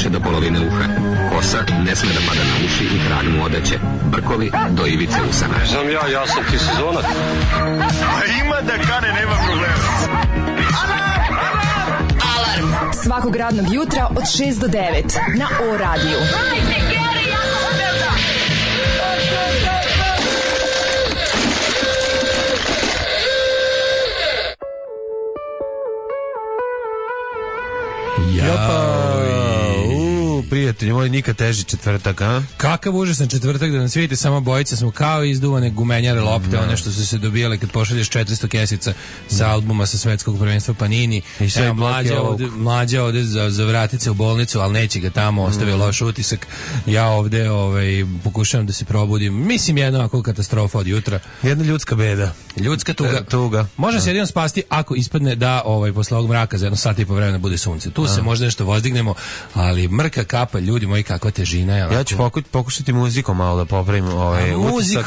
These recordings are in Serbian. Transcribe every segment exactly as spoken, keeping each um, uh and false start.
više do polovine uha. Kosa ne sme da pada na uši i krag mu odeće. Brkovi do ivice usana. Znam ja, ja sam ti sezonac. A ima da kane, nema problema. Alarm! Alarm! Svakog radnog jutra od šest do devet na O radiju. Hajde, Geri, jako se velda! Prijatelji, moj nikad teži četvrtak, a? Kakav užasan četvrtak da nas vidite, samo bojice smo kao izduvane gumenjare lopte, no. One što su se dobijale kad pošalješ četiristo kesica sa albuma sa svetskog prvenstva Panini. I sve Evo, mlađa ovde, mlađa ovde za, za vratit se u bolnicu, ali neće ga tamo, ostavio mm. loš utisak. Ja ovde ovaj, pokušavam da se probudim. Mislim, jedna ovako katastrofa od jutra. Jedna ljudska beda. Ljudska tuga. E, tuga. Može se jedino spasti ako ispadne da ovaj, posle ovog mraka za jedno sat i po vremena bude sunce. Tu a. se možda nešto vozdignemo, ali mrka kapa, ljudi moji, kakva težina. Ja, ja ću pokušati muzikom malo da popravim ovaj utisak.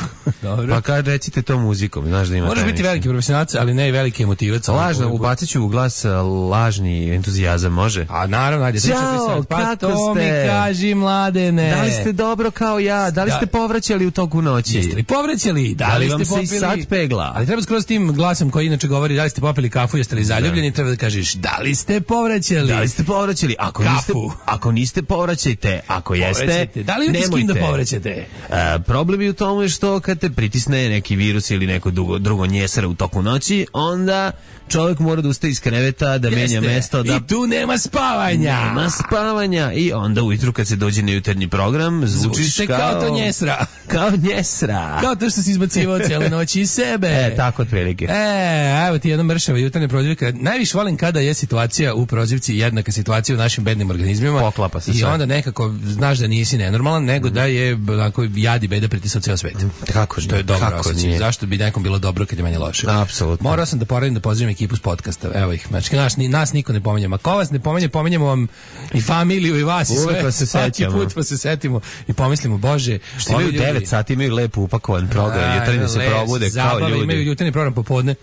Pa kad recite to muzikom, znaš da ima. Možeš biti veliki profesionalac, ali ne i veliki emotivac. Lažno, ubacit ću u glas lažni entuzijazam, može? A naravno, ajde, Ćao, pa kako to ste? mi kaži, mladene. Da li ste dobro kao ja? Da li ste povraćali u toku noći? Jeste li povraćali? Da, da li ste popili? Se i sad pegla? Ali treba skroz tim glasom koji inače govori da li ste popili kafu, jeste li zaljubljeni, treba da kažeš da li ste povraćali? Da li ste povraćali? Ako kafu. niste, ako niste povraćajte. Ako jeste, da li imate s kim da povraćate? A, problem je u tome što kad te pritisne neki virus ili neko drugo, drugo njesara u toku noći, onda čovjek mora da ustaje iz kreveta, da Jeste. menja mesto. Da... I tu nema spavanja. Nema spavanja. I onda ujutru kad se dođe na jutarnji program, zvučiš kao... kao to njesra. Kao njesra. Kao to što si izbacivao cijele noći iz sebe. E, tako otprilike. E, evo ti jedna mršava jutarnja prozivka. Najviše volim kada je situacija u prozivci jednaka situacija u našim bednim organizmima. Poklapa se I sve. onda nekako znaš da nisi nenormalan, nego mm. da je onako jadi beda pritisao ceo svet. Mm. Kako što je dobro osjećaj. Zašto bi nekom bilo dobro kad je meni loše? Apsolutno. Morao sam da poradim da pozdravim ekipu s podcasta. Evo ih. Znači, nas, nas niko ne pominje. Ma ko vas ne pominje, pominjemo vam i familiju i vas i sve. Uvijek se sećamo. Put pa se setimo i pomislimo, Bože, što imaju devet sati, imaju lepo upakovan program, jutarnji se probude kao ljudi. Imaju jutarnji program popodne.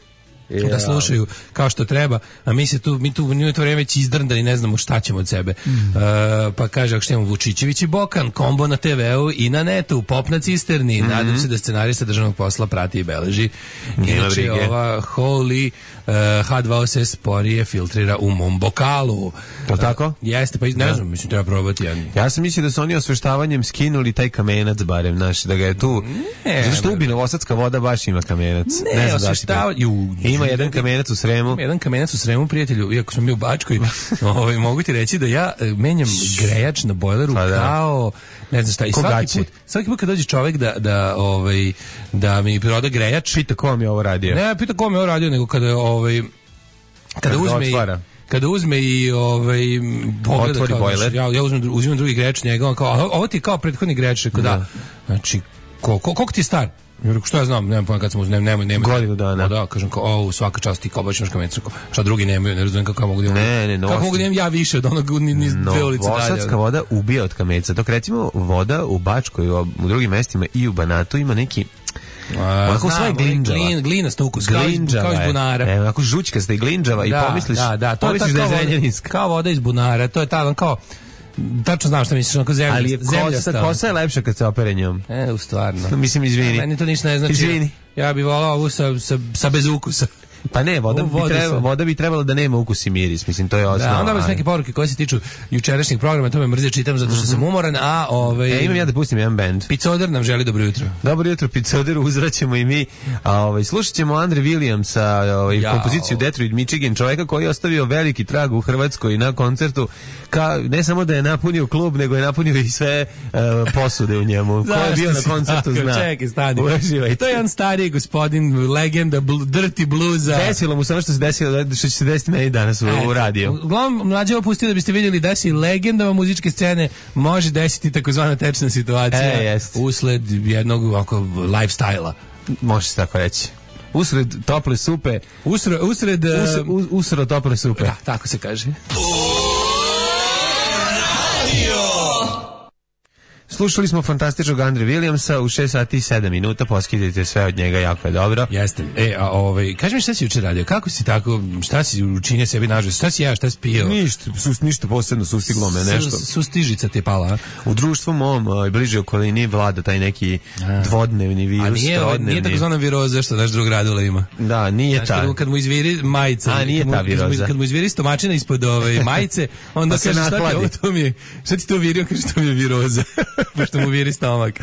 Yeah. Da slušaju kao što treba, a mi se tu, mi tu u to vreme već izdrndani, ne znamo šta ćemo od sebe. Mm. Uh, pa kaže, ako što imamo Vučićević i Bokan, kombo na te veu i na netu, pop na cisterni, mm-hmm. nadam se da scenarista državnog posla prati i beleži. Inače, ova Holy uh, H dva O se sporije filtrira u mom bokalu. To tako? Uh, jeste, pa ne da. znam, mislim, treba probati. Ja, ja sam mislio da su oni osveštavanjem skinuli taj kamenac, barem, znaš, da ga je tu... Ne, zašto ubi novosadska voda baš ima kamenac? Ne, ne osveštavaju... Ima jedan kamenac u Sremu. Ima jedan kamenac u Sremu, prijatelju, iako smo mi u Bačkoj, ovaj, mogu ti reći da ja menjam grejač na bojleru pa da. kao, ne znam šta, i svaki put, svaki put kad dođe čovjek da, da, ovaj, da mi proda grejač... Pita ko mi je ovo radio? Ne, pita ko mi je ovo radio, nego kada, ovaj, kada uzme i... Kada uzme i ovaj pogleda otvori kao, bojler. Znači, ja, ja uzmem, uzimam drugi grejač njega, on kao, ovo ti je kao prethodni grejač, da. da. Znači, ko, ko, koliko ti je star? Što ja znam, nemam pojma kad sam uzmem, nemoj, nemoj. Godinu dana. Da, kažem kao, o, svaka čast ti kao baš imaš kamencu. Šta drugi nemaju, ne razumijem kako mogu da imam. Ne, ne, no. Kako mogu da imam ja više od onog niz no, dve ulice dalje. Novosadska voda ubija od kameca. Dok recimo voda u Bačkoj, u drugim mestima i u Banatu ima neki Onako sva je glinđava. Glin, glinasta ukus, kao iz, kao iz bunara. E, onako žućkasta i glinđava da, i pomisliš, da, da, to pomisliš je da je zrenjaninska. Kao voda iz bunara, to je ta, kao, tačno znam šta misliš, onako zemlja. Ali je kosa, kosa je lepša kad se opere njom. E, u stvarno. Mislim, izvini. Meni to ništa ne znači. Izvini. Ja bih volao ovu sa, sa, sa bez ukusa. Pa ne, voda bi, treba, voda bi trebala da nema ukus i miris, mislim, to je osnova. Da, onda vas neke poruke koje se tiču jučerašnjeg programa, to me mrze čitam zato što sam umoran, a ovaj... E, imam ja da pustim jedan band. Picoder nam želi dobro jutro. Dobro jutro, Picoder, uzvraćamo i mi. A, ovaj, slušat ćemo Andre Williamsa, ovaj, kompoziciju Detroit, Michigan, čovjeka koji je ostavio veliki trag u Hrvatskoj na koncertu, ka, ne samo da je napunio klub, nego je napunio i sve uh, posude u njemu. Ko je bio na koncertu zna. Čekaj, stani. I to je jedan stariji gospodin, legenda bl dirty bluesa. Desilo mu samo što se desilo, što će se desiti meni danas u, u radiju. Uglavnom, mlađe opustio da biste vidjeli da si legendama muzičke scene može desiti takozvana tečna situacija e, usled jednog ovako lifestyle-a. Može se tako reći. Usred tople supe. Usred... usred usred, us, usred tople supe. Da, tako se kaže. Slušali smo fantastičnog Andre Williamsa u šest sati i sedam minuta, poskidajte sve od njega, jako je dobro. Jeste. E, a ovaj, kaži mi šta si juče radio, kako si tako, šta si učinio sebi nažao, šta si ja, šta si pio? Ništa, sus, ništa posebno, sustiglo me nešto. Sustižica ti je pala, a? U društvu mom, uh, bliže okolini vlada taj neki a. dvodnevni virus, a nije, trodnevni. Nije tako zvana viroza što naš drug Radula ima. Da, nije znaš, ta. Kad mu, kad mu izviri majica, a nije kad mu, ta viroza. Kad mu, kad mu izviri stomačina ispod ove majice, onda pa kaže šta ti ovo, to mi je, šta ti to virio, kaže što mi je viroza, pošto mu viri stomak.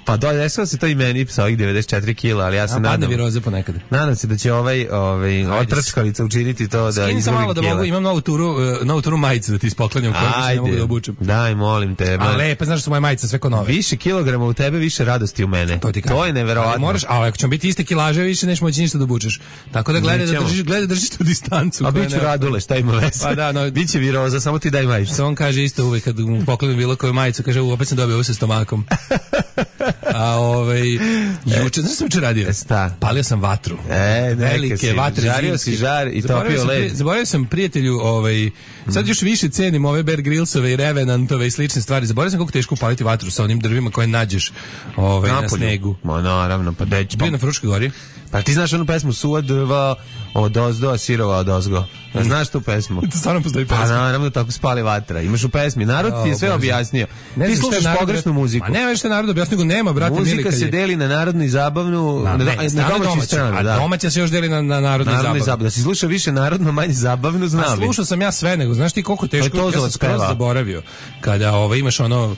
Pa dolje, desilo se to i meni sa ovih devedeset četiri kila, ali ja se a, nadam. Padne viroza ponekad. Nadam se da će ovaj, ovaj otrčkalica učiniti to da izgubi kila. Malo da mogu, imam novu turu, uh, novu turu majice da ti ispoklanjam, koju se ne mogu da obučem. Daj, molim te. A lepe, znaš da su moje majice sve ko nove. Više kilograma u tebe, više radosti u mene. To, to je neverovatno. Moraš, a ako ćemo biti iste kilaže, više neš moći ništa da obučeš. Tako da gledaj da držiš, gledaj držiš tu distancu. A biću Radule, šta ima veze? Pa da, no, biće viroza, samo ti daj majicu. On kaže isto uvek kad mu poklonim bilo koju majicu, kaže u opet sam dobio ovo sa stomakom. A ovaj juče, znaš što sam juče radio? Sta. Palio sam vatru. E, velike si, vatre, žario si žar i topio led. Zaboravio sam prijatelju, ovaj, sad još više cenim ove Bear Grillsove i Revenantove i slične stvari. Zaboravio sam kako teško upaliti vatru sa onim drvima koje nađeš ovaj, na snegu. Ma naravno, pa deć. Bio na Fruškoj gori. Pa ti znaš onu pesmu Suva drva od ozdo, a sirova od ozgo. Ja, znaš tu pesmu? To stvarno postoji pesma. Pa naravno tako spali vatra. Imaš u pesmi. Narod ti je sve objasnio. Ne ti slušaš pogrešnu muziku. Ma ne veš što narod objasnio, nego nema, brate, muzika mili. se deli na narodnu i zabavnu, na, na, ne, na domaću stranu. A da. domaća se još deli na, na narodnu i zabavnu. zabavnu. Da si slušao više narodno, manje zabavnu, znao bi. Slušao sam ja sve, nego znaš ti koliko teško, ja sam skroz zaboravio. Kada ovaj, imaš ono,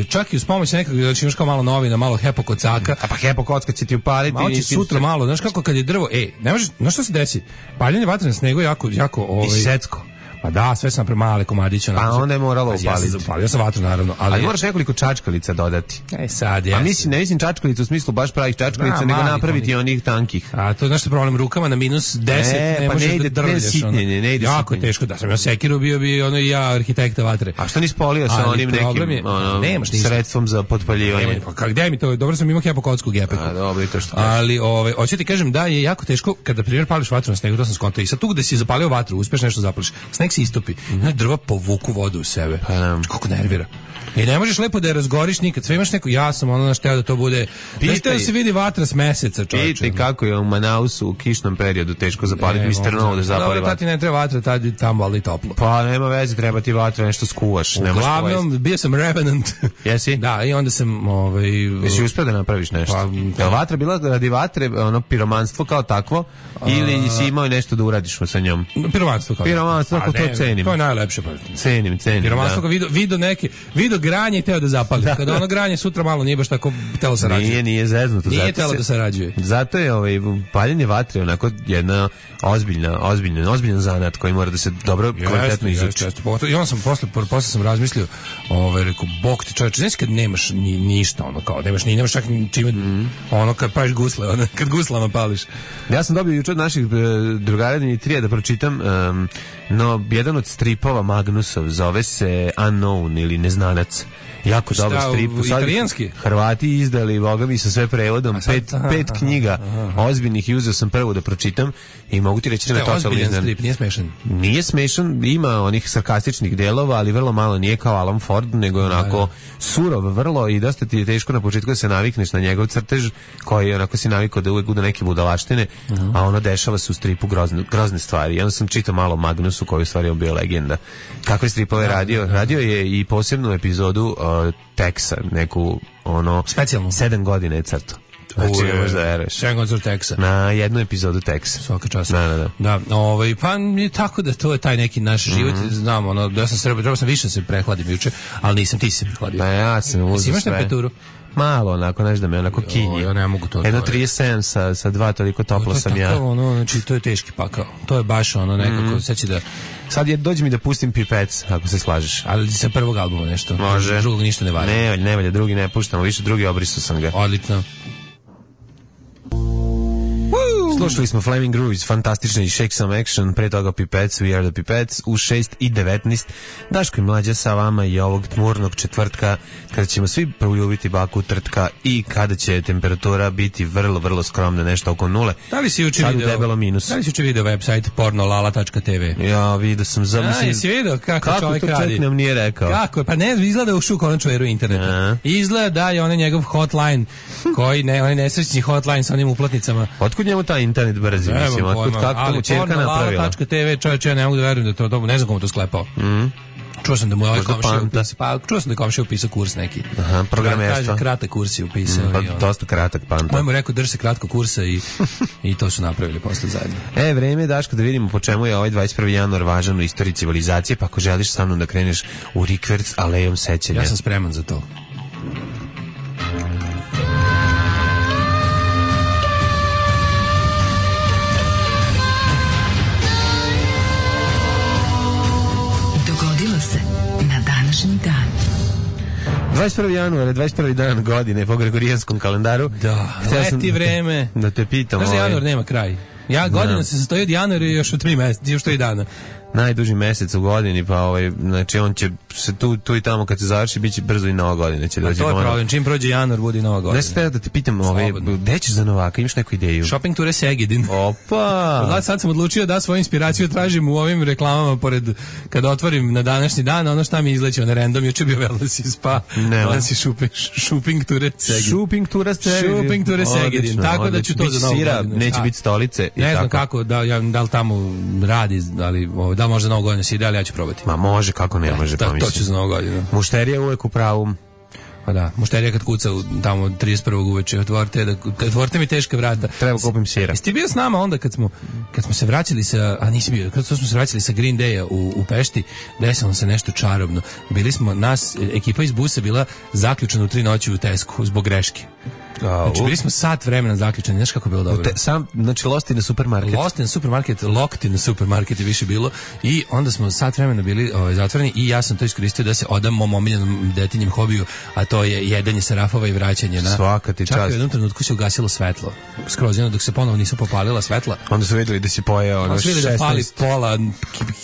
čak i uz pomoć nekog, znači imaš kao malo novina, malo hepo kocaka. A pa hepo kocka će ti upaliti. Malo će sutra malo, znaš kako kad je drvo, ej, ne možeš, znaš što se desi? Paljenje vatre na snegu je jako, jako, ovaj... I secko. Pa da, sve sam premale komadiće. Pa onda je moralo upaliti. Ja sam upalio sam vatru, naravno. Ali, ali moraš nekoliko čačkalica dodati. E sad, ja. A mislim, ne mislim čačkalicu u smislu baš pravih čačkalica, da, nego napraviti onih, onih tankih. A to je nešto problem rukama na minus deset, e, ne pa možeš ne ide, da drvljaš. Ne, ne, ne ide jako sitnjenje. Teško, da sam ja sekiru bio bi ono i ja arhitekta vatre. A što nisi polio sa onim nekim je, ono, nemaš sredstvom za potpaljivanje? Pa kako, gde mi to, dobro sam imao hepo kocku u gepeku. A dobro, i to što ali, ove, hoću ti kažem da je jako teško kada, primjer, pališ vatru na snegu, to sam skontao. I sad tu gde si zapalio vatru, uspeš nešto zapališ, sneg se istopi, mm. drva povuku vodu u sebe. Pa nam. Kako nervira. I ne možeš lepo da je razgoriš nikad. Sve imaš neko, ja sam ono našteo da to bude... Da se vidi vatra s meseca, čovječe. Pitaj kako je u Manausu u kišnom periodu teško zapaliti mister Novo da zapali vatru. Dobro, ti ne treba vatra, tad tamo ali toplo. Pa nema veze, treba ti vatra, nešto skuvaš. Uglavnom, bio sam Revenant. Jesi? Da, i onda sam... Ovaj, jesi uspio da napraviš nešto? Pa, je vatra bila radi vatre, ono, piromanstvo kao takvo, ili si imao nešto da uradiš sa njom? Piromanstvo kao Piromanstvo, kako to cenim. To je najlepše. Cenim, cenim. Piromanstvo, video neke, video granje i teo da zapali. Da. Kada ono granje sutra malo nije baš tako telo sarađuje. Nije, nije zeznuto. Nije telo da sarađuje. Zato je ovaj, paljenje vatre onako jedna ozbiljna, ozbiljna, ozbiljan zanat koji mora da se dobro, kvalitetno izuči. I on sam posle, posle sam razmislio, ovaj, rekao, bok ti čovječe, znaš kad nemaš ni, ništa, ono kao, nemaš, ni, nemaš čak ni čime, mm. ono kad praviš gusle, ono, kad guslama pališ. Ja sam dobio juče od naših drugara Dimitrija da pročitam, um, no, jedan od stripova Magnusov zove se Unknown ili Neznanac. Jako dobar strip. Italijanski? Hrvati izdali, boga mi, sa sve prevodom. Pet, aha, pet knjiga aha, aha. ozbiljnih i uzeo sam prvo da pročitam i mogu ti reći da me totalno iznenadi. Strip, nije smešan? Nije smešan, ima onih sarkastičnih delova, ali vrlo malo, nije kao Alan Ford, nego je onako da, da. surov vrlo i dosta ti je teško na početku da se navikneš na njegov crtež, koji onako si navikao da uvek bude neke budalaštine, uh-huh. a ono dešava se u stripu grozne, grozne stvari. I onda sam čitao malo Magnusu, koji u stvari je bio legenda. Kakve stripove da, radio? Da, da. Radio je i posebnu epizodu Teksa, neku ono specijalno sedam godina je crto. Znači, ne možeš da veruješ. sedam godina Teksa. Na jednu epizodu Teksa. Svaka čast. Da, da, da. Da, ovaj, pa je tako da to je taj neki naš život. Mm-hmm. Znam, ono, da sam srbio, trebao sam više se prehladim juče, ali nisam, ti se prehladio. Pa ja sam uzeo sve. Imaš temperaturu? Malo, onako, znaš da me onako kinji. Ja ne mogu to. Jedno trideset sedam sa, sa dva, toliko toplo sam ja. Tako, ono, znači, to je teški pakao. To je baš ono nekako, mm. sad će da... Sad je, dođi mi da pustim Pipec, ako se slažeš. Ali sa prvog albuma nešto. Može. Drugog ništa ne valja. Ne, ne valja, drugi ne puštamo, više drugi obrisu sam ga. Odlično. Slušali smo Flaming Grooves, fantastični Shake Some Action, pre toga Pipettes, We Are The Pipettes, u šest i devetnaest. Daško i Mlađa sa vama i ovog tmurnog četvrtka, kada ćemo svi proljubiti baku trtka i kada će temperatura biti vrlo, vrlo skromna, nešto oko nule. Da li si juče video, debelo minus. Da li si juče video website pornolala tačka te ve? Ja, vidio sam. Za, mislim, jesi vidio kako, kako čovjek radi? Kako to čovjek nam nije rekao? Kako? Pa ne, izgleda u šu konaču eru interneta. Izgleda da je onaj njegov hotline, koji ne, onaj nesrećni hotline sa onim uplatnicama. Otkud njemu taj internet brzi, ne, mislim, otkud kako to čerka napravila? Ali pornolala tačka te ve, čovječe, ja ne mogu da verujem da to, to ne znam komu to sklepao. Mhm. Čuo sam da mu je ovaj komšija upisao, pa čuo sam da je komšija upisao kurs neki. Aha, programerstva. Kaže, kratak kurs je upisao. Mm, pa i on, dosta kratak panta. Moj mu rekao, drži se kratko kursa i, i to su napravili posle zajedno. E, vreme je, Daško, da vidimo po čemu je ovaj dvadeset prvi januar važan u istoriji civilizacije, pa ako želiš sa mnom da kreneš u rikverc alejom sećanja. Ja sam spreman za to. dvadeset prvi januar, dvadeset prvi dan godine po gregorijanskom kalendaru. Da, leti vreme. Da te pitam. Znaš da januar nema kraj. Ja godina da. se sastoji od januara i još od tri mjeseca, još tri dana. Najduži mjesec u godini, pa ovaj, znači on će se tu, tu i tamo kad se završi, bit će brzo i nova godina. Će doći to je problem, čim prođe januar, bude nova godina. Ne ste da te pitam, ovaj, gde ćeš za Novaka, imaš neku ideju? Shopping Tour Segedin. Opa! Sad sam odlučio da svoju inspiraciju tražim u ovim reklamama, pored, kada otvorim na današnji dan, ono šta mi izleće, na random, juče bio Wellness i Spa, Wellness i Shopping Tour Segedin. Shopping Tour Segedin. Shopping Tour Segedin, tako da ću to za novu godinu. Neće biti stolice. Ne znam kako, da, ja, da li tamo radi, ali da li možda novu godinu se ide, ali ja ću probati. Ma može, kako ne može, pa mislim. To ću za novu godinu. Mušterija uvek u pravu. Pa da, mušterija kad kuca tamo trideset prvog uveče, otvorite, da, otvorite mi teške vrata. Treba kupim sira. Jesi ti bio s nama onda kad smo, kad smo se vraćali sa, a nisi bio, kad smo se vraćali sa Green Day-a u, u Pešti, desilo se nešto čarobno. Bili smo, nas, ekipa iz busa bila zaključena u tri noći u Tesku zbog greške. Znači, bili smo sat vremena zaključeni, znaš kako je bilo dobro. Te, sam, znači, Lost in the Supermarket. Lost in the Supermarket, Locked in the Supermarket je više bilo i onda smo sat vremena bili ovaj, zatvoreni i ja sam to iskoristio da se odam mom omiljenom detinjem hobiju, a to je jedanje sarafova i vraćanje na... Svaka ti čast. Čak u jednom trenutku se ugasilo svetlo. Skroz jedno, dok se ponovo nisu popalila svetla. Onda su vidjeli da si pojeo ono šesnaest. Onda su vidjeli da pali pola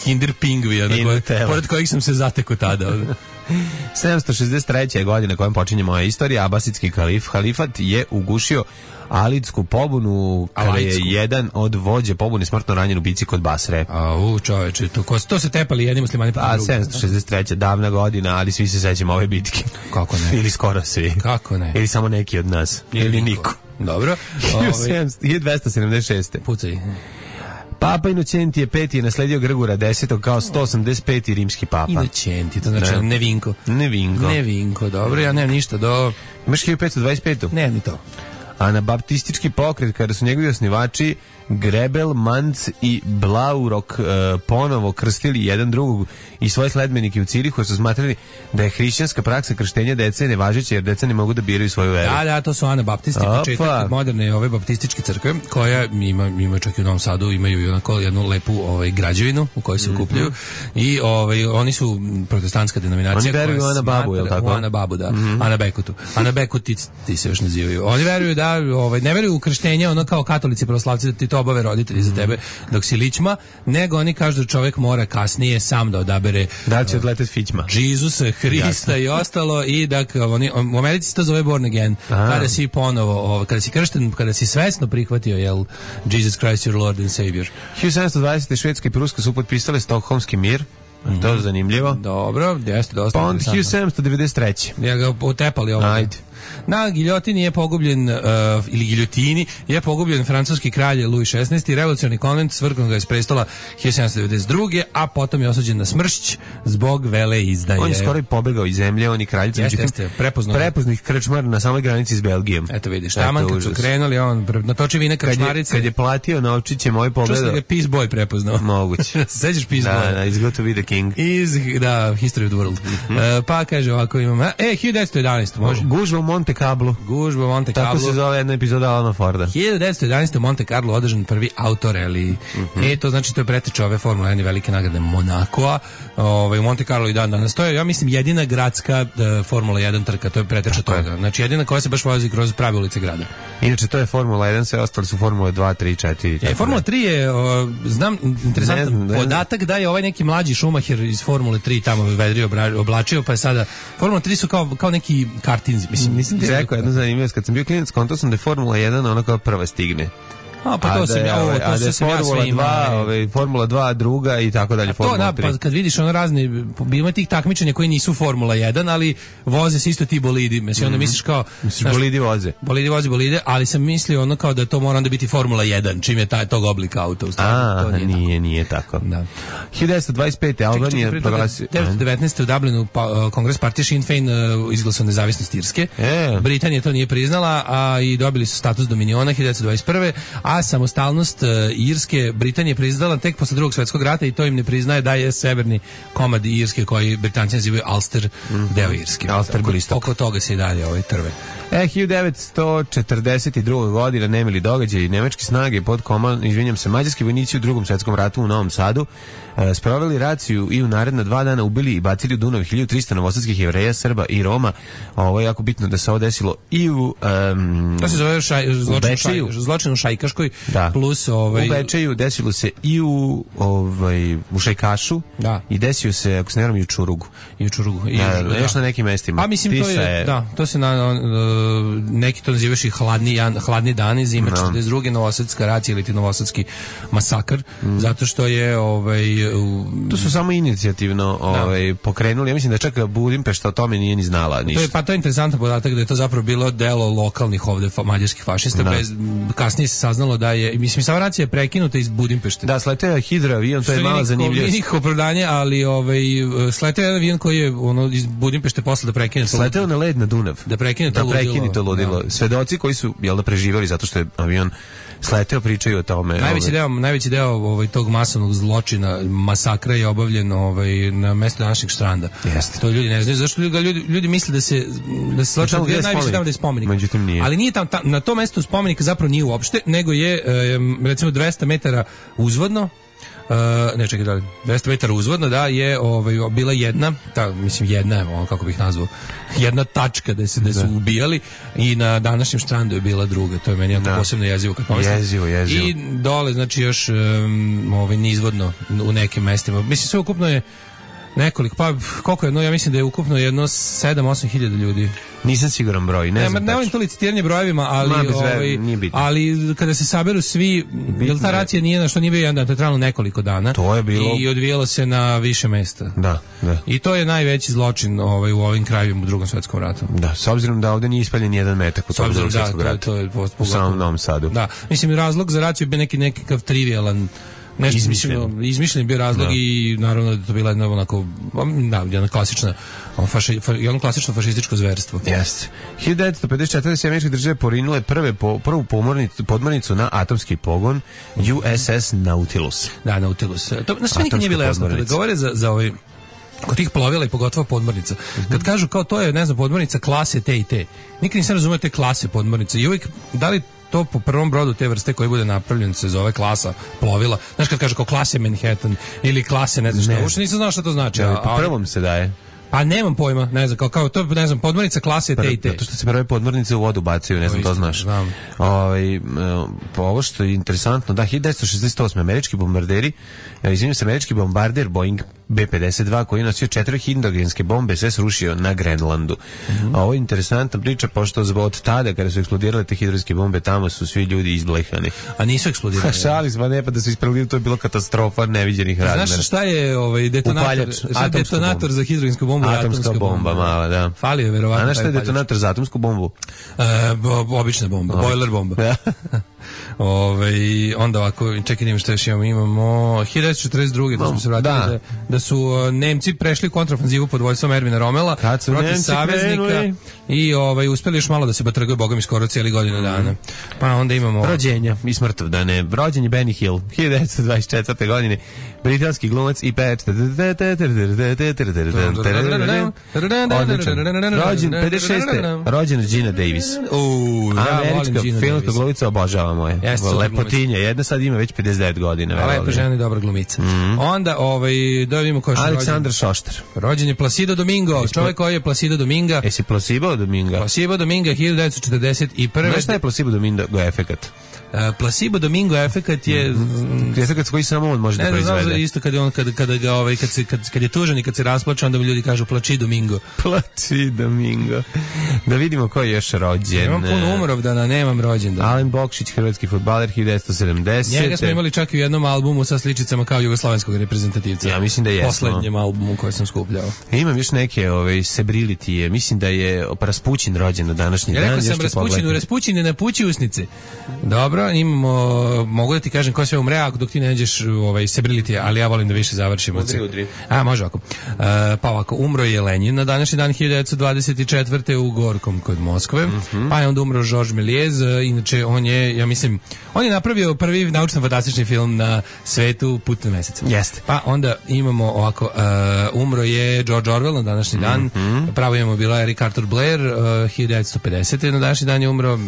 Kinder Pingvija, pored kojih sam se zatekao tada. sedamsto šezdeset treće godine kojom počinje moja istorija, Abasidski kalif, halifat je ugušio Alidsku pobunu kada je jedan od vođe pobune smrtno ranjen u bici kod Basre. A u čoveče, to, to se tepali jedni muslimani pa drugi. A sedamsto šezdeset treća davna godina, ali svi se sećamo ove bitke. Kako ne? Ili skoro svi. Kako ne? Ili samo neki od nas. Ili, ili niko. Dobro. hiljadu dvesta sedamdeset šeste. Pucaj. Papa Inocentije peti je nasledio Grgura desetog kao sto osamdeset peti rimski papa. Inocentije, to znači ne. Nevinko. Nevinko. Nevinko, dobro, ja nemam ništa do... Imaš hiljadu petsto dvadeset pet. Ne, ni to. Anabaptistički pokret, kada su njegovi osnivači Grebel, Manc i Blaurok e, ponovo krstili jedan drugog i svoje sledbenike u Cirihu, su smatrali da je hrišćanska praksa krštenja dece nevažeća jer deca ne mogu da biraju svoju veru. Da, da, to su anabaptisti, početak moderne ove baptističke crkve, koja ima, ima čak i u Novom Sadu, imaju i onako jednu lepu ovaj, građevinu u kojoj se okupljaju mm-hmm. i ovaj, oni su protestantska denominacija. Oni veruju u Anababu, je li tako? U Anababu, da. Mm-hmm. Anabekutu. Anabekuti ti se još nazivaju. Oni veruju da, ovaj, ne veruju u krštenje, ono kao katolici pravoslavci, da ti to obave roditelji za tebe dok si ličma, nego oni kažu da čovjek mora kasnije sam da odabere da li će odleteti fićma Džisusa, Hrista i ostalo i da oni, u Americi se to zove born again. Aha. Kada si ponovo, kada si kršten, kada si svesno prihvatio jel Jesus Christ your Lord and Savior. hiljadu sedamsto dvadesete Švedska i Pruska su potpisale Stokholmski mir. Mm-hmm. To je zanimljivo. Dobro, jeste dosta. Pa on hiljadu sedamsto devedeset treće. Ja ga otepali ovo. Ajde. Na giljotini je pogubljen, uh, ili giljotini, je pogubljen francuski kralj Louis šesnaesti. Revolucionarni konvent svrgnuo ga iz prestola hiljadu sedamsto devedeset druge. a potom je osuđen na smršć zbog vele izdaje. On je skoro i pobegao iz zemlje, on i kraljica. Jeste, jeste, prepoznao. Prepoznih krčmar na samoj granici s Belgijom. Eto vidiš, taman kad su krenuli, on natoči vine krčmarice. Kad je, kad je platio novčiće, moj pogledao. Čuo sam ga Peace Boy prepoznao. Moguće. Sećaš Peace da, Boy? Da, iz Got to be the King. Iz, da, History of the World. Mm-hmm. uh, pa kaže ovako imamo, e, hiljadu devetsto jedanaeste može. Gužva u Monte Carlo. Gužba u Monte Carlo. Tako se zove jedna epizoda Alana Forda. hiljadu devetsto jedanaeste u Monte Carlo održan prvi autoreli. Mm-hmm. E, to znači to je preteča ove Formule jedan velike nagrade Monakoa. Ovaj, u Monte Carlo i dan danas. To je, ja mislim, jedina gradska uh, Formula jedan trka. To je preteča toga. Znači, jedina koja se baš vozi kroz prave ulice grada. Inače, to je Formula jedan, sve ostali su Formula dva, tri, četiri. E, Formula tri je, o, znam, interesantan ne znam, podatak da je ovaj neki mlađi Schumacher iz Formule tri tamo vedrio, oblačio, pa je sada... Formula tri su kao, kao neki kartinzi. Mislim, mislim ti rekao jedno zanimljivost, kad sam bio klinac, kontao sam da je Formula jedan ona kao prva stigne. A pa to sam ja, ovo, to se sam ja sve ima. Ove, Formula dva druga i tako dalje, Formula to, da, pa kad vidiš ono razne, ima tih takmičenja koji nisu Formula jedan, ali voze se isto ti bolidi. Mislim, onda misliš kao... Misliš, bolidi voze. Bolidi voze, bolide, ali sam mislio ono kao da to mora onda biti Formula jedan, čim je taj, tog oblika auta. U A, to nije, nije, nije tako. Da. hiljadu devetsto dvadeset pete. Albanija proglasio... hiljadu devetsto devetnaeste. u Dublinu pa, Kongres partije Sinn Féin uh, izglasao nezavisnost Irske. E. Britanija to nije priznala, a i dobili su status dominiona hiljadu devetsto dvadeset prve. A samostalnost Irske Britanije priznala tek posle drugog svjetskog rata i to im ne priznaje da je severni komad Irske koji Britanci nazivaju Ulster, mm-hmm. deo Irske. Ulster Gristok. Oko toga se i dalje ovaj trve. E, hiljadu devetsto četrdeset druge. godina nemili događaj i nemačke snage pod komandom, izvinjam se, mađarski vojnici u drugom svjetskom ratu u Novom Sadu e, sproveli raciju i u naredna dva dana ubili i bacili u Dunav hiljadu trista novosadskih Jevreja, Srba i Roma. Ovo je jako bitno da se ovo desilo i u um, to se zove šaj, zločin, šaj, zločin u Šajkaškoj, da. Plus ovaj... u Bečeju, desilo se i u, ovaj, u Šajkašu, da. I desio se, ako se ne vjerujem, i u Čurugu. I u Čurugu. I da, da, još na nekim mestima. A mislim, to je, je, da, to se na, na neki to nazivaš i hladni, hladni dani, zima četrdeset druge. Novosadska racija ili ti novosadski masakr, mm. zato što je ovaj, u, to su samo inicijativno ovaj, pokrenuli. Ja mislim da čak Budimpešta o tome nije ni znala ništa. To je, pa to je interesantan podatak da je to zapravo bilo delo lokalnih ovde fa, mađarskih fašista. Bez, kasnije se saznalo da je, mislim, sama racija je prekinuta iz Budimpešte. Da, sleteo je hidroavion, to je mala zanimljivost. Nije nikako opravdanje, ali ovaj, sleteo je avion koji je ono, iz Budimpešte posle da prekine. Sleteo na led na Dunav. Da prekine to da prekine to ludilo. Da. Svedoci koji su, jel da, preživjeli zato što je avion sleteo, pričaju o tome. Najveći deo, najveći deo ovaj, tog masovnog zločina, masakra je obavljen ovaj, na mestu današnjeg Štranda. Jeste. To ljudi ne znaju. Zašto ljudi, ljudi misle da se da se zločin odvija najviše tamo da je spomenik. Međutim nije. Ali nije tam, tam, na tom mestu spomenika zapravo nije uopšte, nego je e, recimo dvesta metara uzvodno. Uh, ne čekaj da li, dvesta metara uzvodno, da, je ovaj, bila jedna, ta, mislim jedna, ono, kako bih nazvao, jedna tačka da se da su ubijali i na današnjem Štrandu je bila druga, to je meni jako posebno jezivo kad pomislim. Jezivo, jezivo. I dole, znači još um, ovaj, nizvodno u nekim mestima. Mislim, sve ukupno je nekoliko, pa koliko je, no ja mislim da je ukupno jedno sedam osam hiljada ljudi. Nisam siguran broj, ne, ne znam. Ne volim to licitiranje brojevima, ali Ma, ovaj, ali kada se saberu svi, jel ta racija nije na što nije bio jedan dan, to je trajalo nekoliko dana. To je bilo i odvijalo se na više mesta. Da, da. I to je najveći zločin ovaj u ovim krajevima u Drugom svjetskom ratu. Da, s obzirom da ovdje nije ispaljen jedan metak u tom Drugom svjetskom ratu. To je u samom Novom Sadu. Da, mislim razlog za raciju je bio neki nekakav trivialan nešto izmišljen. izmišljen bio razlog da. I naravno da to bila jedna onako da, jedna klasična faši, fa, jedno klasično fašističko zverstvo. Jeste. hiljadu devetsto pedeset četvrte. američke države porinule prve po, prvu pomornicu, podmornicu na atomski pogon U S S Nautilus. Da, Nautilus. To na sve nikad nije bilo jasno kada govore za za ovaj kod tih plovila i pogotovo podmornica. Mm-hmm. Kad kažu kao to je, ne znam, podmornica klase te i te. Nikad nisam razumio te klase podmornice. I uvijek da li to po prvom brodu te vrste koji bude napravljen se zove klasa plovila. Znaš kad kaže kao klase Manhattan ili klase ne znam šta. Uopšte nisam znao šta to znači. Ja, po prvom se daje. Pa nemam pojma, ne znam, kao, kao to, ne znam, podmornica klase te i te. Zato što se prve podmornice u vodu bacaju, ne znam, to znaš. Znam. Ovaj, po ovo što je interesantno, da, hiljadu devetsto šezdeset osme. američki bombarderi, izvinjam se, američki bombarder Boeing B pedeset dva koji je nosio četiri hidrogenske bombe se srušio na Grenlandu. Mm-hmm. A ovo je interesantna priča, pošto od tada kada su eksplodirale te hidrogenske bombe, tamo su svi ljudi izblehani. A nisu eksplodirali? Šali smo, ne, pa da su isprelili, to je bilo katastrofa neviđenih razmera. Znaš šta je ovaj detonator, šta je detonator za hidrogensku bombu? Atomska, atomska bomba, bomba, mala, da. Fali je verovatno. A na šta je detonator za atomsku bombu? E, bo, obična bomba, oh. Boiler bomba. Ove, onda ovako, čekaj, nima što još imamo, imamo hiljadu devetsto četrdeset druge da smo se vratili, da. Da, da su uh, Nemci prešli kontraofanzivu pod vojstvom Ervina Romela protiv Nemci saveznika krenuli. I ovaj, uspeli još malo da se batrgaju, boga mi skoro cijeli godinu dana. Pa onda imamo... Rođenja i smrtovdane. Rođen je Benny Hill, hiljadu devetsto dvadeset četvrte godine, britanski glumac i pevač. Rođen pedeset šeste rođena Gina Davis. Uh, američka filmska glumica, obožavamo je. Lepotinja, jedna sad ima već pedeset devet godina. A lepa žena i dobra glumica. Mm-hmm. Onda, ovaj, da vidimo ko je Aleksandar Šoštar. Rođen je Placido Domingo, čovjek koji je Placido Dominga. Jesi Placido Dominga? Placido Dominga, hiljadu devetsto četrdeset prve. Znaš šta je Placido Domingo efekat? Uh, placebo Domingo efekat je mm, efekat koji samo on može da proizvede. Ne, isto kad je on kad kada ga ovaj kad se kad kad je tužan i kad se rasplače, onda mu ljudi kažu plači Domingo. Plači Domingo. Da vidimo ko je još rođen. Imam puno umrovdana, nemam rođendan. Alen Bokšić, hrvatski fudbaler, hiljadu devetsto sedamdesete. Njega smo imali čak i u jednom albumu sa sličicama kao jugoslovenskog reprezentativca. Ja mislim da je poslednjem albumu koji sam skupljao. Imam još neke ove celebrity, mislim da je Raspućin rođen na današnji ja dan. Ja rekao sam Raspućinu, Raspućin je na pući usnice. Dobro, imamo, mogu da ti kažem ko sve umre, ako dok ti ne nađeš ovaj celebrity, ali ja volim da više završimo. Udri, udri. A, može ovako. Uh, pa ovako, umro je Lenin na današnji dan hiljadu devetsto dvadeset četvrte u Gorkom kod Moskve. Mm-hmm. Pa je onda umro Georges Méliès, inače on je, ja mislim, on je napravio prvi naučno-fantastični film na svetu, Put na mesec. Jeste. Pa onda imamo ovako, uh, umro je George Orwell na današnji dan, mm-hmm. pravo imamo bila Eric Arthur Blair, uh, hiljadu devetsto pedesete na današnji dan je umro,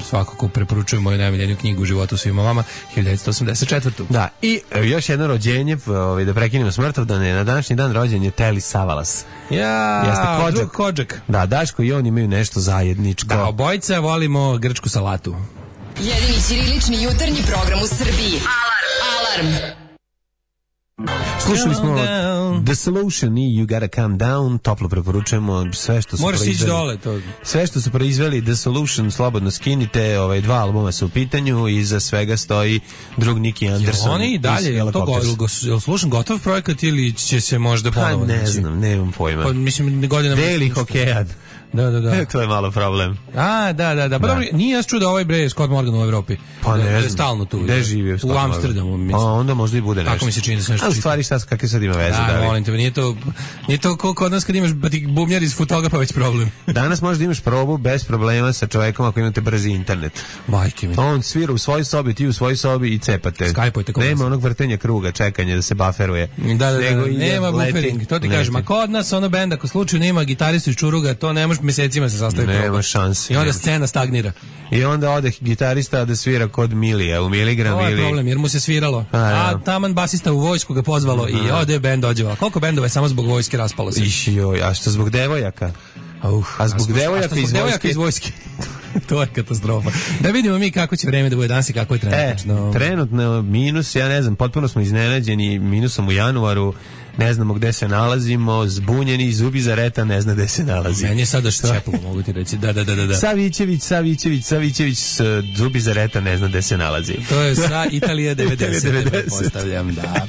svakako preporučujem moju najmiljeniju knjigu u životu svima vama, hiljadu devetsto osamdeset četvrte. Da, i još jedno rođenje, ovaj, da prekinemo smrtovdane, na današnji dan rođen je Telly Savalas. Ja, Jeste drug Kodžak. Da, Daško i on imaju nešto zajedničko. Da, obojica volimo grčku salatu. Jedini ćirilični jutarnji program u Srbiji. Alarm! Alarm! Slušali smo The Solution i You Gotta Calm Down, toplo preporučujemo sve što su Moraš proizveli. Dole, to. Sve što su proizveli The Solution, slobodno skinite, ovaj, dva albuma su u pitanju i iza svega stoji drug Nicky Anderson. Jel oni i dalje, je to go, jel slušam gotov projekat ili će se možda ponovo? Pa ne znam, nemam pojma. Pa, mislim, godinama... Deli hokejad. Da, da, da. To je malo problem. A, da, da, da. Pa dobro, nije ja čuo da ovaj bre Scott Morgan u Evropi. Pa ne, da, znam. Da je stalno tu. Gde živi Scott U Amsterdamu, mislim. A onda možda i bude nešto. Kako mi se čini da se nešto... A u stvari šta, kakve sad ima veze? Da, da molim te, nije to, nije to koliko od nas kad imaš bubnjar iz Futoga pa već problem. Danas možda imaš probu bez problema sa čovjekom ako imate brzi internet. Majke mi. On svira u svojoj sobi, ti u svojoj sobi i cepate. Skype-ojte. Nema onog vrtenja kruga, čekanja da se bufferuje. Da, da, da, nema buffering. To ti kažem, a kod nas ono bend, ako slučaju nema gitaristu iz Čuruga, to ne može mesecima se sastaviti. Nema šanse. I onda scena stagnira. I onda ode gitarista da svira kod Milija, u miligram ili... To je problem, jer mu se sviralo. A, a taman basista u vojsku ga pozvalo i ode bend dođeva. Koliko bendova je samo zbog vojske raspalo se? Iš, joj, a što zbog devojaka? Uh, a zbog a devojaka, iz, devojaka iz vojske? To je katastrofa. Da vidimo mi kako će vreme da bude danas i kako je trenutno. E, trenutno minus, ja ne znam, potpuno smo iznenađeni minusom u januaru. Ne znamo gde se nalazimo, zbunjeni, zubi za reta, ne zna gde se nalazi. Meni je sada ščepilo, mogu ti reći. Da, da, da, da. Savićević, Savićević, Savićević, zubi za reta, ne zna gde se nalazi. To je sa Italija devedeset, postavljam, da.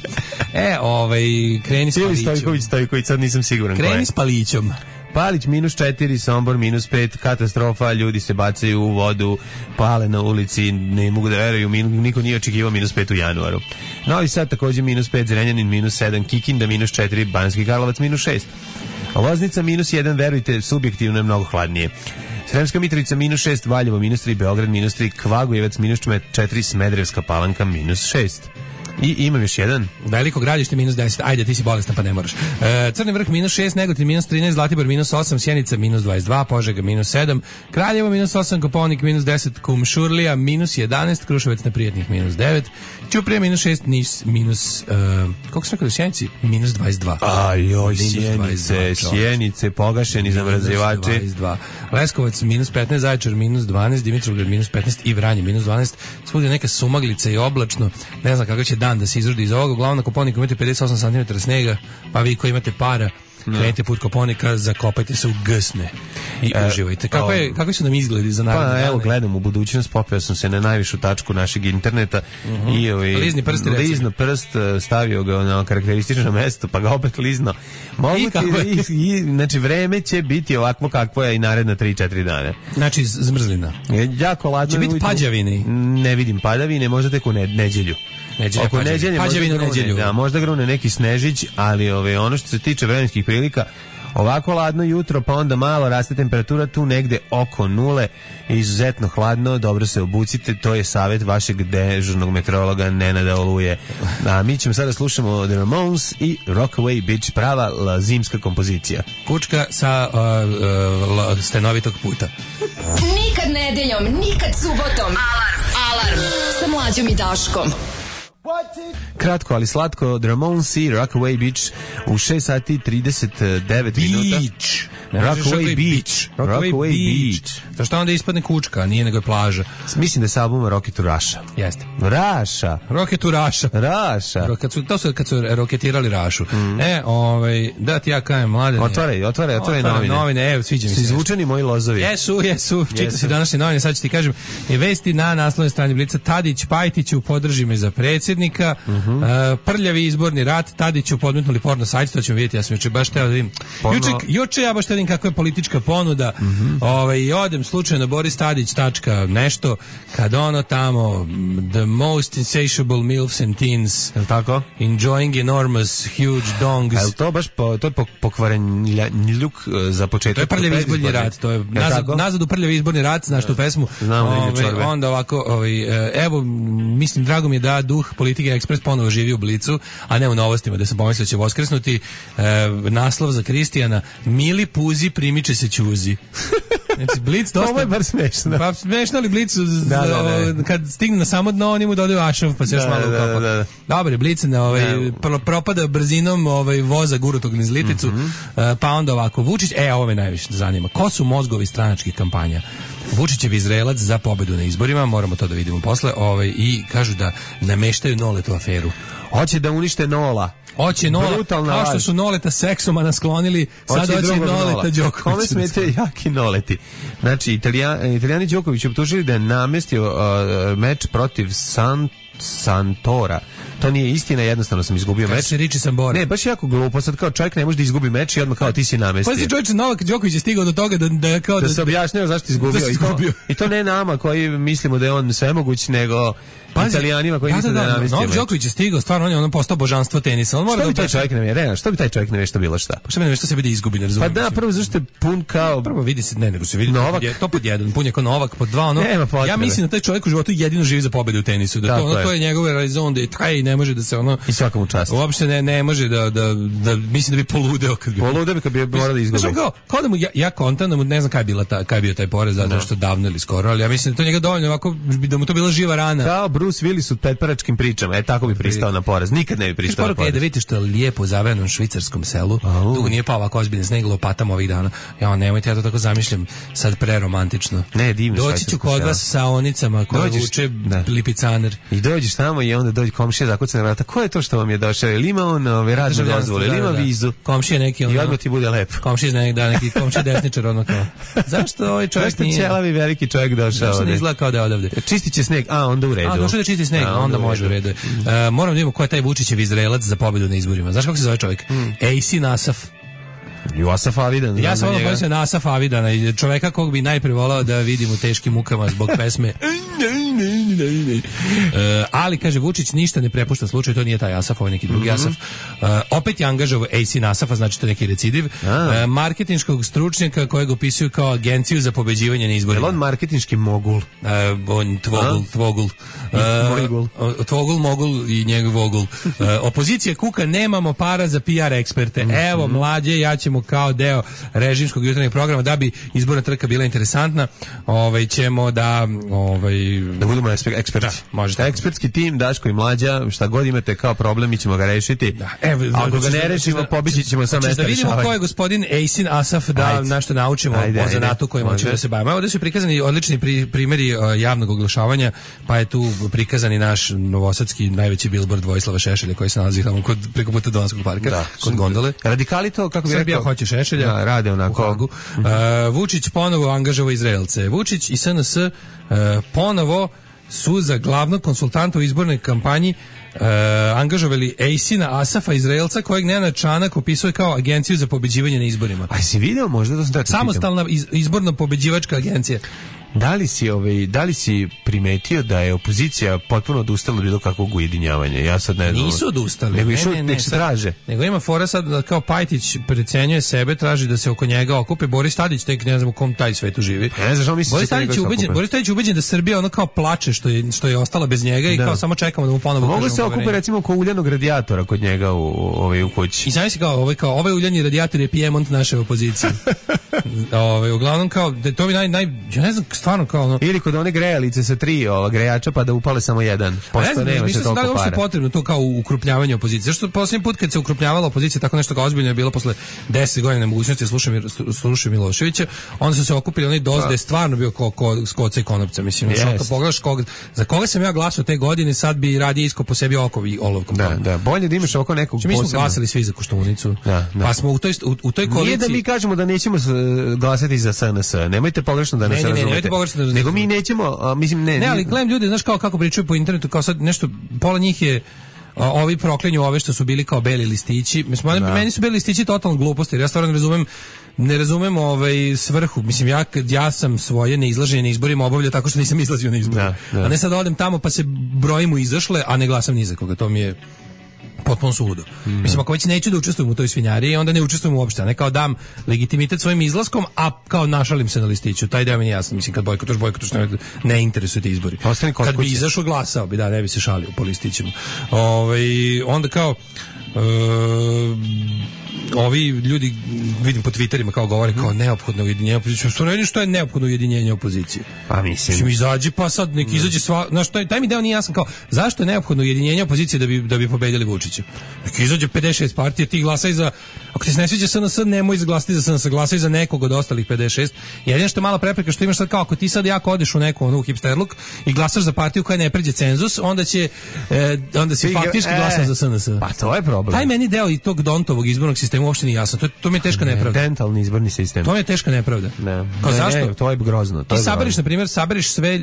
E, ovaj, kreni s Palićom. Ili Stojković, Stojković, sad nisam siguran. Kreni s Palićom. Palić minus četiri, Sombor minus pet, katastrofa, ljudi se bacaju u vodu, pale na ulici, ne mogu da veruju, niko nije očekivao minus pet u januaru. Novi Sad također minus pet, Zrenjanin minus sedam, Kikinda minus četiri, Banski Karlovac minus šest. Loznica minus jedan, verujte, subjektivno je mnogo hladnije. Sremska Mitrovica minus šest, Valjevo minus tri, Beograd minus tri, Kvagojevac minus četiri, Smederevska Palanka minus šest. I imam još jedan. Veliko Gradište minus deset. Ajde, ti si bolestan pa ne moraš. E, Crni Vrh minus šest, Negotin minus trinaest, Zlatibor minus osam, Sjenica minus dvadeset dva, Požega minus sedam, Kraljevo minus osam, Koponik minus deset, Kumšurlija minus jedanaest, Kruševac na Prijetnih minus devet, Ćuprija minus šest, Niš minus uh, koliko sam rekao do Sjenici? minus dvadeset dva. Ajoj, Sjenice, Sjenice, pogašeni zamrzivači. Leskovac minus petnaest, Zaječar minus dvanaest, Dimitrovgrad minus petnaest i Vranje minus dvanaest. Svugdje neka sumaglica i oblačno. Ne znam kako će dan da se izrodi iz ovoga. Uglavnom na Koponiku imate pedeset osam centimetara snega, pa vi koji imate para krenite put Koponika, zakopajte se u gsne i e, uživajte. Kako, je, kako su nam izgledi za naredne Pa dane? evo, gledam u budućnost, popeo sam se na najvišu tačku našeg interneta uh-huh. i ovaj, lizni prst, lizno prst, stavio ga na karakteristično mesto, pa ga opet lizno. Mogu I kako ti, i, znači, vreme će biti ovakvo kakvo je i naredna tri četiri dana. Znači, zmrzlina. Jako ladno. Će biti pađavini? Ne vidim padavine, možda tek u ne, neđelju. Neđelja, Oko neđelje pađavinu možda grune, da, možda grune neki snežić, ali ove, ono što se tiče vremenskih prilika, ovako ladno jutro, pa onda malo raste temperatura tu negde oko nule, izuzetno hladno, dobro se obucite, to je savjet vašeg dežurnog meteorologa Nenada Oluje. A mi ćemo sada slušamo The Ramones i Rockaway Beach, prava la, zimska kompozicija. Kučka sa uh, uh, stenovitog puta. Nikad nedeljom, nikad subotom. Alarm, alarm, sa Mlađom i Daškom. Kratko, ali slatko, The Ramones i Rockaway Beach u šest sati trideset devet minuta. Beach. Rockaway Beach. Rockaway Beach. To što onda ispadne kučka, a nije nego je plaža. Mislim da je s albuma Rocket to Russia. Jeste. Raša. Rocket to Russia. Raša. Kad su, to su kad su roketirali Rašu. Mm. E, ovaj, da ti ja kajem, mlade. Otvaraj, otvaraj, otvaraj novine. novine, evo, sviđa mi se. Su izvučeni moji lozovi. Jesu, jesu. Čita se današnje novine, sad ću ti kažem. Je vesti na naslovnoj strani Blica. Tadić Pajtiću podrži me za predsjednika. Uh-huh. Uh, prljavi izborni rat, Tadiću podmetnuli porno sajt, to ćemo vidjeti, ja sam juče baš teo da vidim. Porno... Juče, juče ja baš teo da vidim kako je politička ponuda. Uh-huh. Ovaj, i odem slučajno Boris Tadić tačka nešto, kad ono tamo the most insatiable milfs and teens, je li tako? Enjoying enormous huge dongs. A je li to baš po, to je pokvaren ljuk za početak? To je prljavi izborni rat, to je, je nazad, nazad u prljavi izborni rat, znaš tu pesmu. Znam, ovaj, onda ovako, ovaj, evo, mislim, drago mi je da duh politike Ekspres ponovo živi u Blicu, a ne u Novostima, da sam pomislio da će voskresnuti. E, naslov za Kristijana: Mili Puzi primiče se ćuzi. Znači, Blic dosta... Ovo je bar smešno. Pa smešno, ali Blic, da, da, da. kad stigne na samo dno, oni mu dodaju ašov, pa se još da, malo da, ukapa. da, da. Dobre, Blic na ovaj, propada brzinom ovaj, voza gurutog niz liticu, mm-hmm. pa onda ovako, Vučić, e, ovo me najviše zanima. Ko su mozgovi stranačkih kampanja? Vučićev Izraelac za pobedu na izborima, moramo to da vidimo posle, ovaj, i kažu da nameštaju Noletu aferu. Hoće da unište Nola. Hoće Nola, brutalna kao što laž. su Noleta seksomana sklonili, sad hoće Noleta Đoković. Kome smete jaki Noleti? Znači, Italijan, Italijani Đoković optužili da je namestio uh, meč protiv San, Santora. To nije istina, jednostavno sam izgubio Kad meč. se riči Sambora. Ne, baš jako glupo, sad kao čovjek ne može da izgubi meč i odmah kao ti si namestio. Pa si čovječe, Novak Đoković je stigao do toga da, da, kao da, da se objašnjava zašto izgubio. Da I, to, I to ne nama koji mislimo da je on svemoguć, nego Pazi, Italijanima koji misle da, da, da je namestio meč. Novak Đoković je stigao, stvarno on je on postao božanstvo tenisa. On mora što da bi taj čovjek ne vjeruje? Što bi taj čovjek ne vješto bilo šta? Pa što bi ne vješto sebe da izgubi, ne razumijem. Pa da, prvo zašto je pun kao... Prvo vidi se, ne, nego se vidi Novak. Je, to pod jedan, pun je kao Novak, pod dva, ono... Ja mislim da taj čovjek u životu jedino živi za pobedu u tenisu. Da to, ono, to je njegove raison, da je taj ne može da se ono... I svakom čast. Uopšte ne, ne može da, da, da, mislim da bi poludeo kad bi... Poludeo bi kad bi morao da izgubi. Znači, kao, kao da mu, ja, ja kontam da mu, ne znam kaj je, bila ta, kaj je bio taj porez, zato što davno ili skoro, ali ja mislim da to njega dovoljno, ovako, da mu to bila živa rana. Kao Bruce Willis u petparačkim pričama, e, tako bi pristao na porez. Nikad ne bi pristao na porez. Je da vidite što je lijepo u zaverenom švicarskom selu, tu nije pa ovako ozbiljno sneg lopatama ovih dana. Ja, nemojte, ja to tako zamišljam, sad preromantično. Ne, divno. Doći ću kod vas sa onicama koje vuče lipicaner. I dođeš tamo i onda dođe komšija zakuca na vrata. Ko je to što vam je došao? Ili ima on ove radne dozvole, ili ima vizu? Komšija neki ono. I odmah ti bude lepo. Komšija zna da neki komšija desničar ono kao. Zašto ovaj čovjek nije? Zašto ćelavi veliki čovjek došao? Zašto ne izgleda kao da je odavde? Čistiće sneg, a onda u redu. A došao da čisti sneg, a onda može u redu. Moram da vidimo ko je taj Vučićev Izraelac za pobedu na izborima. Znaš kako se zove čovjek? Ejsi Nasaf. I Asaf Avidan. Ja sam ono pomislio na Asaf Avidana, čoveka kog bi najprije volao da vidim u teškim mukama zbog pesme. Uh, ali, kaže, Vučić ništa ne prepušta slučaj, to nije taj Asaf, ovo je neki drugi Asaf. Uh, opet je angažao A C Nasafa, znači to je neki recidiv. Uh, marketinškog stručnjaka kojeg opisuju kao agenciju za pobeđivanje na izborima. Je on marketinški mogul? Uh, on tvogul, tvogul. Uh, tvogul, mogul i njegov vogul. Uh, opozicija kuka, nemamo para za P R eksperte. Evo, mlađe, ja ćemo kao deo režimskog jutarnjeg programa da bi izborna trka bila interesantna, ovaj ćemo da ovaj da budemo eksperti. Da, možete. Ekspertski tim, Daško i Mlađa, šta god imate kao problem, mi ćemo ga rešiti. Da, evo, ako ga ne rešimo, da, pobići ćemo sa mesta rešavanja. Da vidimo ko je gospodin Ejsin Asaf, da nešto naučimo ajde, o zanatu kojim hoćemo da se bavimo. Ovdje su prikazani odlični pri, primjeri uh, javnog oglašavanja, pa je tu prikazani naš novosadski najveći billboard Vojislava Šešelja koji se nalazi tamo kod preko puta Donskog parka, da, kod gondole. Radikali to, kako bi rekao? Srbija hoće Šešelja. Da, rade onako. Uh, Vučić ponovo angažovao Izraelce. Vučić i S N S uh, ponovo su za glavnog konsultanta u izbornoj kampanji uh, angažovali Ejsina Asafa, Izraelca, kojeg Nenad Čanak opisuje kao agenciju za pobeđivanje na izborima. A si video možda da sam tako samostalna iz, izborno pobeđivačka agencija. Da li si ovaj da li si primetio da je opozicija potpuno odustala od bilo kakvog ujedinjavanja? Ja sad ne znam. Nisu odustali. Nego ne, ne, ne, se traže. Nego ima fora sad da kao Pajtić precenjuje sebe, traži da se oko njega okupe. Boris Tadić tek ne znam u kom taj svetu živi. Ja ne znam što misliš. Boris Tadić je ubeđen, Boris Tadić je ubeđen da Srbija ono kao plače što je što je ostala bez njega i da. Kao samo čekamo da mu ponovo kažemo. Mogu se okupe recimo oko uljanog radijatora kod njega u ovaj u kući. I znači se kao ovaj kao ovaj uljani radijator je Piemont naše opozicije. Ovaj uglavnom kao da to mi naj naj ja ne znam stvarno kao ono ili kod one grejalice sa tri ova grejača pa da upale samo jedan. Pošto ne nema se toliko para. Da li je potrebno to kao ukrupnjavanje opozicije? Zašto poslednji put kad se ukrupnjavala opozicija tako nešto kao ozbiljno je bilo posle deset godina nemogućnosti slušati Miloševića, onda su se okupili onaj doz da je stvarno bio ko ko skoca i konopca, mislim. Yes. Što pogledaš koga, za koga sam ja glasao te godine, sad bi radije isko po sebi oko i olovkom. Da, da, bolje da imaš oko nekog posebno. Mi smo glasali svi za Koštunicu. Da, da. Pa smo u toj u, u toj koaliciji. Nije da mi kažemo da nećemo glasati za S N S. Nemojte pogrešno da nas ne, razumete. Ne, nego mi nećemo, a, mislim ne. Ne, ali gledam ljudi, znaš kao kako pričaju po internetu, kao sad nešto pola njih je a, ovi proklinju ove što su bili kao beli listići. Mislim, da. Meni su beli listići totalno gluposti, jer ja stvarno ne razumem ne razumem ovaj svrhu. Mislim, ja, ja sam svoje neizlaženje na izborima obavljao tako što nisam izlazio na izbore. Da, da. A ne sad odem tamo pa se brojimo izašle, a ne glasam ni za koga. To mi je potpuno suludo. Mm. Mislim, ako već neću da učestvujem u toj svinjariji, onda ne učestvujem uopšte. A ne kao dam legitimitet svojim izlaskom, a kao našalim se na listiću. Taj deo mi je jasno. Mislim, kad bojkotuš, bojkotuš, ne, ne interesuje te izbori. Kad bi izašao, glasao bi, da, ne bi se šalio po listićima. Ove, onda kao... Uh, ovi ljudi vidim po Twitterima kao govore kao neophodno ujedinjenje opozicije. Što ne vidim što je neophodno ujedinjenje opozicije. Pa mislim. Mislim izađe pa sad nek izađe sva, znaš taj taj mi deo nije jasan kao zašto je neophodno ujedinjenje opozicije da bi da bi pobedili Vučića. Nek izađe pedeset šest partija, ti glasaj za ako ti se ne sviđa S N S, nemoj izglasati za S N S, glasaj za nekog od ostalih pedeset šest. Jedino što je mala prepreka što imaš sad kao ako ti sad jako odeš u neku onu hipsterluk i glasaš za partiju koja ne pređe cenzus, onda će e, onda si faktički e, glasao za S N S. Pa to je problem. Taj meni deo i tog Dontovog izbornog sistema uopšte nije jasan. To, to mi je teška nepravda. Dentalni izborni sistem. To mi je teška nepravda. Ne. Kao ne, zašto? Ne, to je grozno. To ti je saberiš, na primjer, saberiš sve,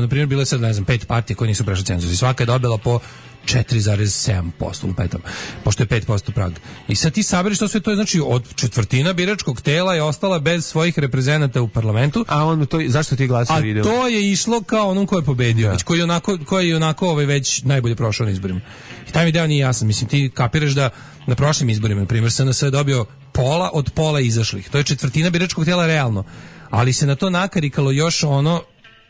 na primjer, bile sad, ne znam, pet partija koje nisu prešle cenzus i svaka je dobila po četiri zarez sedam posto lupetom, pošto je pet posto prag. I sad ti saberiš to sve, to je znači od četvrtina biračkog tela je ostala bez svojih reprezenata u parlamentu. A on to zašto ti glasao video? A to je išlo kao onom ko je pobedio, već koji je onako koji je onako ovaj već najbolje prošao na izborima. I taj mi deo nije jasan. Mislim, ti kapiraš da na prošlim izborima, na primjer, S N S je dobio pola od pola izašlih. To je četvrtina biračkog tela realno. Ali se na to nakarikalo još ono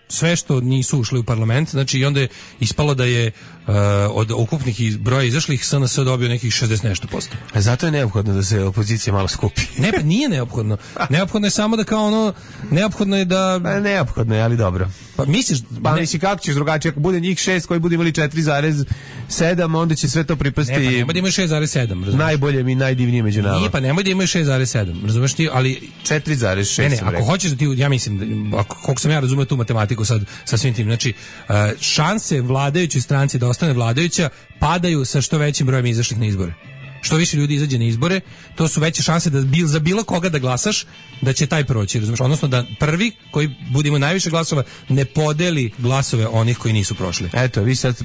sve što nisu ušli u parlament, znači i onda je ispalo da je uh, od ukupnih broja izašlih S N S dobio nekih šezdeset nešto posto. A zato je neophodno da se opozicija malo skupi. Ne, pa nije neophodno. Neophodno je samo da kao ono, neophodno je da... Pa neophodno je, ali dobro. Pa misliš... Pa ne... misli kako ćeš drugačije, ako bude njih šest koji budu imali četiri zarez sedam, onda će sve to pripasti... Ne, pa nemoj da imaju šest zarez sedam, razumiješ? Najbolje i najdivnije među nama. Nije, pa nemoj da imaju šest zarez sedam, razumiješ ti, ali... četiri zarez šest. Ne, ne, ako hoćeš da ti, ja mislim, da, ako, koliko sam ja razumio tu matematiku sad sa svim tim, znači, uh, šanse vladajućoj stranci da ostane vladajuća padaju sa što većim brojem izašlih na izbore. Što više ljudi izađe na izbore, to su veće šanse da bil, za bilo koga da glasaš, da će taj proći, razumiješ? Odnosno da prvi koji bude imao najviše glasova ne podeli glasove onih koji nisu prošli. Eto, vi sad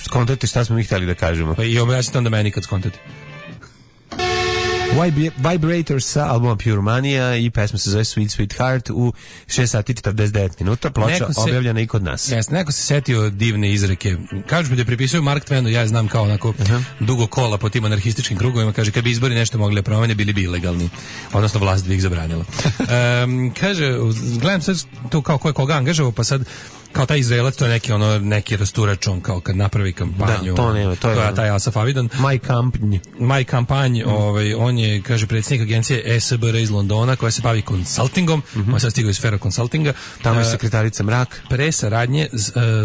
skontate šta smo mi htjeli da kažemo. Pa i objasnite onda meni kad skontate. Vibrators sa albuma Pure Mania i pesma se zove Sweet Sweet Heart u šest sati četrdeset devet minuta, ploča se, objavljena i kod nas. Jes, neko se setio divne izreke. Kažu mi da pripisuju Mark Twenu, ja znam kao onako uh-huh. dugo kola po tim anarhističkim krugovima, kaže kad bi izbori nešto mogli da promene, bili bi ilegalni. Odnosno vlast bi ih zabranila. um, kaže, gledam sad to kao ko je koga angažovao, pa sad kao taj Izraelac, to je neki ono neki rasturač, on kao kad napravi kampanju. Da, to nema, to je to je taj Asaf Avidan. My Company. My Campaign, mm. ovaj, on je, kaže, predsjednik agencije E S B R iz Londona koja se bavi konsultingom, mm-hmm. on sad stigao iz sfera konsultinga. Tamo je sekretarica Mrak. Pre saradnje uh,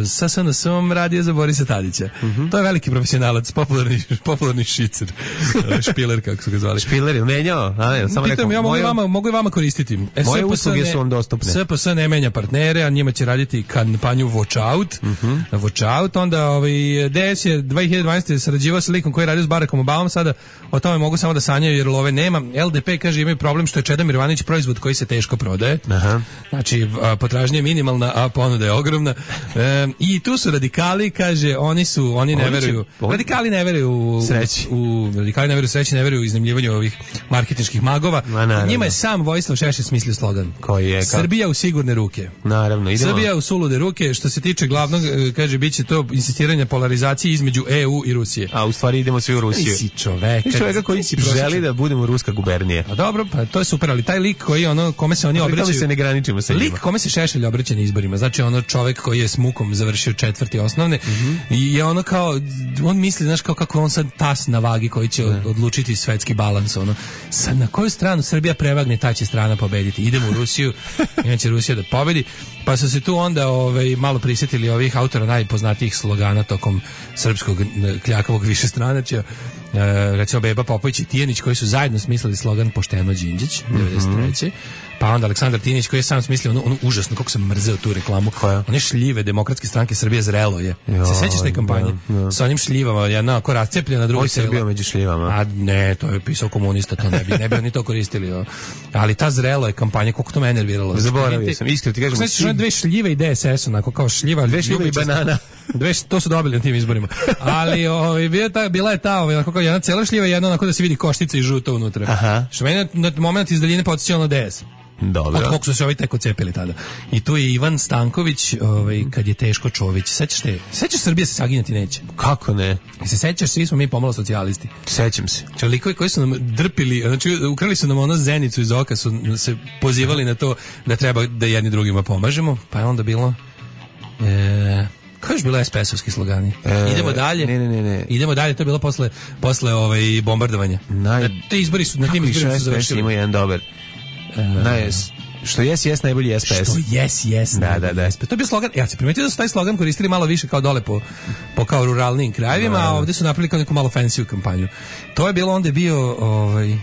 sa S N S-om radio za Borisa Tadića. Mm-hmm. To je veliki profesionalac, popularni, popularni šicer. Špiler, kako su ga zvali. Špiler je menjao? A ne, samo Pitam, rekao, ja mogu, moje, vama, mogu i vama koristiti. E, moje usluge su vam dostupne. S P S ne menja partnere, a njima će raditi kampanju Watch Out. Mm-hmm. Watch Out, onda ovaj, D S je dve hiljade dvanaeste. sarađivao sa likom koji je radio s Barackom Obamom, sada o tome mogu samo da sanjaju jer love nema. L D P kaže imaju problem što je Čedomir Ivanović proizvod koji se teško prodaje. Aha. Znači potražnja je minimalna, a ponuda je ogromna. E, I tu su radikali, kaže, oni su, oni ne veruju. Radikali ne veruju u sreći. U, radikali ne veruju u sreći, ne veruju u iznajmljivanju ovih marketinških magova. Ma, njima je sam Vojislav Šešelj smislio slogan. Koji je? Ka... Srbija u sigurne ruke. Naravno, idemo. Srbija u sulude ruke. Što se tiče glavnog, kaže, biće to insistiranje polarizacije između E U i Rusije. A u stvari idemo svi u Rusiju. Ti si čovek. Ti čoveka koji želi da budemo ruska gubernija. A dobro, pa to je super, ali taj lik koji ono kome se oni obraćaju, se ne graničimo sa njima. Lik kome se Šešelj obraća na izborima, znači ono čovek koji je s mukom završio četvrti osnovne mm-hmm. i je ono kao on misli, znaš, kao kako on sad tas na vagi koji će od, odlučiti svetski balans, ono. Sad na koju stranu Srbija prevagne, ta će strana pobediti. Idemo u Rusiju, inače Rusija da pobedi. Pa su se tu onda ovaj, malo prisjetili ovih autora najpoznatijih slogana tokom srpskog kljakavog višestranačja. E, recimo Beba Popović i Tijanić koji su zajedno smislili slogan Pošteno Đinđić devedeset treće. Pa onda Aleksandar Tinić koji je sam smislio ono, ono užasno, kako sam mrzeo tu reklamu. Koja? One šljive Demokratske stranke Srbije zrelo je. Jo, se sećaš te kampanje? Ja, ja. Sa onim šljivama, jedna ako rascepljena, druga sela. Ovo je bio među šljivama. A ne, to je pisao komunista, to ne bi, ne bi oni to koristili. Jo. Ali ta zrelo je kampanja, koliko to me nerviralo. Zaboravio sam, iskreno ti kažem. Znači, dve šljive i D S S, onako kao šljiva. Dve šljive i banana. Dve, to su dobili na tim izborima. Ali ovaj, bila, ta, bila je ta, ovaj, onako kao jedna cela šljiva i jedna onako da se vidi koštica i žuta unutra. Aha. Što meni na moment iz daljine podsjećao na D S. Dobro. Od koliko su se ovi tek ocepili tada. I tu je Ivan Stanković, ovaj, kad je teško Čović. Sećaš te? Sećaš Srbije se saginjati neće? Kako ne? I se sećaš, svi smo mi pomalo socijalisti. Sećam se. Znači, likovi koji su nam drpili, znači, ukrali su nam ono zenicu iz oka, su se pozivali na to da treba da jedni drugima pomažemo, pa je onda bilo... E, kako je bilo S P S-ovski slogani? E, Idemo dalje. Ne, ne, ne. Idemo dalje, to je bilo posle, posle ovaj, bombardovanja. Naj... Na, te izbori su, na tim izborima su završili. Ima jedan dobar. Naj, što jes, jes, najbolji S P S. Što jes, jes, da, da, da. S P S. To je bio slogan, ja se primetio da su taj slogan koristili malo više kao dole po, po kao ruralnim krajevima, a ovdje su napravili kao neku malo fancy kampanju. To je bilo onda bio, ovaj,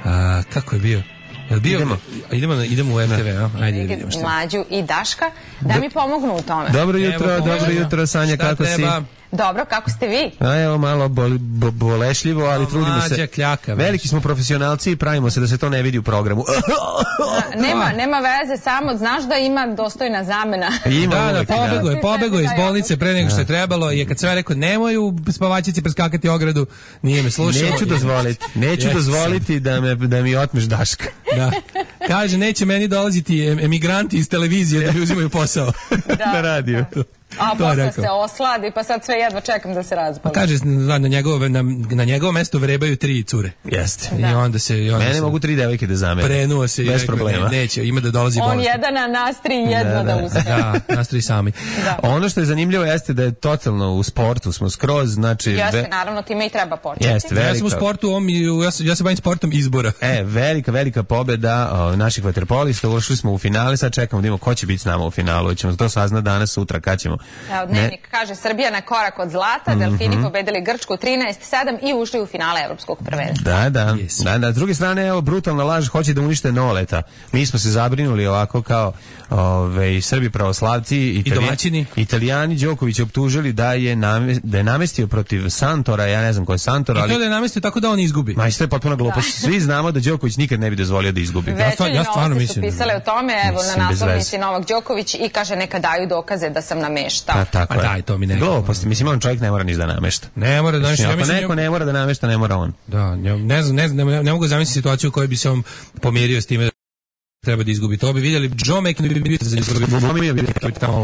a, kako je bio? Jel bio, idemo, idemo, idemo u R T V, a? Ajde da vidimo šta. Mlađu i Daška da mi pomognu u tome. Dobro jutro, evo, dobro jutro, Sanja, šta kako treba? Si? Dobro, kako ste vi? A evo malo boli, bo, bolešljivo, ali no, trudimo se. Kljaka, veliki smo profesionalci i pravimo se da se to ne vidi u programu. A, nema, nema veze, samo znaš da ima dostojna zamena. Ima, da, da, pobego je, pobego je iz bolnice pre nego što je trebalo i kad sve rekao nemoj u spavačici preskakati ogradu, nije me slušao. Neću dozvoliti, neću dozvoliti da, me, da mi otmeš Daška. Da. Kaže, neće meni dolaziti emigranti iz televizije da mi uzimaju posao. Da, na radiju. Da. A posle se osladi, pa sad sve jedva čekam da se razbala. Kaže, na, na, njegovo, na, na njegovo mesto vrebaju tri cure. Jeste. I onda se... I onda Mene se mogu tri devojke da zamere. Prenuo se i bez rekao, problema. Ne, neće, ima da dolazi bolest. On jedan, a nas tri jedva da, da, da uspe. Da, nas tri sami. Da. Ono što je zanimljivo jeste da je totalno u sportu smo skroz, znači... Jeste, ve... naravno, time i treba početi. Jeste, velika... Ja sam u sportu, on, ja, ja se bavim sportom izbora. E, velika, velika pobeda o, naših vaterpolista, ušli smo u finale, sad čekamo da imamo ko će biti s nama u finalu, ćemo to saznati danas, sutra, kad ćemo. Evo, dnevnik ne... kaže Srbija na korak od zlata, Delfini mm-hmm. pobedili Grčku trinaest sedam i ušli u finale evropskog prvenstva. Da, da, yes. da, da. S druge strane, evo, brutalna laž, hoće da unište Noleta. Mi smo se zabrinuli ovako kao ove, Srbi pravoslavci i domaćini. Italijani Đoković optužili da je, name, da je namestio protiv Santora, ja ne znam ko je Santor, ali... I to da je namestio tako da on izgubi. Ma, isto je potpuno glupost. Svi znamo da Đoković nikad ne bi dozvolio da izgubi. Večernji ja stvarno mislim. Su pisale o tome, evo, mislim, na naslovnici Novak Đoković i kaže neka daju dokaze da sam nameštao. A, tako A daj, to mi ne. Glupost, mislim, on čovjek ne mora ništa da namešta. Ne mora da namešta. Ako ja neko ne mora da namešta, ne mora on. Da, ne znam, ne znam, ne, ne mogu zamisliti situaciju u kojoj bi se on pomirio s time treba da izgubi. To bi vidjeli. Joe McEnroe bi bio za izgubi.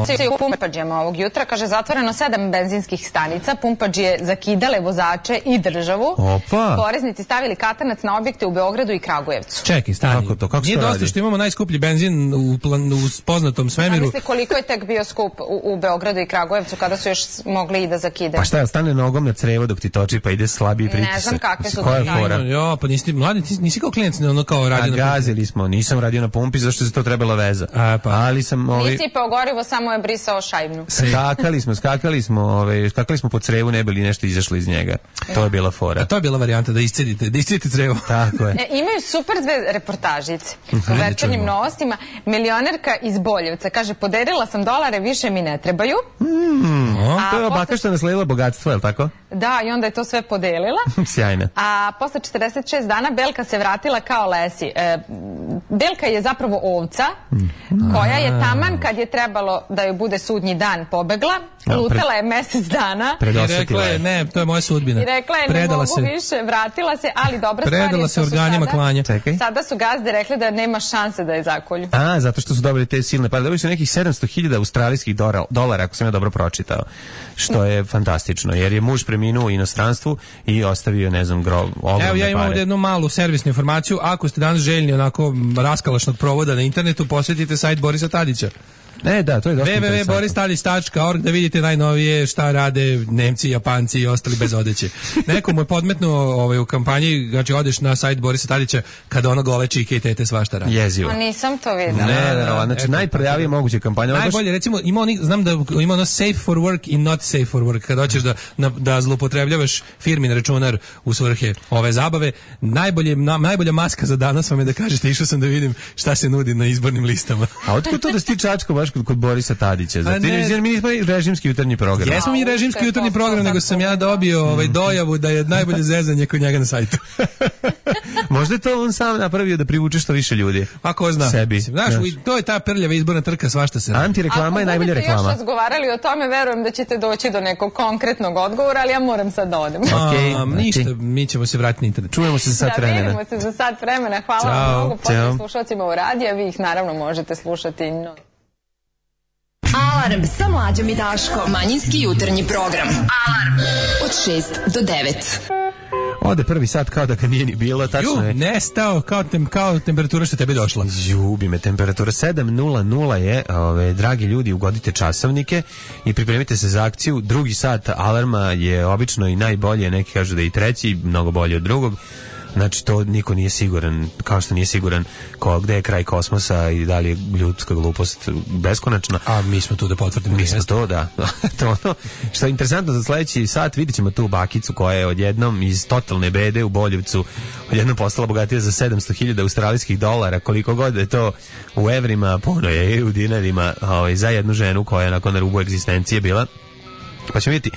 Svi u pumpađima ovog jutra, kaže, zatvoreno sedam benzinskih stanica, pumpađije zakidale vozače i državu. Opa. Poreznici stavili katanac na objekte u Beogradu i Kragujevcu. Čekaj, stani. Kako to? Kako Nije se dosta radi? što imamo najskuplji benzin u, plan, u poznatom svemiru. Zamislite koliko je tek bio skup u, u Beogradu i Kragujevcu kada su još mogli i da zakidaju. Pa šta je, stane nogom na crevo dok ti toči pa ide slabiji pritisak. Ne znam kakve su Koja je to fora? Jo, pa nisi mladi, nisi, nisi kao klijent, ono kao A radio na gazili smo, nisam radio na pumpi zašto se to trebala veza. A, pa. Ali sam ovaj Nisi sipao gorivo, samo je brisao šajbnu. skakali smo, skakali smo, ovaj skakali smo po crevu, ne bili nešto izašlo iz njega. To je bila fora. A to je bila varijanta da iscedite, da iscedite crevo. Tako je. E, imaju super dve reportažice u večernjim novostima. Milionerka iz Boljevca kaže, podelila sam dolare, više mi ne trebaju. Mm. A To je posle- baka što je nasledila bogatstvo, je li tako? Da, i onda je to sve podelila. Sjajna. A posle četrdeset šest dana Belka se vratila kao Lesi. E, Belka je zapravo ovca koja je taman kad je trebalo da joj bude sudnji dan pobegla. Ja, Lutala je mesec dana. I Predosetila rekla je, je. ne, to je moja sudbina. I rekla je, ne Predala mogu se. više, vratila se, ali dobra stvar je Predala što se su organima sada, klanja. Čekaj. sada su gazde rekli da nema šanse da je zakolju. A, zato što su dobili te silne pare. Dobili su nekih sedamsto hiljada australijskih dora- dolara, ako sam ja dobro pročitao. Što je fantastično, jer je muž preminuo u inostranstvu i ostavio, ne znam, gro, ogromne Evo, ja imam pare. ovdje jednu malu servisnu informaciju. Ako ste danas željni onako raskalašnog provoda na internetu, posjetite sajt Borisa Tadića. Ne, da, to je dosta w w w tačka interesantno. boris tadić tačka org da vidite najnovije šta rade Nemci, Japanci i ostali bez odeće. Neko mu je podmetnuo ovaj, u kampanji, znači odeš na sajt Borisa Tadića kada ono gole čike i tete svašta radi. Jezivo. A nisam to videla. Ne, Da, ne, da, ne, znači eto, najprljavije moguće kampanje. Ovo je baš- Najbolje, recimo, ima onih, znam da ima ono safe for work i not safe for work, kada hoćeš da, na, da zloupotrebljavaš firmin računar u svrhe ove zabave. Najbolje, na, najbolja maska za danas vam je da kažete, išao sam da vidim šta se nudi na izbornim listama. A otkud to da si ti čačko baš kod, kod Borisa Tadića? Zato A ne. jer mi nismo režimski jutarnji program. Jesmo mi režimski jutarnji program, nego sam ja dobio ovaj dojavu da je najbolje zezanje kod njega na sajtu. Možda je to on sam napravio da privuče što više ljudi. A ko zna? Sebi. Mislim, znaš, Znaš. to je ta prljava izborna trka, svašta se radi. Antireklama je najbolja Ako budete reklama. još razgovarali o tome, verujem da ćete doći do nekog konkretnog odgovora, ali ja moram sad da odem. Okej, A, znači- ništa, mi ćemo se vratiti na internet. Čujemo se za sat Da, vremena. vidimo se za sat vremena. Hvala Ćao. vam mnogo. Ćao. Pozdrav slušalcima u radiju, vi ih naravno možete slušati. No. Alarm sa mlađom i Daškom. Manjinski jutarnji program. Alarm od šest do devet. Ode prvi sat kao da ga nije ni bilo, tačno Ju, je. nestao kao, tem, kao temperatura što tebi došla. Ljubi me, temperatura sedam nula nula je, ove, dragi ljudi, ugodite časovnike i pripremite se za akciju. Drugi sat alarma je obično i najbolje, neki kažu da je i treći, mnogo bolje od drugog. Znači, to niko nije siguran, kao što nije siguran ko, gde je kraj kosmosa i da li je ljudska glupost beskonačna. A mi smo tu da potvrdimo. Mi smo jeste. to, da. To je ono što je interesantno za sledeći sat, vidit ćemo tu bakicu koja je odjednom iz totalne bede u Boljevcu odjednom postala bogatija za sedamsto hiljada australijskih dolara, koliko god je to u evrima, puno je i u dinarima, ovaj, za jednu ženu koja je nakon na rubu egzistencije bila. Pa ćemo vidjeti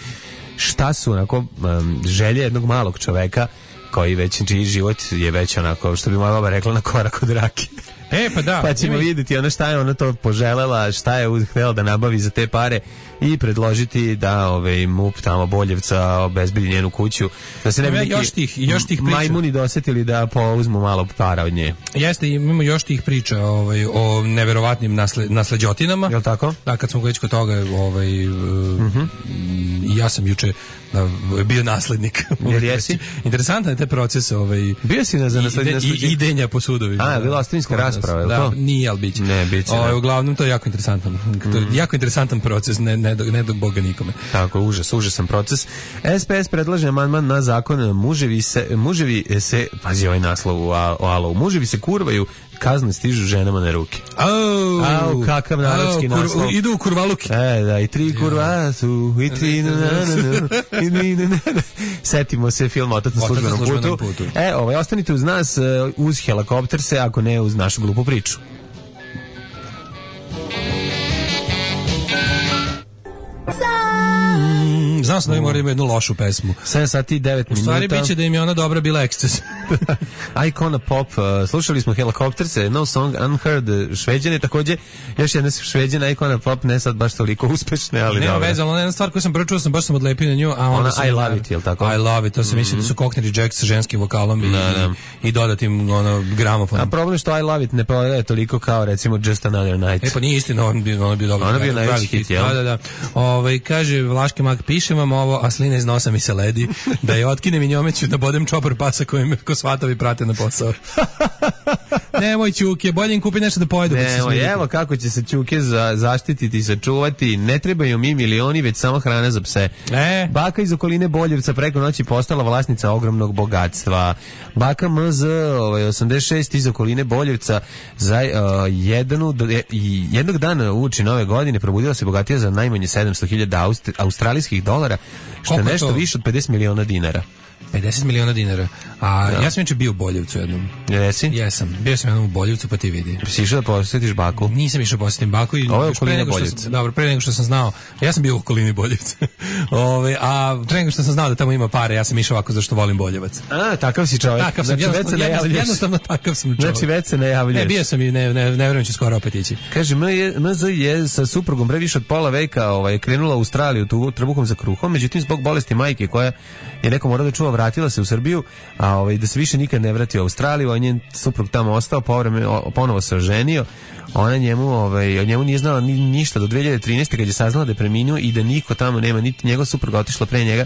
šta su onako um, želje jednog malog čoveka koji već, čiji život je već onako, što bi moja baba rekla, na korak od rake. E, pa da. Pa ćemo ima i- vidjeti ono šta je ona to poželela, šta je uz- htjela da nabavi za te pare i predložiti da ovaj M U P tamo Boljevca obezbedi njenu kuću, da se ne bi Ima neki još tih- još tih priča. majmuni dosetili da pouzmu malo para od nje. Jeste, imamo još tih priča ovaj, o neverovatnim nasle, nasleđotinama. Jel tako? Da, kad smo već kod toga, ovaj, uh, i ja sam juče uh, bio naslednik. Jer jesi? Interesantan je taj proces ovaj, Bio si na za ide, nasleđenje? i, idenja po sudovima. A, bila ostavinska Kod nas. rasprava, je li da, to? Nije, ali biće. Ne, biće, Ovaj, da. uglavnom, to je jako interesantan. To je jako interesantan proces, ne, ne, do, ne do Boga nikome. Tako, užas, užasan proces. S P S predlaže amandman na zakon muževi se, muževi se, pazi ovaj naslov u a- o Alovu, muževi se kurvaju, kazne stižu ženama na ruke. Au, Au, kakav narodski au, kur- naslov. Idu u kurvaluke. E, da, i tri kurva su, i tri na, na, na, na, i ni, na, na, na. Setimo se film Otac na Otac na službenom službenom putu. putu. E, ovaj, ostanite uz nas, e, uz helikopter se, ako ne uz našu glupu priču. Znam Znao sam da im mora imati jednu lošu pesmu. sedam sati i devet minuta. U stvari biće da im je ona dobra bila eksces. Icona Pop, uh, slušali smo Helikopterce, No Song Unheard, Šveđane, takođe još jedna Šveđana Icona Pop, ne sad baš toliko uspešne, ali nema dobro. veze, ali ona jedna stvar koju sam prvo čuo, sam baš sam odlepio na nju, a onda ona sam I Love It, jel tako? I Love It, to se misli da su Cockney Rejects sa ženskim vokalom i, da, da. i dodatim ono, gramofonom. A problem je što I Love It ne prodaje toliko kao recimo Just Another Night. E pa nije istina, on bi, on bi dobro. Ona bio najveći hit, jel? Da, da, da. Ovaj kaže Vlaški mag, pišem vam ovo, a slina iz nosa mi se ledi, da je otkinem i njome ću da bodem čopor pasa koji me ko svatovi prate na posao. Nemoj Ćuke, bolje im kupi nešto da pojedu. Nemoj, evo kako će se Ćuke za, zaštititi i sačuvati. Ne trebaju mi milioni, već samo hrana za pse. E. Baka iz okoline Boljevca preko noći postala vlasnica ogromnog bogatstva. Baka M Z ovaj, osamdeset šest iz okoline Boljevca za uh, jednu, i jednog dana uoči nove godine probudila se bogatija za najmanje sedamsto hiljada aust, australijskih dolara, što je nešto više od pedeset miliona dinara. pedeset miliona dinara. A da. Ja sam inače bio u Boljevcu jednom. Jesi? Jesam. Bio sam jednom u Boljevcu, pa ti vidi. Si išao da posjetiš baku? Nisam išao posjetim baku. I ovo je okolina Boljevca. Dobro, pre nego što sam znao. Ja sam bio u okolini Boljevca. Ove, a pre nego što sam znao da tamo ima pare, ja sam išao ovako zašto volim Boljevac. A, takav si čovjek. Takav sam, znači, jednostavno, jednostavno, jednostavno takav sam čovjek. Znači, već se najavljuješ. Ne, bio sam i ne, ne, ne vjerujem ću skoro opet ići. Kaže, M Z je sa suprugom pre više od pola veka ovaj, krenula u Australiju tu, trbuhom za kruhom, međutim, zbog bolesti majke koja je neko morao da čuva, vratila se u Srbiju, a ovaj, da se više nikad ne vrati u Australiju, a njen suprug tamo ostao, povreme, ponovo se oženio, ona njemu, ovaj, od njemu nije znala ni, ništa do dve hiljade trinaeste kad je saznala da je preminuo i da niko tamo nema, niti njegov suprug otišla pre njega,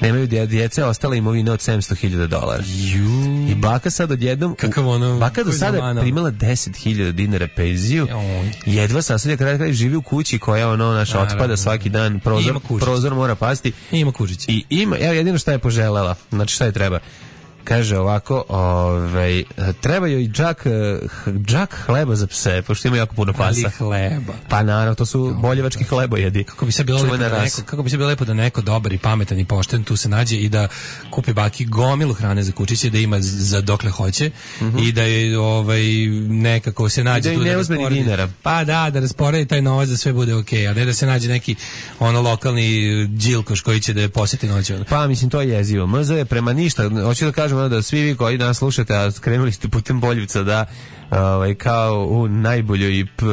nemaju djece, ostala imovina od sedamsto hiljada dolara. Ju. I baka sad odjednom, kakav ono, baka do sada primala deset hiljada dinara penziju, jedva sasadja kada kada živi u kući koja ono naša otpada svaki dan, prozor, prozor mora pasti. I ima kužić. I ima, evo jedino šta je poželela, znači šta je treba. Kaže ovako, ovaj, treba joj džak, džak hleba za pse, pošto ima jako puno pasa. Ali hleba. Pa naravno, to su boljevački hlebojedi. Kako bi se bilo lepo da neko, kako bi se bilo lepo da neko dobar i pametan i pošten tu se nađe i da kupi baki gomilu hrane za kučiće, da ima za dokle hoće mm-hmm. i da je ovaj nekako se nađe da tu da rasporedi dinara. Pa da, da rasporedi taj novac da sve bude okej, okay, a ne da se nađe neki ono lokalni đilkoš koji će da je posjeti noću. Pa mislim to je jezivo. M Z je prema ništa, hoću da kažem da svi vi koji nas slušate, a skrenuli ste putem Boljevca da ovaj kao u najboljoj p,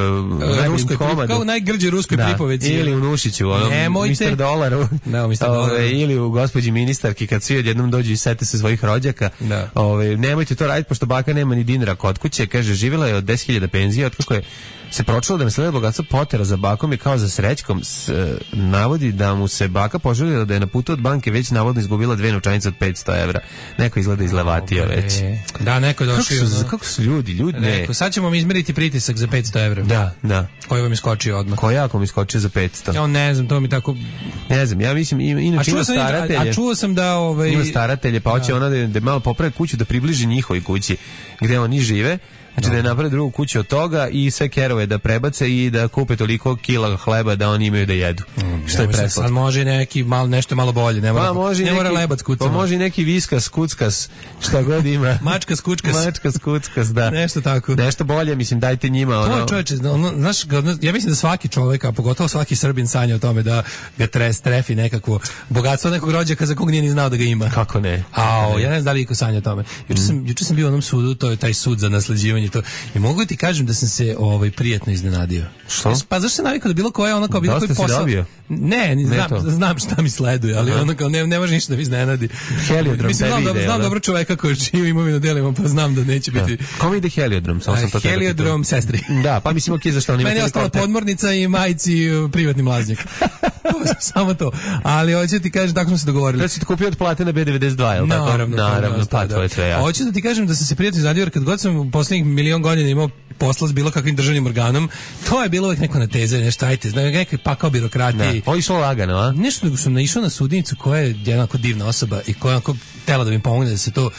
ruskoj komadu, kao u najgrđoj ruskoj da, pripoveci ili u Nušiću, onom mister Dolaru, da, mister Dolaru. Ili u gospođi ministarki kad svi odjednom dođu i sete se svojih rođaka. Da. Ovaj nemojte to raditi pošto baka nema ni dinara kod kuće, kaže živjela je od deset hiljada penzije, otkako je se pročulo da nasledila bogatstvo potera za bakom i kao za srećkom s, e, navodi da mu se baka poželila da je na putu od banke već navodno izgubila dve novčanice od petsto evra. Neko izgleda izlevatio već. Da, neko je došao. Kako su, kako su ljudi, ljudi ne. Neko, sad ćemo mi izmeriti pritisak za petsto evra. Da, da. Koji vam iskočio odmah? Koji jako mi iskočio za petsto? Ja ne znam, to mi tako... Ne znam, ja mislim, inače ima staratelje. A čuo sam da... Ovaj... Ima staratelje, pa hoće ona da, da malo popravi kuću, da približi njihovoj kući gde oni žive. Znači no. Da je napravi drugu kuću od toga i sve kerove da prebace i da kupe toliko kila hleba da oni imaju da jedu. Mm, što je preslatko. Sad može neki malo, nešto malo bolje. Ne mora, pa, može ne neki, mora lebac kucama. Pa može i neki viskas, kuckas, šta god ima. Mačkas, kučkas. Mačkas, kuckas, da. Nešto tako. Nešto bolje, mislim, dajte njima. Ono. To čovječe, ono, znaš, ja mislim da svaki čovjek, a pogotovo svaki Srbin sanja o tome da ga tres, trefi nekakvo bogatstvo nekog rođaka za kog nije ni znao da ga ima. Kako ne? A, ja ne znam da li iko sanja o tome. Juče sam, juče sam bio u onom sudu, to je taj sud za nasleđivanje. To, i mogu ti kažem da sam se ovaj prijatno iznenadio. Što? Pa zašto se navikao da bilo koja ono kao bilo koji posao. Ne, ne znam, ne znam šta mi sleduje, ali ono kao ne, ne može ništa da mi iznenadi. Heliodrom mislim, znam, dobro, znam dobro čoveka koji čiju imovinu delimo, pa znam da neće biti. Da. Kome ide heliodrom? Samo sam to heliodrom sestri. Da, pa mislim okej, zašto oni meni je ostala podmornica i majci privatni mlaznjak. Samo to. Ali hoću ti kažem, tako smo se dogovorili. Da si ti kupio od plate na B devedeset dva, je li tako? Naravno, naravno, pa to je sve jasno. Hoću da ti kažem da sam se prijatno iznenadio jer kad god sam u poslednjih milion godina imao posla s bilo kakvim državnim organom, to je bilo uvek neko natezanje, nešto ajte, znači neki pakao birokratiji. Ovo išlo lagano, a? Nešto nego sam naišao na sudnicu koja je jednako divna osoba i koja je tela da mi pomogne da se to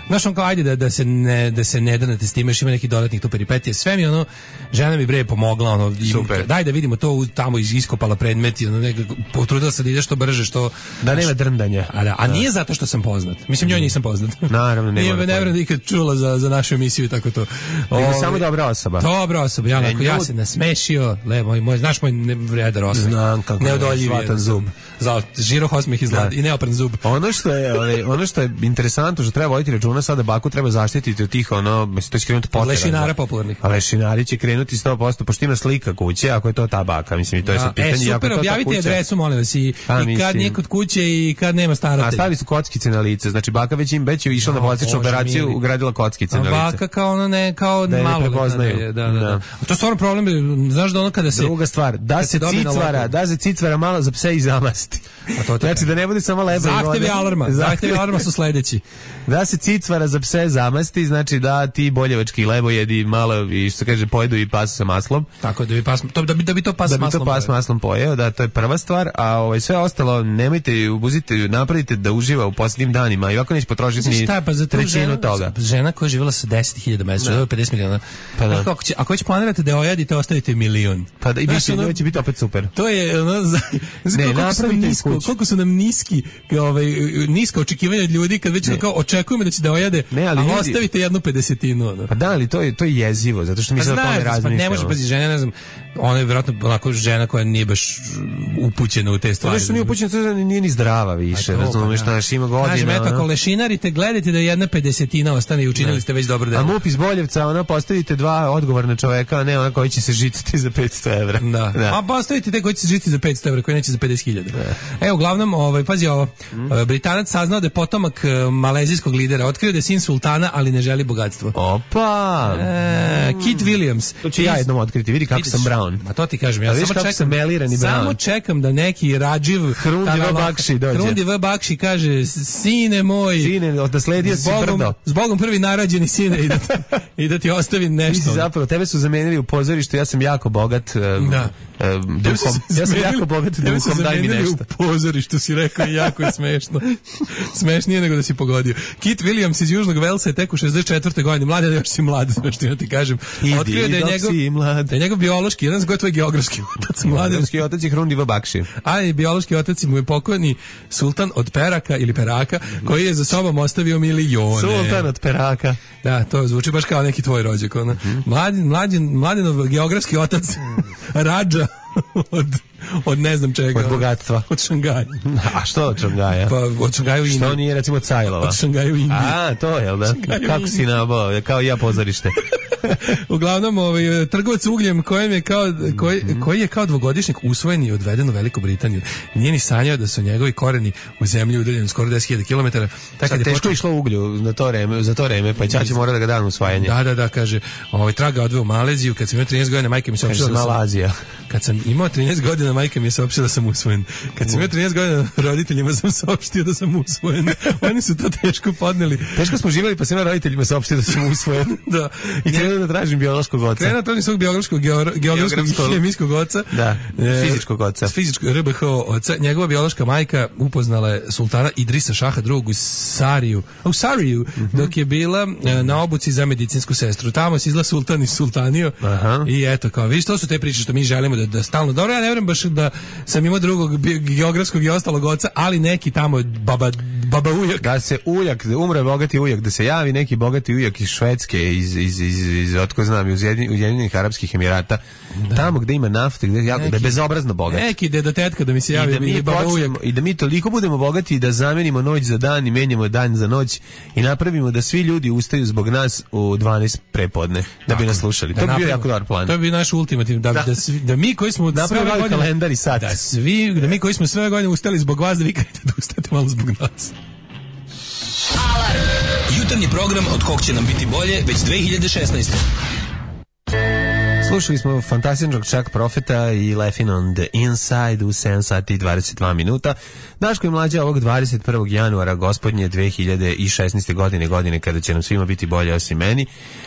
Znaš, on kao, ajde da, da, se ne, da se ne danete s time, još ima neki dodatnih tu peripetije. Sve mi, ono, žena mi bre pomogla, ono, super. Daj da vidimo to, tamo iskopala predmet, ono, nekako, potrudila se da ide što brže, što... Da nema drndanja. A, da, a nije zato što sam poznat. Mislim, njoj nisam poznat. Naravno, nema. Nije me nevjerojatno da ikad čula za, za našu emisiju, tako to. Nego samo dobra osoba. Dobra osoba, ja, onako, ja se nasmešio, le, moj, moj, znaš moj vredar osmeh. Znam kako neodoljiv je, zub. Za žirov osmeh i, zlad, i neopran zub. Ono što je, ono što je interesantno, što treba voditi računa, sada baku treba zaštititi od tih, ono, mislim, to će krenuti potera. Lešinara popularnih. A lešinari će krenuti sto posto, pošto ima slika kuće, ako je to ta baka, mislim, i to je sad pitanje. E, super, objavite adresu, molim vas, i, a, i kad nije kod kuće i kad nema staratelja. A stavili su kockice na lice, znači baka već im već je išla na plastičnu operaciju, mili. Ugradila kockice a na lice. Baka kao ono ne, kao da malo. Prepoznaju. Da, da, da. da. A to je stvarno problem, znaš da ono kada se... Druga stvar, da se cicvara, da se cicvara malo za pse i zamasti. A to znači da ne bude samo leba. Zahtevi alarma, zahtevi alarma su sledeći. Da se cicvara za pse zamasti, znači da ti boljevački lebo jedi malo i što se kaže pojedu i pas sa maslom. Tako da bi pas to da bi da bi to pas da maslom. Da bi to pas pojeo. maslom pojeo, da to je prva stvar, a ovaj sve ostalo nemojte ubuzite, napravite da uživa u posljednjim danima i ovako neće potrošiti ni šta, pa za trećinu žena, toga. Žena koja je živjela sa deset hiljada mesečno, da. pedeset miliona. Pa da. Ako, će, ako već planirate da ojadite, ostavite milion. Pa da i biće, ono, će biti opet super. To je ono za, za ne, koliko, su nisko, koliko su nam niski, ovaj nisko očekivanja od ljudi kad već kao očekujemo da će da ojade, ne, ali a ljudi, ostavite jednu pedesetinu. Ono. Pa da, ali to je to je jezivo, zato što mi pa se o tome razmišljamo. Pa ne može pazi žena, ne znam, ona je vjerojatno onako žena koja nije baš upućena u te stvari. To što nije upućena, to nije ni zdrava više, razumiješ, pa, naš ima godina. Kažem, eto, ako lešinarite, gledajte da jedna pedesetina ostane i učinili ste već dobro delo. A MUP iz Boljevca, ona postavite dva odgovorna čoveka, a ne ona koji će se žicati za petsto evra. Da. da. A postavite te koji će se žicati za petsto evra, koji neće za pedeset hiljada. E, uglavnom, ovaj, pazi ovo, mm. Britanac saznao da je potomak malezijskog lidera, otkrio da je sin sultana, ali ne želi bogatstvo. Opa! E, Kit Williams. To ću ja jednom otkriti, vidi kako sam Brown. Ma to ti kažem, ja samo čekam, sam melirani samo čekam da neki Radživ Hrundi V. Bakši dođe. Hrundi V. Bakši kaže, sine moj, sine, odasledio si brdo. S Bogom prvi narađeni sine i da, i da ti ostavim nešto. Zapravo, tebe su zamenili u pozorištu, ja sam jako bogat um, da. um, duhom. Ja sam jako bogat duhom, daj mi nešto. U pozorištu si rekao, jako je smešno. Smešnije nego da si pogodio. Kit Williams iz Južnog Velsa je tek u šezdeset četvrtoj godini, mlad, još si mlad, što ja ti kažem. Otkrio da je njegov, da je njegov biološki, jedan zgoj tvoj geografski otac, mlad. Geografski otac je Hrundi V. Bakši. A i biološki otac mu je pokojni sultan od Peraka ili Peraka, koji je za sobom ostavio milione. Sultan od Peraka. Da, to zvuči baš kao neki tvoj rođak. Ona. Mm-hmm. Mladin, mladin, mladinov geografski otac Radža od, od ne znam čega. Od bogatstva. Od Šangaja. A što od Šangaja? Pa od Šangaja u Indiji. Što nije recimo Cajlova? Od Šangaja u Indiji. A, to je, jel da? Kako si nabao? Kao i ja pozorište. Uglavnom, ovaj, trgovac ugljem kojem je kao, koji, koji je kao dvogodišnjak usvojen i odveden u Veliku Britaniju. Nije ni sanjao da su njegovi koreni u zemlji udaljeni skoro deset hiljada kilometara. Sad teško počeo... išlo uglju na to vreme, za to vreme, pa ćaći mora da ga dan usvajanje. Da, da, da, kaže, ovaj, traga odveo u Maleziju, kad sam imao trinaest godina, majka mi se opštila da sam... Malazija. Kad sam imao trinaest godina, majka mi je saopštila da sam usvojen. Kad sam imao trinaest godina, roditeljima sam saopštio da sam usvojen. Oni su to teško podneli. Teško smo živjeli, pa sam imao roditeljima saopštio da sam usvojen. Da. I krenuo da tražim biološkog oca. Krenuo da tražim svog biološkog, geografskog i hemijskog oca. Da, fizičkog oca. Fizičkog R B H oca. Njegova biološka majka upoznala je sultana Idrisa Šaha drugog u Sariju, u Sariju, mm-hmm. dok je bila na obuci za medicinsku sestru. Tamo se izla sultan i sultanio. Aha. I eto, kao, vidiš, to su te priče što mi želimo da, da stalno, dobro, ja ne vjerujem baš da sam imao drugog geografskog i ostalog oca, ali neki tamo baba, baba ujak. Da se ujak, da umre bogati ujak, da se javi neki bogati ujak iz Švedske, iz, iz, iz, iz otko znam, iz Ujedinjenih Arapskih Emirata, da. Tamo gde ima nafte, gde jako, neki, da je bezobrazno bogat. Neki deda tetka da mi se javi, I da mi, baba ujak. I da mi toliko budemo bogati da zamenimo noć za dan i menjamo dan za noć i napravimo da svi ljudi ustaju zbog nas u dvanaest prepodne, da tako, bi nas slušali. Da to bi bio jako dobar plan. To bi bio naš ultimativ, da, da. da, svi, da mi koji smo sve godine kalendar i sat. Da, svi, da mi koji smo sve godine ustali zbog vas, da vi kažete da ustate malo zbog nas. Alarm! Jutarnji program od kog će nam biti bolje već dve hiljade šesnaeste. Slušali smo fantastičnog Chuck Profeta i Laughing on the Inside u sedam sati i dvadeset dva minuta. Daško i Mlađa ovog dvadeset prvog januara gospodnje dve hiljade šesnaeste. godine, godine kada će nam svima biti bolje osim meni,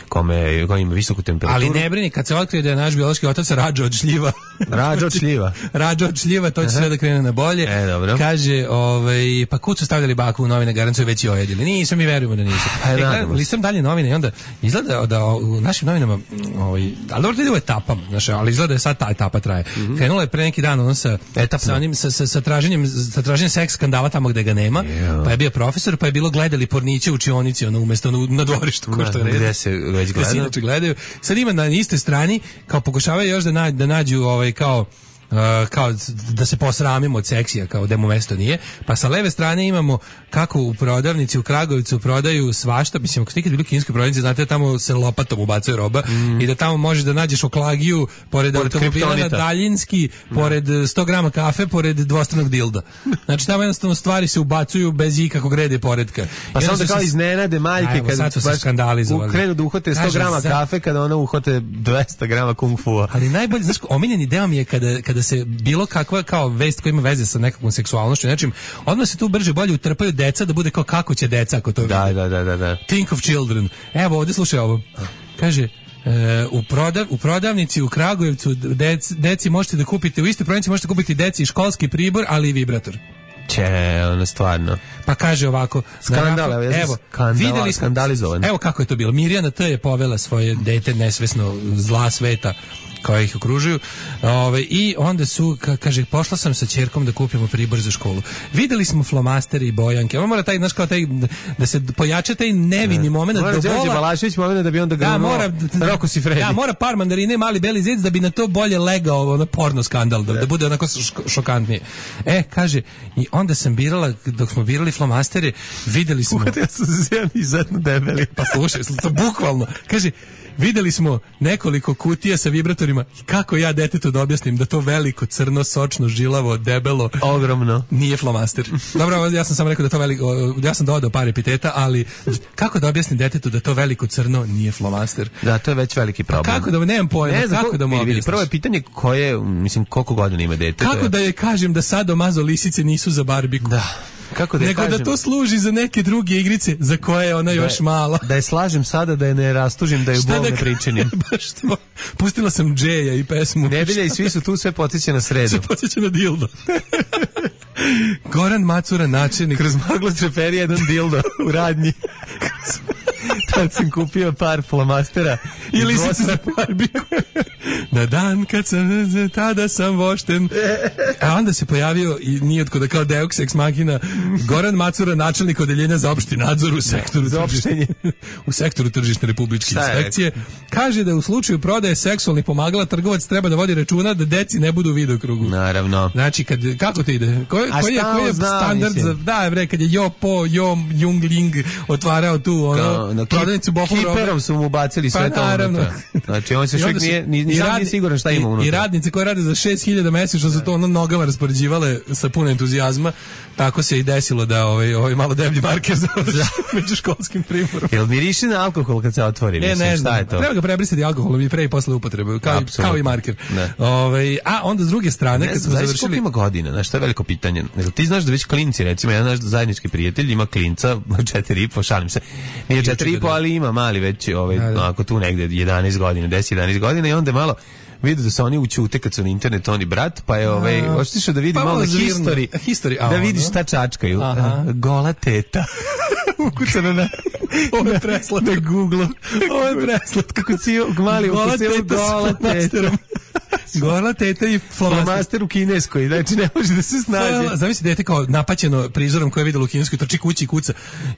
kome, kome ima visoku temperaturu. Ali ne brini, kad se otkrije da je naš biološki otac Rađo od šljiva. Rađo od šljiva. Rađo od šljiva, to će sve da krene na bolje. E, dobro. Kaže, ovaj, pa kud su stavljali baku u novine, garanciju već i ojedili. Nisu, mi verujemo da nisu. Pa, e, gledam, listam dalje novine i onda izgleda da u našim novinama, ovaj, ali dobro, to ide u etapama, znaš, ali izgleda da je sad ta etapa traje. Mm-hmm. Krenula je pre neki dan ono sa, sa, onim, sa, sa, sa, traženjem, sa traženjem seks skandala tamo gde ga nema, yeah. Pa je bio profesor, pa je bilo gledali porniće u učionici, ono, umesto na, na dvorištu, ko što je gde se već gledaju. gledaju. Sad ima na istoj strani, kao pokušavaju još da, na, da nađu ovaj, kao Uh, kao da se posramimo od seksija, kao da mu mesto nije, pa sa leve strane imamo kako u prodavnici u Kragujevcu prodaju svašta, mislim, ako ste ikad bili u kineskoj prodavnici, znate da tamo se lopatom ubacuje roba mm. i da tamo možeš da nađeš oklagiju pored, pored automobila na daljinski, no. pored sto grama kafe, pored dvostranog dilda. Znači tamo jednostavno stvari se ubacuju bez ikakvog reda i poredka. Pa samo da kao iznenade maljke kad su se skandalizovali. Krenu da uhote sto grama za... kafe kada ona uhote dvesta grama kung fu-a. Ali najbolje, znaš, omiljeni deo mi je kada, kada da se bilo kakva kao vest koja ima veze sa nekakvom seksualnošću, nečim, odmah se tu brže bolje utrpaju deca da bude kao kako će deca ako to da, vidi. Da, da, da, da. Think of children. Evo, ovdje slušaj ovo. Kaže, e, u, prodav, u prodavnici u Kragujevcu dec, deci možete da kupite, u istoj prodavnici možete kupiti deci školski pribor, ali i vibrator. Če, ono stvarno. Pa kaže ovako, skandal, evo, evo videli smo, skandalizovan. Evo kako je to bilo. Mirjana T je povela svoje dete nesvesno zla sveta koja ih okružuju. Ove, i onda su, ka, kaže, pošla sam sa ćerkom da kupimo pribor za školu. Videli smo flomastere i bojanke. Ono mora taj, znaš, kao taj, da se pojača taj nevini moment. Mora Đorđe Balašević moment da bi onda da, mora, Roko si Fredi. Da, mora par mandarine, mali beli zec da bi na to bolje legao ono porno skandal, da, da bude onako šokantnije. E, kaže, i onda sam birala, dok smo birali flomastere, videli smo... Uhvatio sam se jedan izuzetno debeli. Pa slušaj, to bukvalno. Kaže, videli smo nekoliko kutija sa vibratorima. Kako ja detetu da objasnim da to veliko, crno, sočno, žilavo, debelo, ogromno nije flomaster. Dobro, ja sam samo rekao da to veliko, ja sam dodao par epiteta, ali kako da objasnim detetu da to veliko, crno nije flomaster? Da, to je već veliki problem. A kako da, nemam pojma, ne znam, kako da mu objasniš? Prvo je pitanje koje, mislim, koliko godina ima dete? Kako da je kažem da sadomazo lisice nisu za barbiku? Da. Kako da nego kažem, da to služi za neke druge igrice za koje je ona da još je, mala. Da je slažem sada, da je ne rastužim, da je bol ne pričinim. Baš to. Pustila sam Džeja i pesmu. Nedelja i svi su tu, sve podsjeća na sredu. Sve podsjeća na dildo. Goran Macura, načelnik. Kroz maglo treperi jedan dildo u radnji. Tad sam kupio par flomastera i lisice za barbiku. Na dan kad sam, tada sam vošten. A onda se pojavio i nije otko da kao Deus ex machina Goran Macura, načelnik odeljenja za opšti nadzor u sektoru tržišne, u sektoru tržišne republičke inspekcije. Kaže da u slučaju prodaje seksualnih pomagala trgovac treba da vodi računa da deci ne budu u videokrugu. Naravno. Znači, kad, kako to ide? Koji, koji je, koji je standard za... Da, bre, kad je Jo Po, Jo Jungling otvarao tu ono, no, prodavnicu Bohom robe. Kiperom su mu bacili sve pa, to. Naravno. Znači, on se švek nije, ni, ni radi, siguran šta ima unutra. I radnice koje rade za šest hiljada mesečno su to ono nogama raspoređivale sa puno entuzijazma. Tako se i desilo da ovaj, ovaj malo deblji marker završi među školskim priborom. Jel miriši na alkohol kad se otvori? Ne, mislim, ne znam. Šta je to? Treba ga prebrisati alkoholom i pre i posle upotrebe, kao, kao i marker. Ovaj, a onda s druge strane, ne, kad smo završili... Koliko ima godina? Znaš, to je veliko pitanje. Ti znaš da već klinci, recimo, jedan naš zajednički prijatelj ima klinca, četiri i po, šalim se. Nije četiri i po, ali ima mali već, ovaj, da, da. Ako tu negde jedanaest godina, deset jedanaest godina i onda malo vidio da se oni učute kad su na internetu, oni brat, pa je ovaj, oštišao da vidi pa malo na history, history da vidiš šta čačkaju. Aha. Gola teta. Ukucano na ovo je preslat na Google. Ovo je preslat kako si mali ukucao gola teta. Gola teta i flomaster u kineskoj, znači ne može da se snađe. Zamisli dete kao napaćeno prizorom koje je videlo u kineskoj, trči kući i kuca.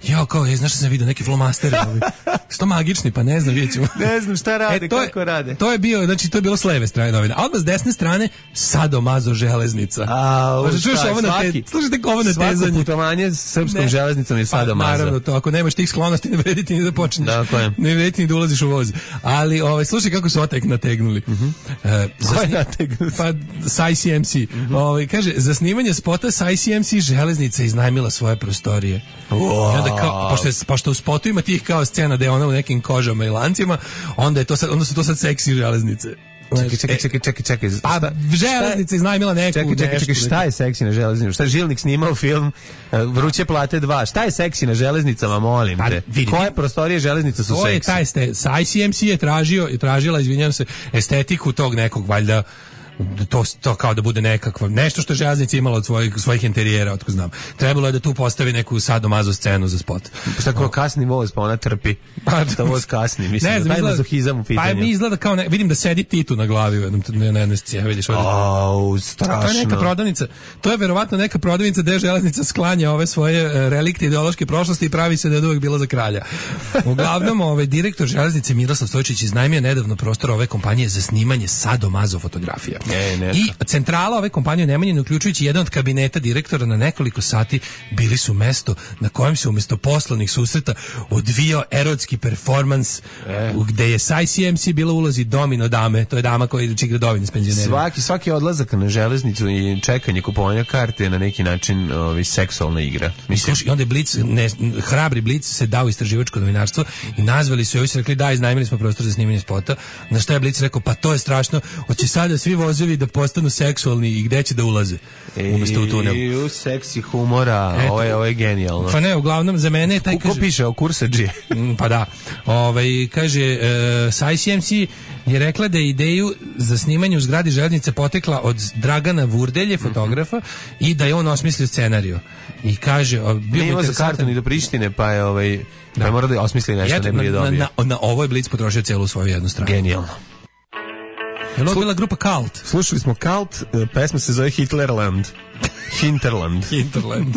Ja kao, je, znaš što sam vidio, neki flomaster. Sto magični, pa ne znam, vidjet ćemo. Ne znam šta rade, e, to kako je, rade. To je bio, znači to je bilo s leve strane novina. A odmah s desne strane, sadomazo železnica. A, možda čuješ ovo na te, slušajte ovo na tezanje. Svako putovanje s srpskom ne. železnicom je sadomazo. Pa, naravno, to, ako nemaš tih sklonosti, ne vredi ti ni da počneš. Dakle. Ne vredi ti ni da ulaziš u voz. Ali, ovaj, slušaj kako su otek nategnuli. Uh-huh. E, pa sa I C M C. Mm-hmm. Ovaj kaže za snimanje spota sa I C M C železnica iznajmila svoje prostorije. Wow. I onda kao pošto je, pošto u spotu ima tih kao scena da je ona u nekim kožama i lancima, onda je to sad, onda su to sad seksi železnice. Čekaj, čekaj, čekaj, čekaj, čekaj. Pa železnica iznajmila neku čekaj, čekaj, čekaj, šta je seksi na železnicama? Šta je Žilnik snimao film Vruće plate dva? Šta je seksi na železnicama, molim te? Pa, koje prostorije železnica su to seksi? Je taj ste, I C M C je tražio, je tražila, izvinjavam se, estetiku tog nekog, valjda, to, to kao da bude nekakva, nešto što je železnica imala od svojih, svojih interijera, otko znam. Trebalo je da tu postavi neku sadomazo scenu za spot. Šta kao kasni voz, pa ona trpi. Pa da voz kasni, mislim, ne znam, da taj izgleda, mazohizam u pitanju. Pa mi izgleda kao, ne, vidim da sedi Titu na glavi u jednom, na jednoj sceni, vidiš ovdje. Au, strašno. To je neka prodavnica, to je verovatno neka prodavnica gde železnica sklanja ove svoje relikte ideološke prošlosti i pravi se da je uvek bila za kralja. Uglavnom, ovaj direktor železnice Miroslav Stojčić iznajmio nedavno prostor ove kompanije za snimanje sadomazo fotografija. E, I centrala ove kompanije Nemanjine, uključujući jedan od kabineta direktora, na nekoliko sati bili su mesto na kojem se umjesto poslovnih susreta odvijao erotski performans, e. gde je sa I C M C bila ulozi domino dame, to je dama koja ide čigre dovine s penzionerima. Svaki, svaki odlazak na železnicu i čekanje kupovanja karte je na neki način ovi, seksualna igra. Mislim. I onda je Blic, ne, hrabri Blic se dao istraživačko novinarstvo i nazvali su, i ovi su rekli da, iznajmili smo prostor za snimanje spota, na što je Blic rekao, pa to je strašno, hoće sada svi vozovi da postanu seksualni i gde će da ulaze umjesto u tunel. I u seksi humora, eto, ovo je, ovo je genijalno. Pa ne, uglavnom za mene taj kaže... Ko piše o kursađi? Pa da. Ovaj, kaže, uh, sa I C M C je rekla da je ideju za snimanje u zgradi železnice potekla od Dragana Vurdelje, fotografa, mm-hmm. i da je on osmislio scenariju. I kaže... Bio ne ima za kartu ni do Prištine, pa je ovaj... Da. Pa mora da osmisli nešto, Eto, ne bi je dobio. Na, na, na ovo je Blic potrošio celu svoju jednu stranu. Genijalno. Je li bila grupa Cult? Slušali smo Cult, pesma se zove Hitlerland. Hinterland. Hinterland.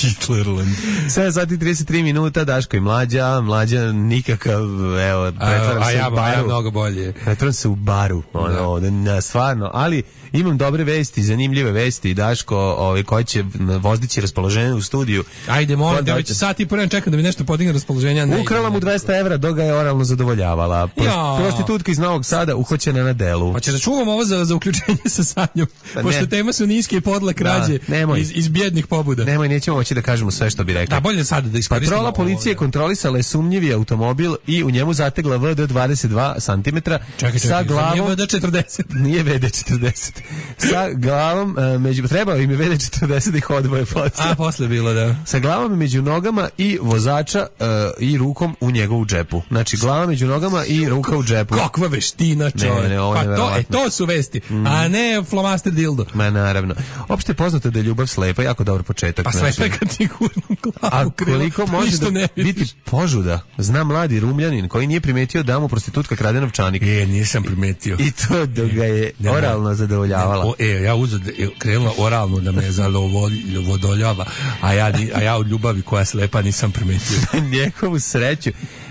Hitlerland. sedam sati trideset tri minuta, Daško i Mlađa, Mlađa nikakav, evo, pretvaram se ja, u baru. A ja mnogo bolje. Pretvaram se u baru, ono, da. Ne, stvarno, ali imam dobre vesti, zanimljive vesti, Daško, ovaj, koji će vozdići raspoloženje u studiju. Ajde, molim, da već sat i pored čekam da mi nešto podigne raspoloženja. Ukrala mu dvesta evra, dok ga je oralno zadovoljavala. Prost, prostitutka iz Novog Sada uhoćena na delu. Pa će da čuvam ovo za, za uključenje sa Sanjom, pa pošto tema su niske i podla krađe da, iz, iz bjednih pobuda. Nemoj, nećemo moći da kažemo sve što bi rekli. Da, bolje sad da iskoristimo. Patrola policije ovo, kontrolisala je sumnjivi automobil i u njemu zategla V D dvadeset dva centimetra sa glavom... Nije V D četrdeset. Nije V D četrdeset. Sa glavom, uh, među, trebao im je V D četrdeset da ih odvoje posle. A, posle bilo, da. Sa glavom među nogama i vozača uh, i rukom u njegovu džepu. Znači, glava među nogama i ruka u džepu. Kakva veština, čovjek. Ne, ne, ovo pa to, e, to su vesti, mm. a ne flomaster dildo. Ma, naravno. Opšte je poznato da je ljubav slepa, jako dobar početak. Pa slepa je kad ti gurnu glavu. A koliko može da biti požuda? Zna mladi Rumljanin koji nije primetio da mu prostitutka krade novčanik. E, nisam primetio. I to da ga je ne, oralno zadovoljavala. O, e, ja uzad, krenula oralno da me zadovoljava, a ja, a ja od ljubavi koja je slepa nisam primetio. Njegovu sreću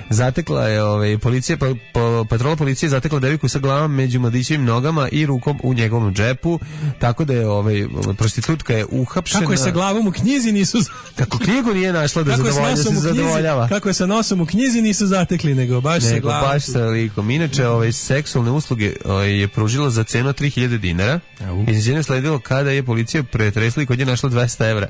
zatekla je ovaj, policija, pa, pa, patrola policije zatekla devojku sa glavom među mladićevim nogama i rukom u njegovom džepu, tako da je ovaj, prostitutka je uhapšena. Kako je sa glavom u knjizi nisu... Kako knjigu nije našla da, zadovolja, da se zadovoljava. Kako je sa nosom u knjizi nisu zatekli, nego baš nego, sa glavom. Baš sa likom. Inače, ovaj, seksualne usluge ovaj, je pružila za cenu tri hiljade dinara. Iznenađenje sledilo kada je policija pretresla i kod je našla dvesta evra.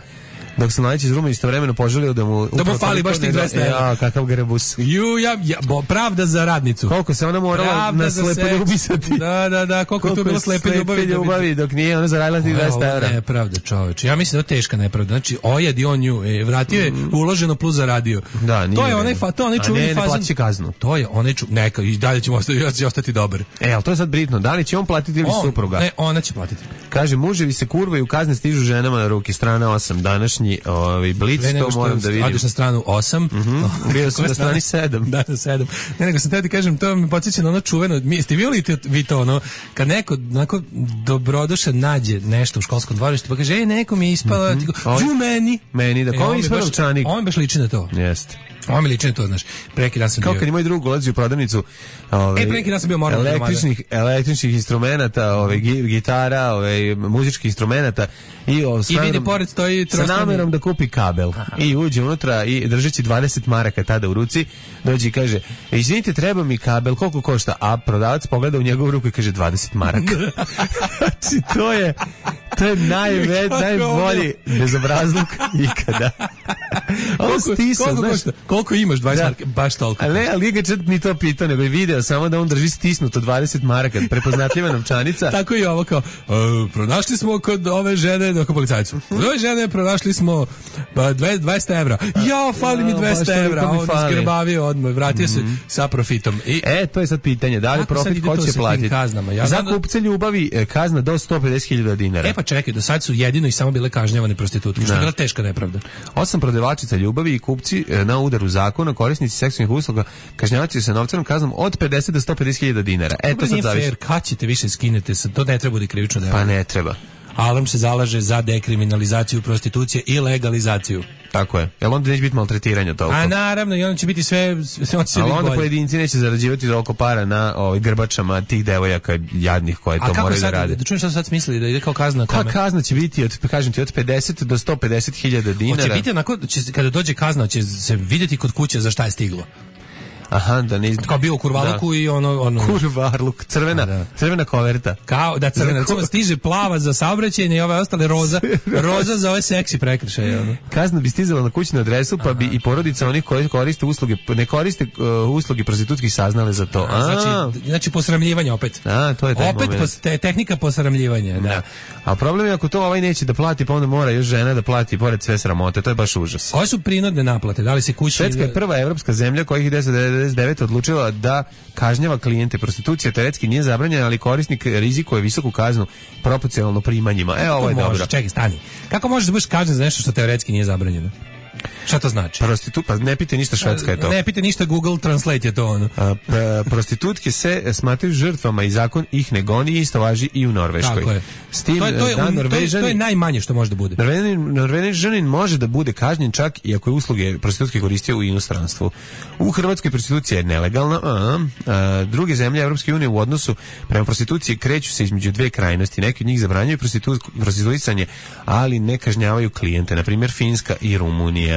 Dok se mladić iz Ruma istovremeno poželio da mu... Da mu fali baš tih dvesta evra. Ja, kakav grebus. Ju, ja, ja, bo, pravda za radnicu. Koliko se ona morala pravda na slepe ljubisati. Da, da, da, koliko, koliko tu bilo slepe ljubavi. ljubavi dok nije ona zaradila tih dvesta evra. Nepravda, čoveče. Ja mislim da je teška nepravda. Znači, ojad i on nju, e, vratio je uloženo plus zaradio. Da, nije. To je onaj, fa, to onaj čuveni fazon. Ne, ne plaći kaznu. To je onaj ču, neka, i dalje ćemo ostati, ja će ostati dobar. E, ali to je sad bitno. Da li će on platiti ili on, supruga? Ne, ona će platiti. Kaže, muževi se kurvaju, kazne stižu ženama na ruke. Strana osam, današnji ovaj Blic, to moram da vidim. Odeš na stranu osam. Mm-hmm. Bio sam na strani sedam. Da, na sedam. Ne, nego sam teo ti kažem, to mi podsjeća na ono čuveno, mi, ste vidjeli vi to, ono, kad neko onako dobrodošao nađe nešto u školskom dvorištu, pa kaže, ej, neko mi je ispala, mm-hmm. ti go, meni. Meni, da, ko mi je ispala novčanik? On baš liči na to. Jeste. On mi liči na to, znaš. Preki dan sam kao bio. Kao kad i moj drug ulazi u prodavnicu ove, e, preki dan sam bio moram električnih, električnih instrumenta, ove, gitara, ove, muzičkih instrumenta i, o, I vidi pored stoji trostovni... sa namerom da kupi kabel. Aha. I uđe unutra i držeći dvadeset maraka tada u ruci, dođe i kaže, izvinite, treba mi kabel, koliko košta? A prodavac pogleda u njegovu ruku i kaže dvadeset maraka. Znači, to je to je najve, najbolji bezobrazluk ikada. koliko, stisa, koliko, znaš, košta? Koliko imaš dvadeset da. maraka? Baš toliko. Ali ne, ali nije ga čak ni to pitao, nego je video samo da on drži stisnuto dvadeset maraka, prepoznatljiva novčanica. Tako i ovo kao, uh, pronašli smo kod ove žene, dok policajcu, kod ove žene pronašli smo pa, dvadeset evra. Ja, fali mi dvesta evra, a on izgrbavio odmah, vratio se mm-hmm. sa profitom. I, e, to je sad pitanje, da li profit ko će platiti? Ja za kupce ljubavi kazna do sto pedeset hiljada dinara. E pa čekaj, do sad su jedino i samo bile kažnjavane prostitutke, što je bila teška nepravda. Osam prodavačica ljubavi i kupci na udaru zakona, korisnici seksualnih usluga kažnjavati se novčanom kaznom od pedeset do sto pedeset hiljada dinara. E, to sad zavisi. Kad ćete više skinete, to ne treba da krivično delo. Pa ne treba. Alarm se zalaže za dekriminalizaciju prostitucije i legalizaciju. Tako je. Jel onda neće biti maltretiranja toliko? A naravno, i onda će biti sve... sve će ali biti onda bolje. Pojedinci neće zarađivati toliko para na ovaj, grbačama tih devojaka jadnih koje to moraju sad, da rade. Da čujem šta sad smislili, da ide kao kazna kome? Pa kazna će biti, od, kažem ti, od pedeset do sto pedeset hiljada dinara. Hoće biti onako, će, kada dođe kazna, će se vidjeti kod kuće za šta je stiglo. Aha, da ne... Kao bio u kurvaluku da. I ono... ono... Kurvarluk, crvena, da. crvena koverta. Kao, da crvena, recimo stiže plava za saobraćajne i ove ostale roza, roza za ove seksi prekršaje. Ono. Kazna bi stizala na kućnu adresu, pa Aha. bi i porodica onih koji koriste usluge, ne koriste uh, usluge prostitutskih saznale za to. A, znači, znači posramljivanje opet. A, to je taj opet moment. Opet te, tehnika posramljivanja, da. da. A problem je ako to ovaj neće da plati, pa onda mora još žena da plati pored sve sramote, to je baš užas. Koje su prinudne naplate? Da li se kući... Švedska je prva evropska zemlja koja ih deset devedeset devet odlučila da kažnjava klijente. Prostitucija teoretski nije zabranjena, ali korisnik rizikuje visoku kaznu proporcionalno primanjima. E, ovo je može, dobro. Čekaj, stani. Kako možeš da budeš kažnjen za nešto što teoretski nije zabranjeno? Šta to znači? Prostitu, pa ne pite ništa, Švedska je to. Ne pite ništa, Google Translate je to ono. A, p, prostitutke se smatraju žrtvama i zakon ih ne goni i isto važi i u Norveškoj. Tako je. S tim, to, je, to, je, da, um, Norvežani, to, je, to je najmanje što može da bude. Norvežanin, Norvežanin može da bude kažnjen čak i ako je usluge prostitutke koristio u inostranstvu. U Hrvatskoj prostitucija je nelegalna, a, a druge zemlje Evropske unije u odnosu prema prostituciji kreću se između dve krajnosti. Neki od njih zabranjuju prostitu, prostituisanje, ali ne kažnjavaju klijente. Na primjer Finska i Rumunija.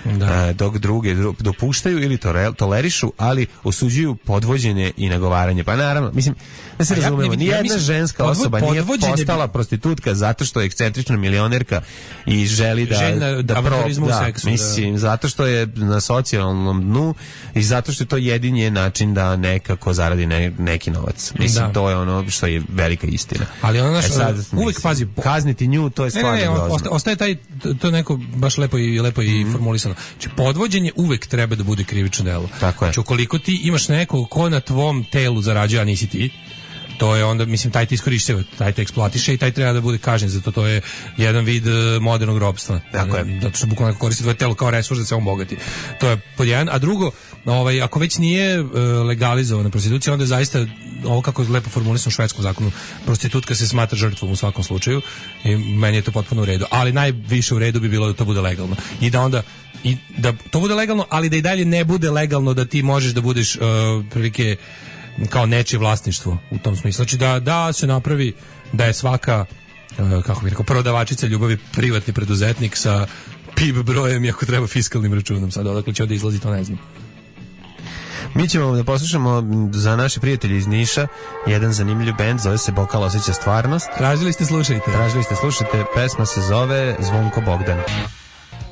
Da. Dok druge dopuštaju ili tolerišu, ali osuđuju podvođenje i nagovaranje. Pa naravno, mislim, da se razumemo, ja, nijedna ja ženska podvo, osoba nije postala prostitutka zato što je ekscentrična milionerka i želi da Žena, da, pro, da seksu, mislim, da. Zato što je na socijalnom dnu i zato što je to jedini način da nekako zaradi ne, neki novac. Mislim, da. To je ono što je velika istina. Ali ono što e sad, uvek mislim, pazi, kazniti nju, to je stvarno ne, ne, ne, grozno. Ostaje taj, to neko baš lepo i lepo i mm. formulisano. Znači, podvođenje uvek treba da bude krivično delo. Tako je. Znači, ukoliko ti imaš nekog ko na tvom telu zarađuje, a nisi ti, to je onda, mislim, taj ti iskorišćava, taj te eksploatiše i taj treba da bude kažnjen, zato to je jedan vid uh, modernog robstva. Tako je. Zato što bukvalno koristi tvoje telo kao resurs da se on bogati. To je pod jedan. A drugo, ovaj, ako već nije uh, legalizovana prostitucija, onda je zaista, ovo kako je lepo formulisano u švedskom zakonu, prostitutka se smatra žrtvom u svakom slučaju i meni je to potpuno u redu. Ali najviše u redu bi bilo da to bude legalno. I da onda i da to bude legalno, ali da i dalje ne bude legalno da ti možeš da budeš uh, prilike kao nečije vlasništvo u tom smislu. Znači da, da se napravi da je svaka uh, kako bih rekao, prodavačica ljubavi privatni preduzetnik sa P I B brojem i ako treba fiskalnim računom. Sad odakle će ovdje izlazi, to ne znam. Mi ćemo da poslušamo za naše prijatelje iz Niša jedan zanimljiv bend, zove se Bokal osjeća stvarnost. Tražili ste, slušajte. Tražili ste, slušajte. Pesma se zove Zvonko Bogdan.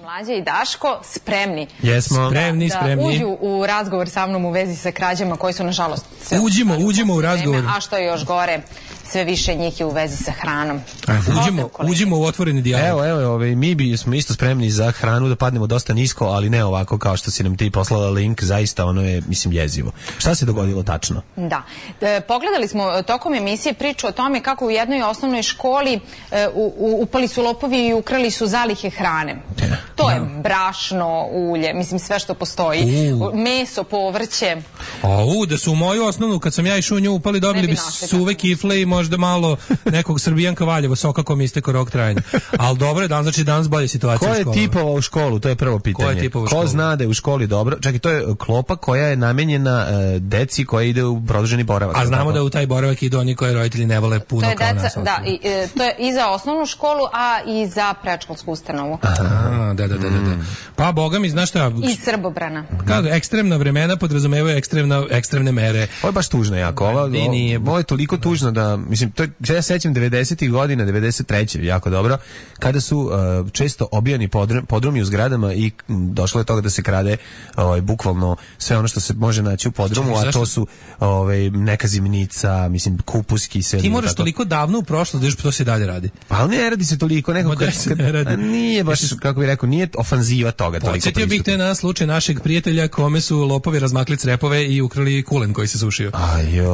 Mlađa i Daško spremni. Jesmo. Spremni, da, spremni. Da uđu u razgovor sa mnom u vezi sa krađama koji su nažalost sve uđimo, uđimo u razgovor. A što je još gore, sve više njih je u vezi sa hranom. Aj, uđimo, uđimo u otvoreni dijalog. Evo, evo, ovaj, mi bi smo isto spremni za hranu da padnemo dosta nisko, ali ne ovako kao što si nam ti poslala link, zaista ono je, mislim, jezivo. Šta se dogodilo tačno? Da. E, pogledali smo tokom emisije priču o tome kako u jednoj osnovnoj školi e, u, u, upali su lopovi i ukrali su zalihe hrane. Ja. To je brašno, ulje, mislim sve što postoji. U. Meso, povrće. A u, da su u moju osnovnu, kad sam ja išao u nju upali, dobili bi, bi suve kifle i možda malo nekog Srbijanka Valjevo, soka kom isteko rok trajanja. Ali dobro je, dan, znači danas bolje situacija u školu. Ko je tipovao u školu? To je prvo pitanje. Ko je tipovao u školu? Ko zna da je u školi dobro? Čekaj, to je klopa koja je namenjena uh, deci koja ide u produženi boravak. A znamo tako da u taj boravak idu oni koji roditelji ne vole puno kao deca, nas. Da, i, e, to je i za osnovnu školu, a i za predškolsku ustanovu. Aha, da, da, da, da. Pa, boga mi, znaš šta? I Srbobrana. Kako, ekstremna vremena podrazumevaju ekstremna ekstremna, ekstremne mere. Ovo je baš tužno jako. Ovo, I nije, ovo je toliko tužno da, mislim, to je, ja sećam devedesetih godina, devedeset treće jako dobro, kada su uh, često obijani podrum, podrumi u zgradama i došlo je toga da se krade ovaj, bukvalno sve ono što se može naći u podrumu, a to su ovaj, neka zimnica, mislim, kupuski, sve. Ti moraš toliko davno u prošlost da još to se dalje radi. Pa ali ne radi se toliko, nekako kad, kad, ne radi. Nije baš, kako bih rekao, nije ofanziva toga. Podsjetio bih te na slučaj našeg prijatelja kome su lopovi razmakli crepove i ukrali kulen koji se sušio.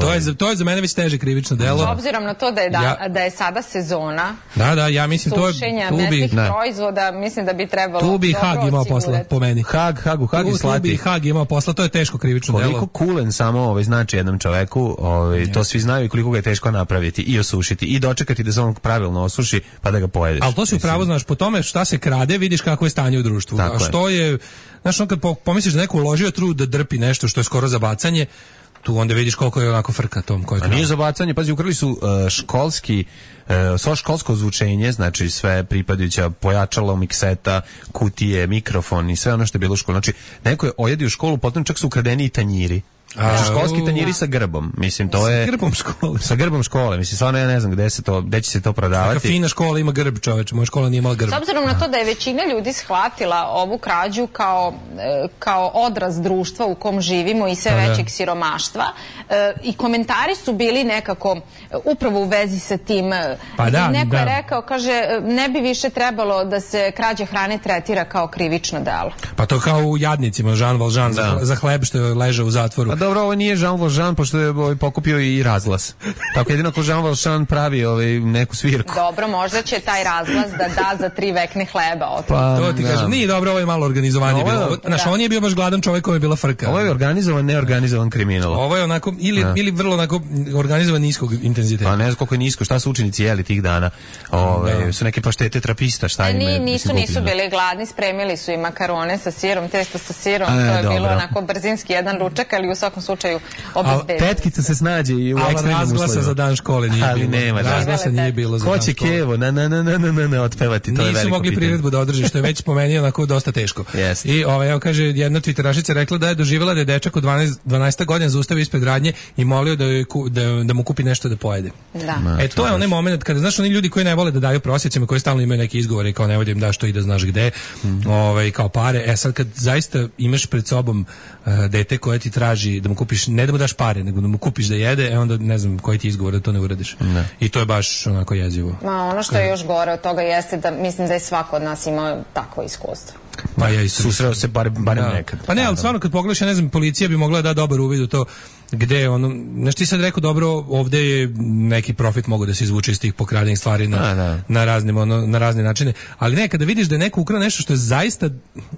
To je, to je za mene već teže krivično delo. S obzirom na to da je, da, ja, da je sada sezona da, da, ja mislim to je sušenja mesnih proizvoda, mislim da bi trebalo tu bi Hag imao posla, po meni. Hag, Hagu, Hag i slati. Tu bi Hag imao posla, to je teško krivično delo. Koliko kulen samo ovaj, znači jednom čoveku, ovaj, to svi znaju i koliko ga je teško napraviti i osušiti i dočekati da se on pravilno osuši pa da ga pojedeš. Ali to si upravo znaš, po tome šta se krade vidiš kako je stanje u društvu. Tako a što je, je znaš, on kad pomisliš da neko uložio trud da drpi nešto što je skoro za bacanje, tu onda vidiš koliko je onako frka tom. A nije za bacanje, pazi, ukrali su uh, školski, uh, svo školsko zvučenje, znači sve pripadajuća pojačalo, mikseta, kutije, mikrofon i sve ono što je bilo u školu. Znači, neko je ojedio školu, potom čak su ukradeni i tanjiri. Znači, školski tanjiri sa grbom, mislim, to je... Sa grbom škole. Sa grbom škole, mislim, stvarno ja ne znam gde se to, gde će se to prodavati. Neka fina škola ima grb, čoveče, moja škola nije imala grb. S obzirom na to da je većina ljudi shvatila ovu krađu kao, kao odraz društva u kom živimo i sve većeg siromaštva, i komentari su bili nekako upravo u vezi sa tim. Pa da, neko da. je rekao, kaže, ne bi više trebalo da se krađa hrane tretira kao krivično delo. Pa to kao u Jadnicima, Jean Valjean za, za hleb što je ležao u zatvoru. Dobro, ovo nije Jean Valjean, pošto je ovaj, pokupio i razglas. Tako jedino ko Jean Valjean pravi ovaj, neku svirku. Dobro, možda će taj razglas da da za tri vekne hleba. O pa, to ti kažem, nije dobro, ovo je malo organizovanje ovo, bilo. Znaš, da. On je bio baš gladan čovjek koji je bila frka. Ovo je organizovan, neorganizovan kriminal. Ovo je onako, ili, ili vrlo onako organizovan niskog intenziteta. Pa ne znam koliko je nisko, šta su učenici jeli tih dana. Ove, da. Su neke paštete trapista, šta e, ima? Nisu, mislim, nisu bili gladni, spremili su i makarone sa sirom, testo sa sirom, A, to je dobro. bilo onako brzinski jedan ručak, ali u svakom slučaju obezbedili. Tetkica se snađe i u ekstremnim uslovima. Razglasa za dan škole nije ali bilo. Nema, razglasa nije bilo za dan škole. Ko će kevo, na, na, na, na, na, na, otpevati, to nisu je veliko mogli pitanje. priredbu da održi, što je već pomenio onako dosta teško. Yes. I ovaj, evo kaže, jedna twitterašica rekla da je doživjela da je dečak od dvanaest godina zaustavio ispred radnje i molio da, je, da, da mu kupi nešto da pojede. Da. E, to je onaj moment kada, znaš, oni ljudi koji ne vole da daju prosjecima, koji stalno imaju neke izgovore kao ne vodi im da što i da znaš gde, mm. ovaj, kao pare. E sad kad zaista imaš pred sobom uh, dete koje ti traži da mu kupiš, ne da mu daš pare, nego da mu kupiš da jede, e onda ne znam koji ti izgovor da to ne uradiš. Ne. I to je baš onako jezivo. Ma, ono što je još gore od toga jeste da mislim da je svako od nas imao takvo iskustvo. Pa ja i susreo se bar, barem da. nekad. Pa ne, ali stvarno kad pogledaš, ja ne znam, policija bi mogla da da dobar uvid u to gde ono, znaš ti sad rekao dobro, ovde je neki profit mogu da se izvuče iz tih pokradenih stvari na, A, da. na, raznim, ono, na razne načine, ali ne, kada vidiš da je neko ukrao nešto što je zaista,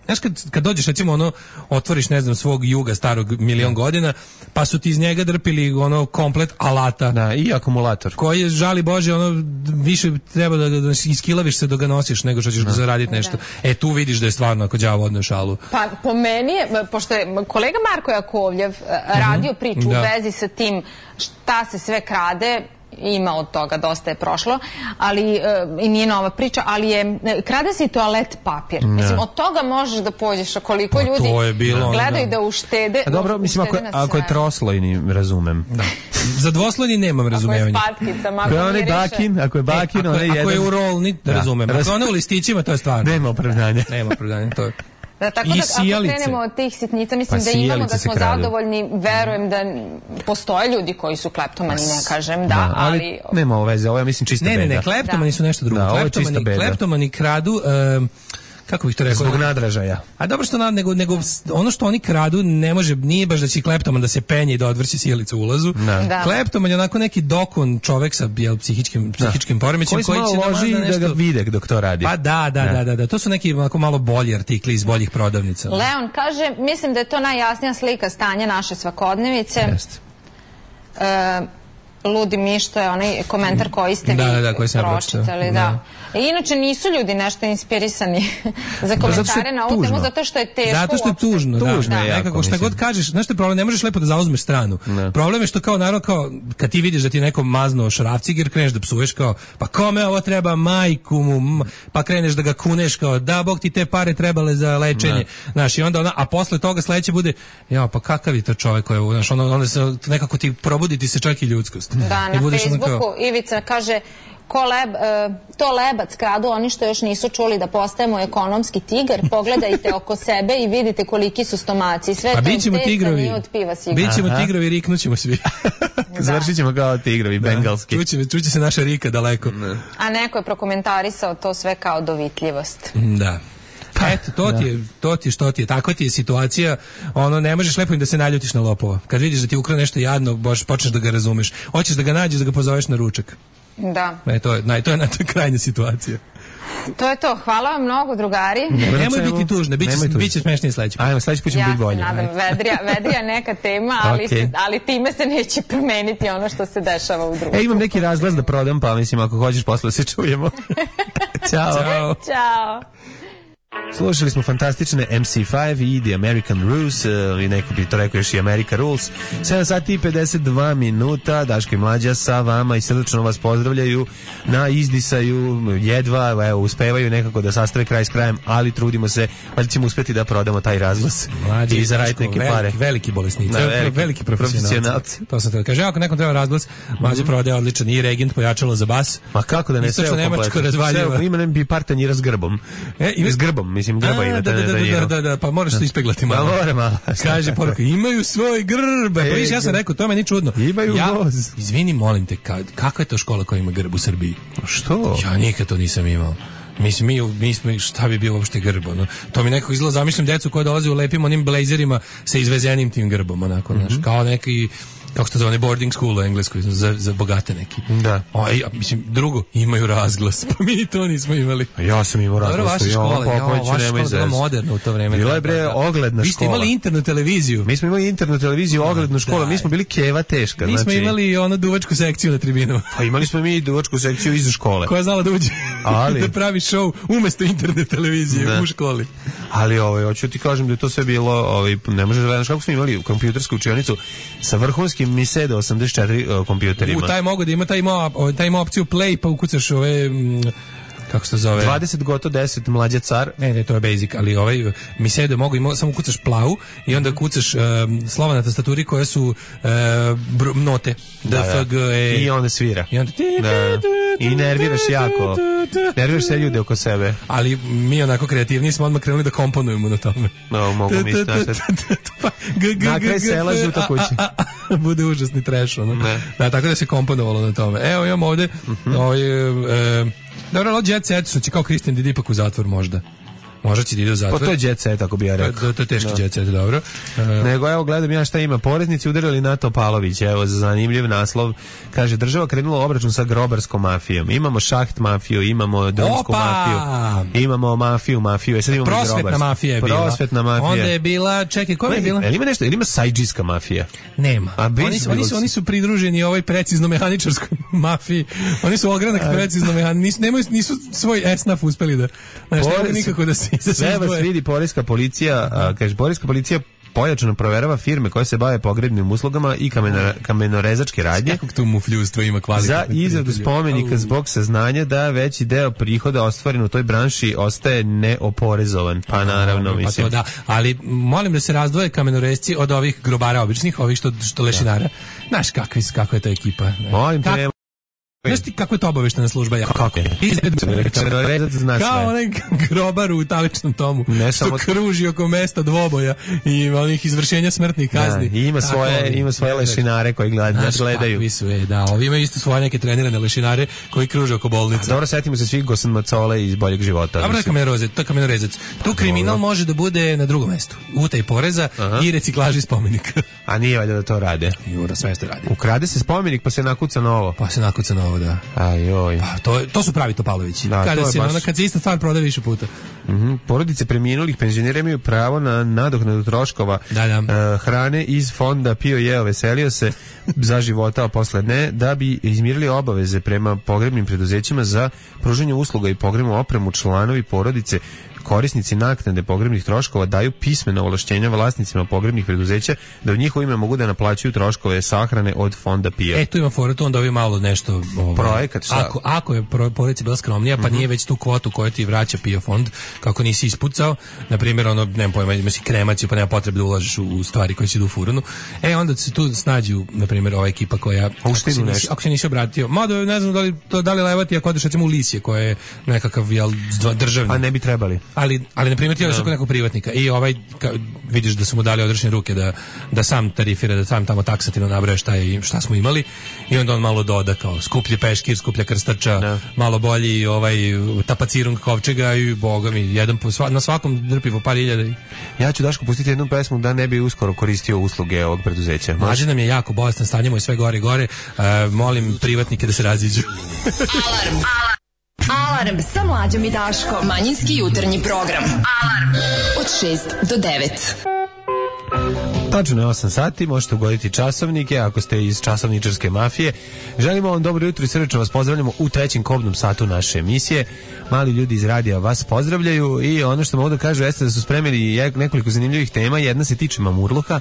znaš kad, kad dođeš recimo ono, otvoriš ne znam svog juga starog milion godina, pa su ti iz njega drpili ono komplet alata. Da, i akumulator. Koji je, žali Bože, ono, više treba da, da, da iskilaviš se dok ga nosiš nego što ćeš da zaraditi nešto. Da. E, tu vidiš da je stvarno ako đavo odneo šalu. Pa po meni je, pošto je kolega Marko Jakovljev radio priču Da. u vezi sa tim šta se sve krade, ima od toga, dosta je prošlo, ali i nije nova priča, ali je, krade se i toalet papir. Ne. Mislim, od toga možeš da pođeš, a koliko pa, ljudi to je bilo, gledaju da. da uštede. A dobro, mislim, ako, ako je troslojni, razumem. Da. Za dvoslojni nemam razumevanja. Ako je spatkicama, ako je onaj bakin, ako je bakin, e, ako, onaj jedan. Ako je u rolni, da razumem. Ako je ono u listićima, to je stvarno. Nema opravdanja. Nema opravdanja, to je. Da, tako da, ako krenemo od tih sitnica, mislim pa da imamo, da smo zadovoljni, verujem da postoje ljudi koji su kleptomani, ne kažem, da, da ali... ali... Nema ovo veze, ovo je, mislim, čista ne, beda. Ne, ne, kleptomani da. Su nešto drugo. Da, ovo je kleptomani, čista beda. Kleptomani kradu... Um, kako bih to rekao? Zbog nadražaja. A dobro što nad, nego, nego ono što oni kradu ne može, nije baš da će kleptoman da se penje i da odvrći sjelicu u ulazu. Da. Kleptoman je onako neki dokon čovek sa jel, psihičkim, psihičkim poremećajem koji, koji će loži da nešto... da ga vide dok to radi. Pa da, da, da, da, da. To su neki onako malo bolji artikli iz boljih prodavnica. Leon kaže, mislim da je to najjasnija slika stanja naše svakodnevice. Jeste. E, Ludi Miš, to je onaj komentar koji ste da, vi da, koji pročitali. Da. Inače nisu ljudi nešto inspirisani za komentare na ovu temu, zato što je teško. Zato što je tužno, da. Tužno je da. jako, Nekako šta mislim. god kažeš, znaš što je problem, ne možeš lepo da zauzmeš stranu. Ne. Problem je što kao naravno kao kad ti vidiš da ti neko maznuo šrafciger, kreneš da psuješ kao pa kome ovo treba, majku mu, pa kreneš da ga kuneš kao da bog ti te pare trebale za lečenje. Znaš, i onda ona, a posle toga sledeće bude ja pa kakav je to čovjek koji je, znaš, ono, onda se nekako ti probuditi se čak i ljudskost. Da, I na budeš ono Facebooku kao, Ivica kaže ko leb, e, to lebac kradu oni što još nisu čuli da postajemo ekonomski tigar, pogledajte oko sebe i vidite koliki su stomaci. Sve a to bit ćemo testa tigrovi, nije od piva sigurno. bit ćemo tigrovi, riknućemo svi. Završit ćemo kao tigrovi, bengalski. Čuće, čuće se naša Rika daleko. Ne. A neko je prokomentarisao to sve kao dovitljivost. Da. Pa eto, to ti je, to ti je što ti je, takva ti je situacija, ono, ne možeš lepo im da se naljutiš na lopova. Kad vidiš da ti ukra nešto jadno, baš počneš da ga razumeš. Hoćeš da ga nađeš, da ga pozoveš na ručak. Da. E, to je, naj, to je, to je krajnja situacija. To je to. Hvala vam mnogo, drugari. Ne, nemoj biti tužna, bit će, bit će smešnije sledeći put. Ajmo, sledeći put ćemo ja biti bolje. Ja se nadam, vedrija, vedrija neka tema, ali, Okay. se, ali time se neće promeniti ono što se dešava u društvu. E, imam neki razglas da prodam, pa mislim, ako hoćeš posle da se čujemo. Ćao. Ćao. Ćao. Slušali smo fantastične M C pet i The American Rules, i neko bi to rekao još i America Rules. sedam sati i pedeset dva minuta, Daško i Mlađa sa vama i srdačno vas pozdravljaju na izdisaju, jedva, evo, uspevaju nekako da sastave kraj s krajem, ali trudimo se, pa ćemo uspeti da prodamo taj razglas Mlađe i zaraditi neke veliki, pare. Veliki bolesnici, Da, veliki, veliki profesionalci. profesionalci. To sam te kaže, ako nekom treba razglas, Mlađe prodaje odličan i regent pojačalo za bas. Ma kako da ne, sve Istočno nemačko kompletno. razvaljiva. Sve, ima ne bi par tanjira s grbom. E, ima- S grbom, mislim, grba ima. da, da, da, da, da, da, pa moraš to ispeglati malo. Ma mora malo. Kaže poruka, imaju svoj grb. Pa viš, ja sam rekao, to meni čudno. Imaju ja, voz. Izvini, molim te, ka, kakva je to škola koja ima grb u Srbiji? Što? Ja nikad to nisam imao. Mislim, mi, mi smo, šta bi bio uopšte grb, ono? To mi nekako izgleda, zamišljam decu koja dolaze u lepim onim blazerima sa izvezenim tim grbom, onako, znaš, Mhm. kao neki, kako se to zove, boarding school u Engleskoj, za, za bogate neki. Da. O, ja, mislim, drugo, imaju razglas, pa mi to nismo imali. Ja sam imao Dobro, razglas. vaša škola, ja, vaša škola je bila izvesti. moderna u to vreme. Bila je bre ogledna Vi ste škola. imali internu televiziju. Mi smo imali internu televiziju, oglednu školu, mi smo bili keva teška. Mi smo znači, imali ono duvačku sekciju na tribinu. Pa imali smo mi i duvačku sekciju iza škole. Koja je znala da uđe Ali- da pravi show umesto interne televizije Da. u školi. Ali ovaj, hoću ti kažem da je to sve bilo, ovaj, ne možeš da gledaš kako smo imali kompjutersku učionicu sa vrhunskim Miseda osamdeset četiri uh, kompjuterima. U taj mogu da ima taj ima, taj ima opciju play pa ukucaš ove mm, kako se to zove? dvadeset goto deset mlađa car. Ne, ne, to je basic, ali ovaj mi se da mogu ima, samo kucaš plavu i onda kucaš um, slova na tastaturi koje su uh, br- note. D, F, G, E. I onda svira. I onda ti, Da. I nerviraš jako. Nerviraš se ljude oko sebe. Ali mi onako kreativni smo odmah krenuli da komponujemo na tome. No, mogu misliti na sve. Pa, g, g, Na kraj g, g, sela f, žuta a, kuća. a, a, a, bude užasni trash, ono. Ne. Da, tako da se komponovalo na tome. Evo imamo ovde ovaj, e, dobro, ali Jet Set, što će kao Christian Didi ipak u zatvor možda. Možda će da ide u zatvor. Pa to je jet set, ako bi ja To, rekao. to, to je teški Jet Set, dobro. E, Nego evo gledam ja šta ima. Poreznici udarili na Topalović, evo za zanimljiv naslov. Kaže država krenula obračun sa grobarskom mafijom. Imamo šaht mafiju, imamo drumsku Opa! mafiju. Imamo mafiju, mafiju. E sad imamo i prosvetna grobarsku. mafija je bila. Prosvetna mafija. Onda je bila, čekaj, koja je bila? Jel ima nešto, jel ima sajđijska mafija? Nema. A bi- Oni su, oni su, oni su pridruženi ovoj precizno mehaničarskoj mafiji. Oni su ogranak precizno mehaničarskoj. Nisu, nemaju, nisu svoj esnaf uspeli da... Znaš, ne mogu nikako da se, da se Sve vas izdvoje. vidi poreska policija, a, kaže, poreska policija pojačano proverava firme koje se bave pogrebnim uslugama i kameno, kamenorezačke radnje Kakvog tu mufljustva ima za kvalitetne izradu prijatelje. spomenika Au. zbog saznanja da veći deo prihoda ostvaren u toj branši ostaje neoporezovan. Pa naravno, Pa mislim. to da, ali molim da se razdvoje kamenoresci od ovih grobara običnih, ovih što, što lešinara. Znaš kakvi, kako je to ekipa. ne? Molim te, Kak- nema- Znaš ti kako je to obaveštena služba? Ja? Kako je? Kamenorezac zna Kao sve. onaj grobar u taličnom tomu, Ne što samo- kruži oko mesta dvoboja i onih izvršenja smrtnih Da, kazni. i ima Tako, svoje, ovi- ima svoje lešinare koji gled- nas Znaš gledaju. kakvi su, e, da, ovi imaju isto svoje neke trenirane lešinare koji kruže oko bolnice. Dobro, setimo se svih Gosan Macole iz Boljeg života. Dobro, to je mislim. kamenorezac, to je kamenorezac. Tu kriminal može da bude na drugom mestu. Utaj poreza i reciklaži spomenika. A nije valjda da to rade. Jura, sve što radi. Ukrade se spomenik pa se nakuca novo. Pa se nakuca novo. ovo, da. Ajoj. Pa, to, to su pravi Topalovići. Da, kada, se, baš... ona, kad se ista stvar prodaje više puta. Mm-hmm. Porodice preminulih penzionera imaju pravo na nadoknadu troškova da, da. Uh, hrane iz fonda Pio jeo veselio se za života, a posle ne, da bi izmirili obaveze prema pogrebnim preduzećima za pružanje usluga i pogrebnu opremu. Članovi porodice korisnici naknade pogrebnih troškova daju pismena ovlašćenja vlasnicima pogrebnih preduzeća da u njihovo ime mogu da naplaćuju troškove sahrane od fonda Pio. E, tu ima fora, tu onda ovi malo nešto... Ovaj, projekat, šta? Ako, ako je porodica bila skromnija, pa mm-hmm. nije već tu kvotu koju ti vraća Pio fond, kako nisi ispucao, na primjer, ono, nemam pojma, imaš kremaciju, pa nema potrebe da ulažeš u, u stvari koje si idu u furunu. E, onda se tu snađu, na primjer, ova ekipa koja... Ako se, nisi, ako se nisi obratio, mada ne znam da li, to, da li levati ako odeš recimo u Lisje, koje je nekakav jel, državni. A ne bi trebali. Ali, ali na primjer ti odeš kod nekog privatnika i ovaj ka, vidiš da su mu dali odrešene ruke da, da sam tarifira, da sam tamo taksativno nabraja šta, je, šta smo imali i onda on malo doda kao skuplje peškir, skuplja krstača, no. malo bolji ovaj tapacirung kovčega i boga mi, jedan po, sva, na svakom drpi po par hiljada. Ja ću Daško pustiti jednu pesmu da ne bi uskoro koristio usluge ovog preduzeća. Mlađe nam je jako bolestan, stanje mu je sve gore i gore, uh, molim privatnike da se raziđu. Alarm, alarm. Alarm sa Mlađom i Daškom. Manjinski jutarnji program. Alarm od šest do devet. Tačno je osam sati, možete ugoditi časovnike ako ste iz časovničarske mafije. Želimo vam dobro jutro i srdečno vas pozdravljamo u trećem kobnom satu naše emisije. Mali ljudi iz radija vas pozdravljaju i ono što mogu da kažu jeste da su spremili nekoliko zanimljivih tema. Jedna se tiče mamurluka.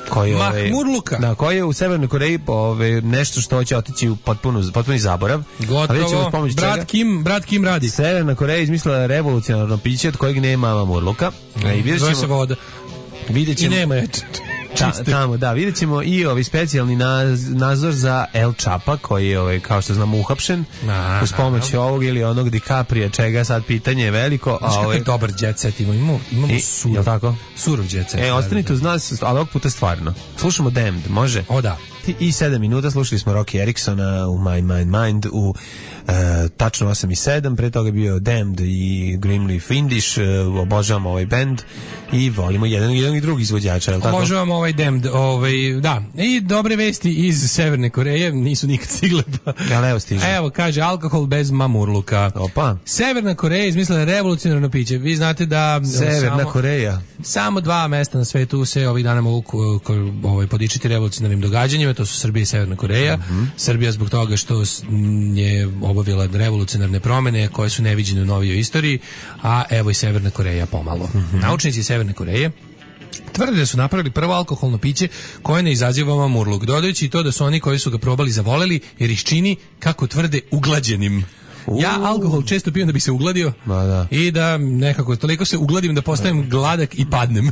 Koji, Mahmurluka. Da, koji je u Severnoj Koreji ove, nešto što će otići u potpunu, potpuni zaborav. Gotovo, brat čega? Kim, brat Kim radi. Severna Koreja izmislila revolucionarno piće od kojeg nema mamurluka. Mm, zove se voda. Vidjet ćemo, i nema je ta, tamo, da, vidjet ćemo i ovaj specijalni naz, nadzor za El Chapa, koji je, ovaj, kao što znamo, uhapšen na, uz pomoć na, ovog ili onog DiCaprija, čega sad pitanje je veliko. Znaš kako je dobar jet set, imamo, imamo surov, tako? surov jet set. E, ostanite uz nas, ali ovog puta stvarno. Slušamo Damned, može? O, da. I sedam minuta, slušali smo Rocky Ericksona u My Mind Mind u e, tačno osam i sedam, pre toga je bio Damned i Grimly Findish, e, obožavamo ovaj band i volimo jedan, jedan i drugi izvođača, je li tako? Obožavamo ovaj Damned, ovaj, da, i dobre vesti iz Severne Koreje, nisu nikad stigle pa... Ali evo stiže. Evo, kaže, alkohol bez mamurluka. Opa. Severna Koreja izmislila revolucionarno piće, vi znate da... Severna samo, Koreja. Samo dva mesta na svetu se ovih dana mogu ko, ko, ovaj, podičiti revolucionarnim događanjima, to su Srbija i Severna Koreja. Mm-hmm. Srbija zbog toga što je obavila revolucionarne promene koje su neviđene u novijoj istoriji, a evo i Severna Koreja pomalo. Mm-hmm. Naučnici Severne Koreje tvrde da su napravili prvo alkoholno piće koje ne izaziva mamurluk, dodajući i to da su oni koji su ga probali zavoleli jer ih čini, kako tvrde, uglađenim. Uh. Ja alkohol često pijem da bi se ugladio da. i da nekako toliko se ugladim da postanem gladak i padnem.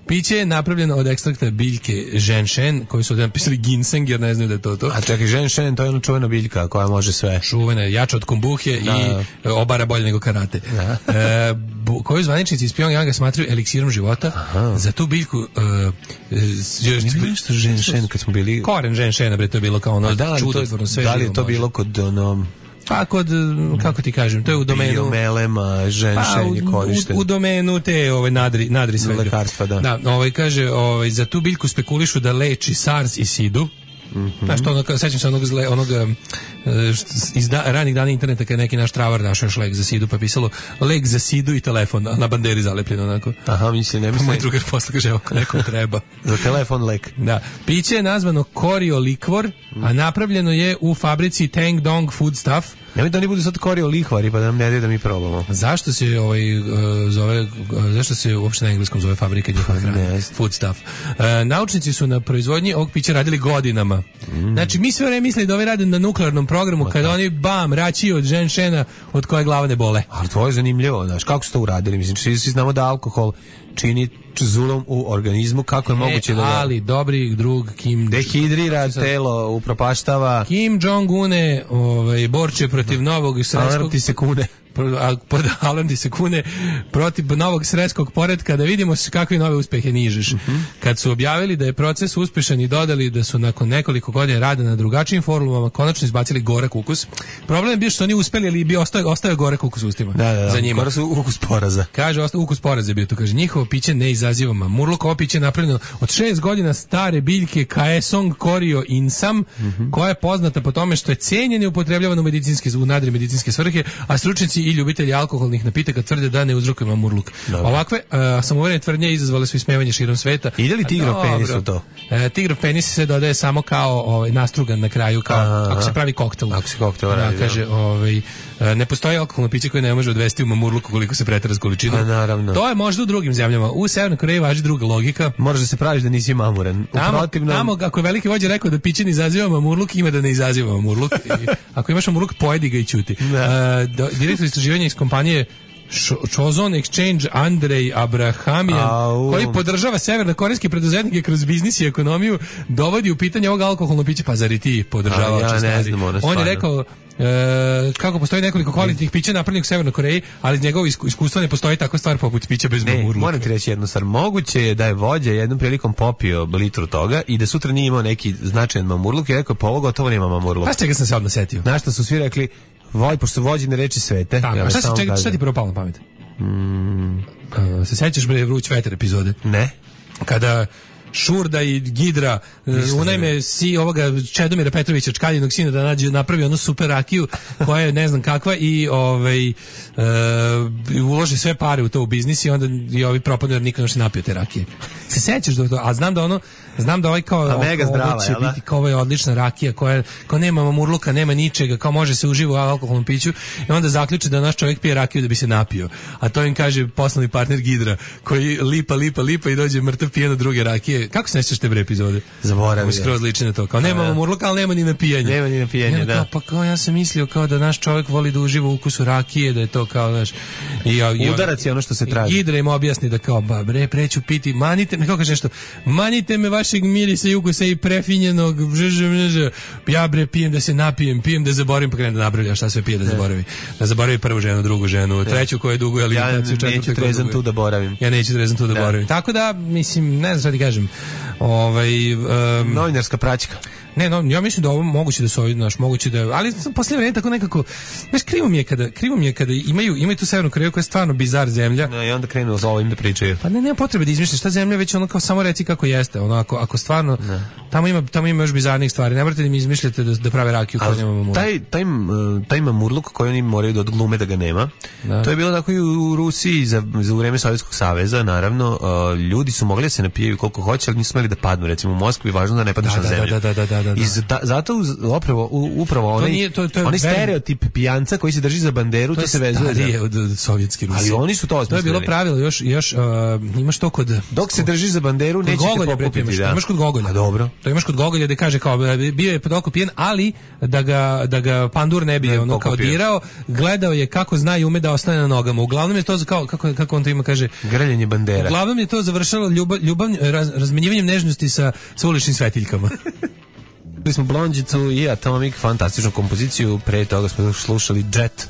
Piće je napravljeno od ekstrakta biljke ženšen, koji su ovdje napisali ginseng jer ne znaju da je to to. A čekaj, ženšen, to je ona čuvena biljka koja može sve. Čuvena, jača od kombuhe da. I obara bolje nego karate. E, bu, koju zvaničnici iz Pyongyanga smatraju eliksirom života. Aha. Za tu biljku... Uh, Nije nešto ženšen kad smo bili... Koren ženšena, bre, to je bilo kao ono da, čudotvorno sve. Da li je to može. Bilo kod ono... Pa kod, kako ti kažem, to je u domenu... Biomelema, ženšenje pa, korište. U, u domenu te ove, nadri, nadri svega. Lekarstva, da. Da, ovaj, kaže, ovaj, za tu biljku spekulišu da leči SARS i SIDU. Mm-hmm. Znaš, to ono, sećam se onog, zle, onog iz da, ranih dana interneta kad je neki naš travar našao još lek za sidu, pa je pisalo lek za sidu i telefon, a na banderi zalepljeno onako. Aha, mislim, ne mislim. Pa moj drugar posle kaže, evo, nekom treba. Za telefon lek. Da. Piće je nazvano Korio Likvor, mm. a napravljeno je u fabrici Tang Dong Foodstuff. Nemoj da oni budu sad Korio Lihvari, pa da nam ne daju da mi probamo. Zašto se ovaj, uh, zove, uh, zašto se uopšte na engleskom zove fabrika njihova hrana? Foodstuff. Uh, naučnici su na proizvodnji ovog pića radili godinama. Mm. Znači, mi sve vreme mislili da ovaj rade na nuklearnom programu, o, kada da. Oni, bam, rači od ženšena od koje glava ne bole. Ali to je zanimljivo, znaš, kako su to uradili? Mislim, svi, svi znamo da alkohol čini zulom u organizmu, kako je e, moguće da... Ali, dobri drug Kim... Dehidrira telo, upropaštava... Kim Jong-une ovaj, borče protiv novog sredskog... ti se kune. a pod Alandi se kune protiv novog sredskog poretka da vidimo kakve nove uspehe nižeš. Mm-hmm. Kad su objavili da je proces uspešan i dodali da su nakon nekoliko godina rada na drugačijim formulama konačno izbacili gorak ukus. Problem je bio što oni uspeli, ali bi ostao, ostao gorak ukus u ustima. Da, da, da. Za njima. Gorak ukus poraza. Kaže, ostao ukus poraza je bio to. Kaže, njihovo piće ne izaziva mamurluk. Ovo piće je napravljeno od šest godina stare biljke Kaesong Corio Insam, mm-hmm. koja je poznata po tome što je cenjena i upotrebljavana u medicinske, u nadri medicinske svrhe, a stručnjaci i ljubitelji alkoholnih napitaka tvrde da ne uzrokuje mamurluk. Dobre. Ovakve uh, samouverene tvrdnje izazvale su ismevanje širom sveta. Ide li tigrov penis u to? Uh, tigrov penis se dodaje samo kao ovaj, nastrugan na kraju, kao aha, ako se pravi koktel. Ako se koktel radi. Da, kaže, ovaj, ne postoji alkoholno piće koje ne može odvesti u mamurluk koliko se pretera s količinom. Naravno. To je možda u drugim zemljama. U Severnoj Koreji važi druga logika. Moraš da se praviš da nisi mamuran. Tamo, protivnom... tamo ako je veliki vođa rekao da piće ne izaziva mamurluk, ima da ne izaziva mamurluk. I ako imaš mamurluk, pojedi ga i ćuti. Uh, do, direktor istraživanja iz kompanije Chozon Exchange Andrej Abrahamian, Au. koji podržava severnokorejske preduzetnike kroz biznis i ekonomiju, dovodi u pitanje ovog alkoholnog pića. Pa zar i ti podržavaš? Ja ne znam, ono on je rekao E, kako postoji nekoliko kvalitetnih pića napravljenih u Severnoj Koreji, ali iz njegovog iskustva ne postoji takva stvar poput pića bez mamurluka. Moram ti reći jednu stvar, moguće je da je vođa jednom prilikom popio litru toga i da sutra nije imao neki značajan mamurluk i rekao, pa ovo gotovo nema mamurluka. Pa čega sam se odmah setio? Znaš što su svi rekli, voj, pošto su vođene reči svete. Tako, ja a šta, se, čega, šta ti prvo palo na pamet? Mm. Uh, se sećaš bre Vruć vetar epizode? Ne. Kada Šurda i Gidra unajme si ovoga Čedomira Petrovića, Čkaljinog sina, da nađe, napravi onu super rakiju koja je ne znam kakva i ovaj, e, uloži sve pare u to u biznis i onda i ovi propadnu jer niko ne se napio te rakije. Se sećaš da to? A znam da ono, znam da ovaj kao a mega zdrava, će biti kao ovaj odlična rakija koja kao nema mamurluka, nema ničega, kao može se uživo u alkoholnom piću i onda zaključi da naš čovjek pije rakiju da bi se napio. A to im kaže poslovni partner Gidra koji lipa, lipa, lipa i dođe mrtav pijen od druge rakije. Kako se ne sjećaš te bre epizode? Zaboravim. Skroz liči na to. Kao nema mamurluka, ali nema ni napijanja. Nema ni napijanja, da. Kao, pa kao ja sam mislio kao da naš čovjek voli da uživa u ukusu rakije, da je to kao naš i, i udarac je ono što se traži. Gidra im objasni da kao ba bre preću piti, manite me, kako kaže nešto, manite me vašeg mirisa i ukusa i prefinjenog, žž, žž, ja bre pijem da se napijem, pijem da zaboravim, pa krenem da nabrljam šta sve pije da zaboravi. Da zaboravi prvu ženu, drugu ženu, treću koju duguje alimentaciju, četvrtu. Ja neću trezan tu da boravim. Ja neću trezan tu da boravim. Tako da, mislim, ne znam šta ti kažem. Ovaj um, novinarska praćka. Ne, no, ja mislim da ovo moguće da su ovi, naš, moguće da, ali posle vremena tako nekako, znaš, krivo mi je kada, krivo mi je kada imaju, imaju tu Severnu Koreju koja je stvarno bizar zemlja. No, i onda krenu za ovim da pričaju. Pa ne, nema potrebe da izmišljaš ta zemlja, već ono kao samo reci kako jeste, ono ako, ako stvarno, ne. tamo ima, tamo ima još bizarnih stvari, ne morate da mi izmišljate da, da prave rakiju koja nema mamurluk. Taj, taj, taj mamurluk koji oni moraju da odglume da ga nema, da. To je bilo tako i u Rusiji za, za vreme Sovjetskog saveza, naravno, uh, ljudi su mogli da se napijaju koliko hoće, ali nisu smeli da padnu, recimo u Moskvi važno da ne padneš da, na zemlju. Da, da, da, da, da, da. I za, zato upravo upravo onaj nije, to, to onaj stereotip pijanca koji se drži za banderu, to, to se vezuje za od, od sovjetske Rusije. Ali oni su to osmislili. To je bilo pravilo još još uh, imaš to kod dok se držiš za banderu nećete pokupiti, da. Imaš kod Gogolja. A dobro. To imaš kod Gogolja da kaže kao bio je podoko pijen, ali da ga da ga pandur ne bi ne, ono kao dirao, gledao je kako zna i ume da ostane na nogama. Uglavnom je to kao kako kako on to ima kaže grljenje bandera. Uglavnom je to završilo ljubav, ljubav raz, razmenjivanjem nežnosti sa sa uličnim svetiljkama. Čuli smo Blondžicu i Atomic, fantastičnu kompoziciju, pre toga smo slušali Jet,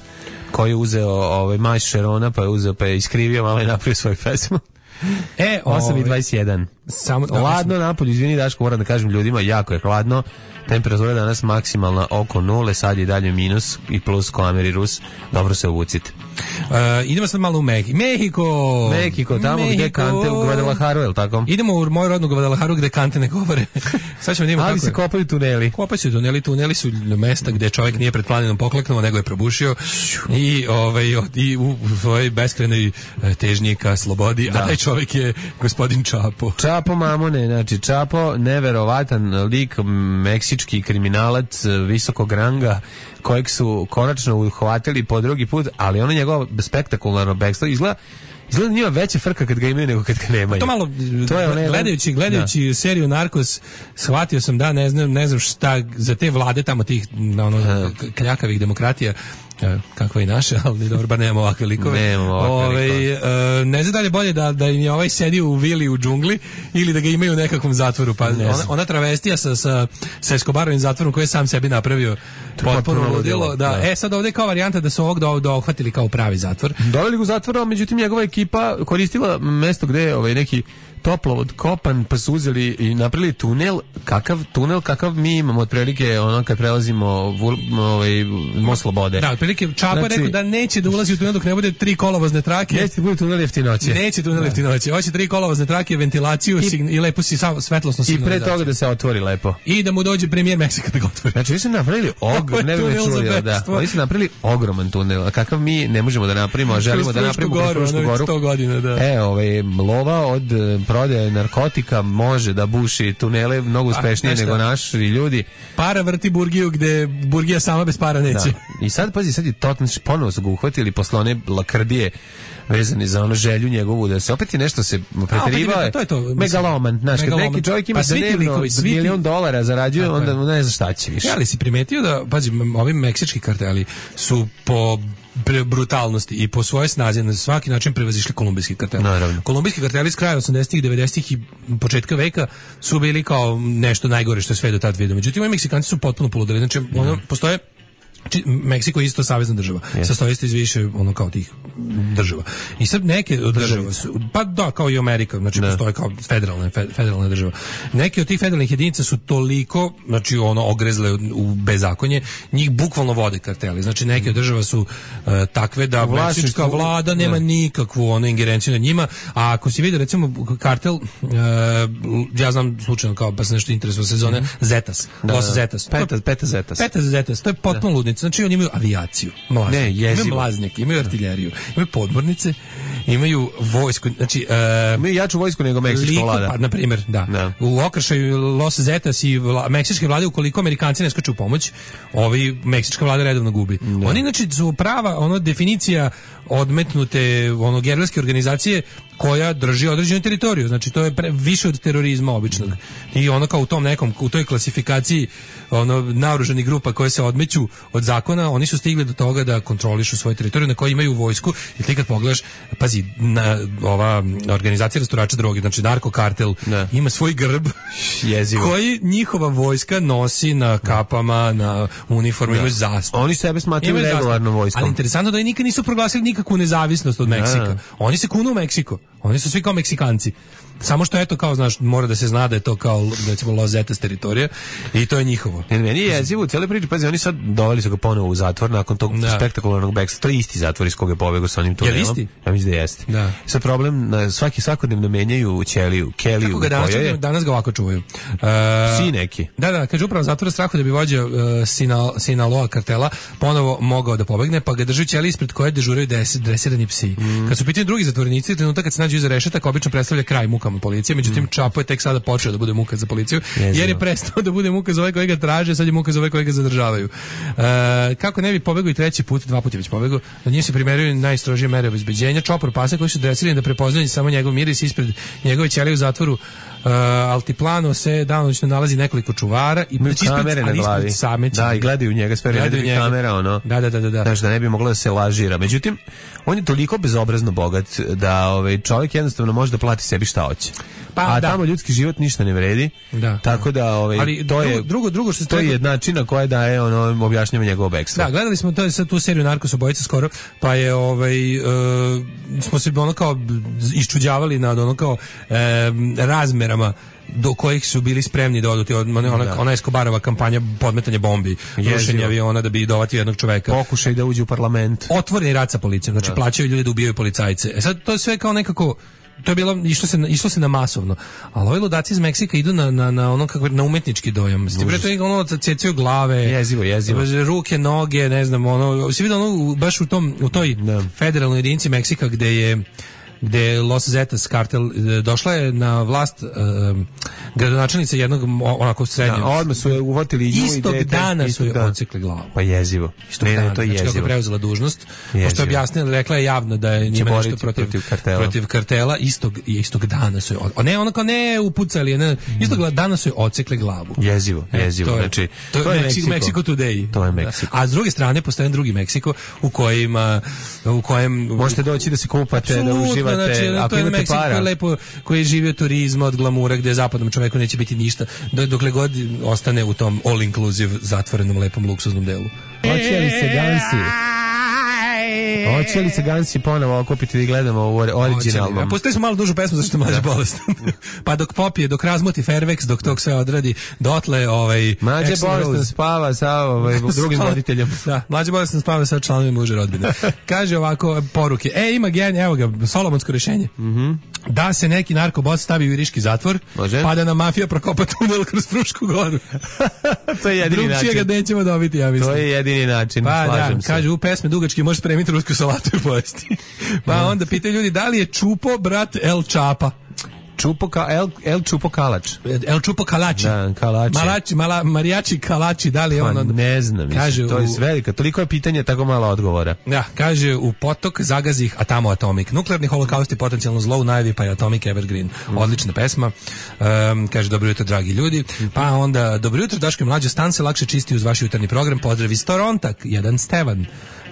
koji je uzeo ovaj Maj Šerona, pa je uzeo, pa je iskrivio malo i napravio svoj pesmu. E, osam i dvadeset jedan. Samo hladno napolju, izvini Daško, moram da kažem ljudima, jako je hladno. Temperatura danas maksimalna oko nule, sad je dalje minus i plus ko Ameri Rus. Dobro se obucite. Uh, idemo sad malo u Mehiko. Mehiko! Mehiko, tamo Mehiko. Gde kante u Guadalajaru, je li tako? Idemo u moju rodnu Guadalajaru gde kante ne govore. Sad ćemo da imamo ali se kopaju tuneli. Kopaju se tuneli, tuneli su mesta gde čovjek nije pred planinom pokleknuo, nego je probušio i, ovaj, i u svojoj beskrenoj težnji ka slobodi, da. A taj čovjek je gospodin Čapo. Čapo Mamone, znači Čapo, neverovatan lik, meksički kriminalac visokog ranga, kojeg su konačno uhvatili po drugi put, ali ono njegovo spektakularno bekstvo izgleda izgleda njima veća frka kad ga imaju nego kad ga nemaju. To malo, to je gledajući, gledajući da. seriju Narkos, shvatio sam da ne znam, ne znam šta za te vlade tamo tih ono, kljakavih demokratija Kakva i naša, ali dobro, bar nemamo ovakve likove. Nemamo ovakve likove. E, ne znam da li je bolje da, da im je ovaj sedio u vili u džungli ili da ga imaju u nekakvom zatvoru. Pa ona, ona travestija sa, sa, sa Escobarovim zatvorom koji je sam sebi napravio potpuno ludilo. Da. Da. E, sad ovdje je kao varijanta da su ovog do, dohvatili kao pravi zatvor. Doveli ga u zatvor, međutim njegova ekipa koristila mesto gde je ovaj neki toplovod kopan, pa su uzeli i napravili tunel, kakav tunel kakav mi imamo otprilike ono kad prelazimo ovaj most Slobode. Da, otprilike Čapa znači, rekao da neće da ulazi u tunel dok ne bude tri kolovozne trake. Neće da bude tunel jeftinoće. Neće tunel jeftinoće. Hoće tri kolovozne trake, ventilaciju i, sign, i lepo si sam svetlosno signalizaciju. I pre toga da se otvori lepo. I da mu dođe premijer Meksika da ga otvori. Znači vi ste napravili ogrom, ne bih čuli, da. Oni su napravili ogroman tunel, a kakav mi ne možemo da napravimo, a želimo da napravimo goru, goru. sto godina, da. E, ovaj lova od prodaje narkotika može da buši tunele mnogo uspešnije nego naši ljudi. Para vrti burgiju gde burgija sama bez para neće. Da. I sad, pazi, sad je totalno, ponovo su ga uhvatili posle one lakrdije vezani za ono želju njegovu da se opet je nešto se preterivao je, to je to, megaloman, znaš, kad neki čovjek ima pa dnevno milion dolara zarađuje, onda ne zna šta će više. Ja, ali si primetio da, pazi, ovi meksički karteli su po brutalnosti i po svojoj snazi na svaki način prevazišli kolumbijski kartel. Naravno. Kolumbijski karteli s kraja osamdesetih, devedesetih i početka veka su bili kao nešto najgore što je sve do tad vidio. Međutim, ovi Meksikanci su potpuno poludeli. Znači, ono, postoje Či, Meksiko je isto savezna država. Yes. Sastoji se iz više ono kao tih država. I sad neke od država su, pa da, kao i Amerika, znači ne. Postoje kao federalne, federalna država. Neke od tih federalnih jedinica su toliko, znači ono, ogrezle u bezakonje, njih bukvalno vode karteli. Znači neke od država su uh, takve da meksička vlada nema ne. nikakvu ono, ingerenciju na njima, a ako si vidio recimo kartel, uh, ja znam slučajno kao, pa se nešto interesuje sezone, mm-hmm. Zetas, da, Los Zetas. Peta, peta Zetas. Peta Zetas, to je potpuno ludno. Znači oni imaju avijaciju, mlaznike, ne, imaju mlaznike, imaju artiljeriju, imaju podmornice, imaju vojsku, znači uh, imaju jaču vojsku nego meksička vlada. Pa, na primjer, da. da. U okršaju Los Zetas i vla, meksičke vlade, ukoliko Amerikanci ne skaču u pomoć, ovi meksička vlada redovno gubi. Da. Oni znači su prava ono definicija odmetnute ono gerilske organizacije koja drži određenu teritoriju. Znači to je pre, više od terorizma običnog. I ono kao u tom nekom, u toj klasifikaciji ono naoružanih grupa koje se odmeću od zakona, oni su stigli do toga da kontrolišu svoju teritoriju na kojoj imaju vojsku. I ti kad pogledaš, pazi, na, ova organizacija rasturača droge, znači narkokartel, ne. Ima svoj grb jezivo koji njihova vojska nosi na kapama, na uniformu, imaju zastavu. Oni sebe smatraju regularnom vojskom. Ali interesantno da oni nikad nisu proglasili nikakvu nezavisnost od Meksika. Ne. Oni se kunu u Meksiko. Oni su svi kao Meksikanci. Samo što eto kao znaš mora da se zna da je to kao recimo Los Zetas teritorija i to je njihovo. Ne, meni je jezivo u cijeloj priči, pazi, oni sad doveli su ga ponovo u zatvor nakon tog da. spektakularnog bekstva. To je isti zatvor iz koga je pobegao sa onim tunelom. Je isti? Ja mislim da jeste. Da. Sad problem, svaki svakodnevno menjaju ćeliju, keliju. Kako ga danas, je... danas ga ovako čuvaju? Uh, Psi neki. Da, da, kaže upravo zatvor strahu da bi vođa uh, Sinal, Sinaloa kartela ponovo mogao da pobegne, pa ga drži ćeliji ispred koje dežuraju dresirani psi. Mm. Kad su pitani drugi zatvorenici, trenutak kad se nađu iza rešetaka obično predstavlja kraj mukama policije, međutim mm. Čapo je tek sada počeo da bude muka za policiju, Jezino. Jer je prestao da bude muka za ove koji ga traže, sad je muka za ove koji ga zadržavaju. E, kako ne bi pobegao i treći put, dva puta je već pobegao, na njih se primeraju najstrožije mere obezbeđenja, čopor pasa koji su dresirani da prepoznaju samo njegov miris ispred njegove ćelije u zatvoru. Uh, Altiplano se danonoćno nalazi nekoliko čuvara i znači kamere na glavi. Da, i gledaju njega sve vreme kamera ono. Da, da, da, da. Znači da ne bi moglo da se lažira. Međutim, on je toliko bezobrazno bogat da ovaj čovjek jednostavno može da plati sebi šta hoće. Pa, a da. Tamo ljudski život ništa ne vredi. Da. Tako da ovaj ali to je drugo drugo što se to je jednačina koja daje ono objašnjava njegovo bekstvo. Da, gledali smo to je sad tu seriju Narkos obojica skoro, pa je ovaj uh, smo se ono kao iščuđavali nad ono kao uh, razmerama do kojih su bili spremni da odu, ona, ona, ona Escobarova kampanja podmetanja bombi, rušenja aviona da bi dovatio jednog čoveka. Pokušaj da uđe u parlament. Otvoreni rat sa policijom, znači da. Plaćaju ljudi da ubijaju policajce. E sad to je sve kao nekako to je bilo išlo se išlo se na masovno. Ali ovi ludaci iz Meksika idu na na na ono kako na umetnički dojam. Ste bre to je ono cecaju glave, jezivo, jezivo. Ruke, noge, ne znam, ono se vidi ono baš u tom u toj no. federalnoj jedinici Meksika gde je gde Los Zetas kartel došla je na vlast um, gradonačelnica jednog onako srednjeg. Da, odmah su je uvotili nju istog i dana istog su je dana. odsekli glavu. Pa jezivo. Istog ne, dana, ne, to je znači jezivo. kako je preuzela dužnost, Jezivo. pošto je objasnila, rekla je javno da je njima nešto protiv, protiv kartela. protiv kartela, istog, istog dana su je, od, ne, ono kao ne upucali, ne, istog dana su je odsekli glavu. Jezivo, jezivo. E, to je, znači, to, to je Meksiko, Meksiko. Meksiko Today. To je Meksiko. A s druge strane postoji drugi Meksiko u kojima u kojem možete doći da se kupate, da uživate, znači, ako to je imate Meksiko para. Koji je lepo, koji živi od turizma, od glamura, gde zapadnom čoveku neće biti ništa, dokle god ostane u tom all inclusive zatvorenom lepom luksuznom delu. Hoće li se Gansi? Hoće li se Gansi ponovo okupiti da gledamo u originalnom? Postoji smo malo dužu pesmu zašto je mlađa bolestan. Pa dok popije, dok razmoti Fairvex, dok tog sve odradi, dotle ovaj mlađe bolestan spava sa ovaj drugim voditeljem. Da, mlađe bolestan spava sa članovima uže rodbine. Kaže ovako poruke. E, ima gen, evo ga, solomonsko rješenje. Mhm. Da se neki narkobos stavi u iriški zatvor, može? Pa da nam mafija prokopa tunel kroz Frušku goru. To je jedini način. Drugčije ga nećemo dobiti, ja mislim. To je jedini način, pa, slažem da, se. kaže, u pesme dugački možeš spremiti rusku salatu i pojesti. Pa no. Onda pitaju ljudi da li je Čupo brat El Čapa. Čupo ka, El, El Čupo Kalač. El Čupo Kalači. Da, Kalači. Malači, mala, marijači Kalači, da li je on... Pa, ne znam, kaže, to je u... velika. Toliko je pitanje, tako malo odgovora. Da, kaže, u potok zagazih, a tamo atomik. Nuklearni holokaust je potencijalno zlo u najavi, pa je Atomic Evergreen. Mm. Odlična pesma. Um, kaže, dobro jutro, dragi ljudi. Mm. Pa onda, dobro jutro, Daško i mlađe, stan se lakše čisti uz vaš jutarnji program. Pozdrav iz Toronta, jedan Stevan.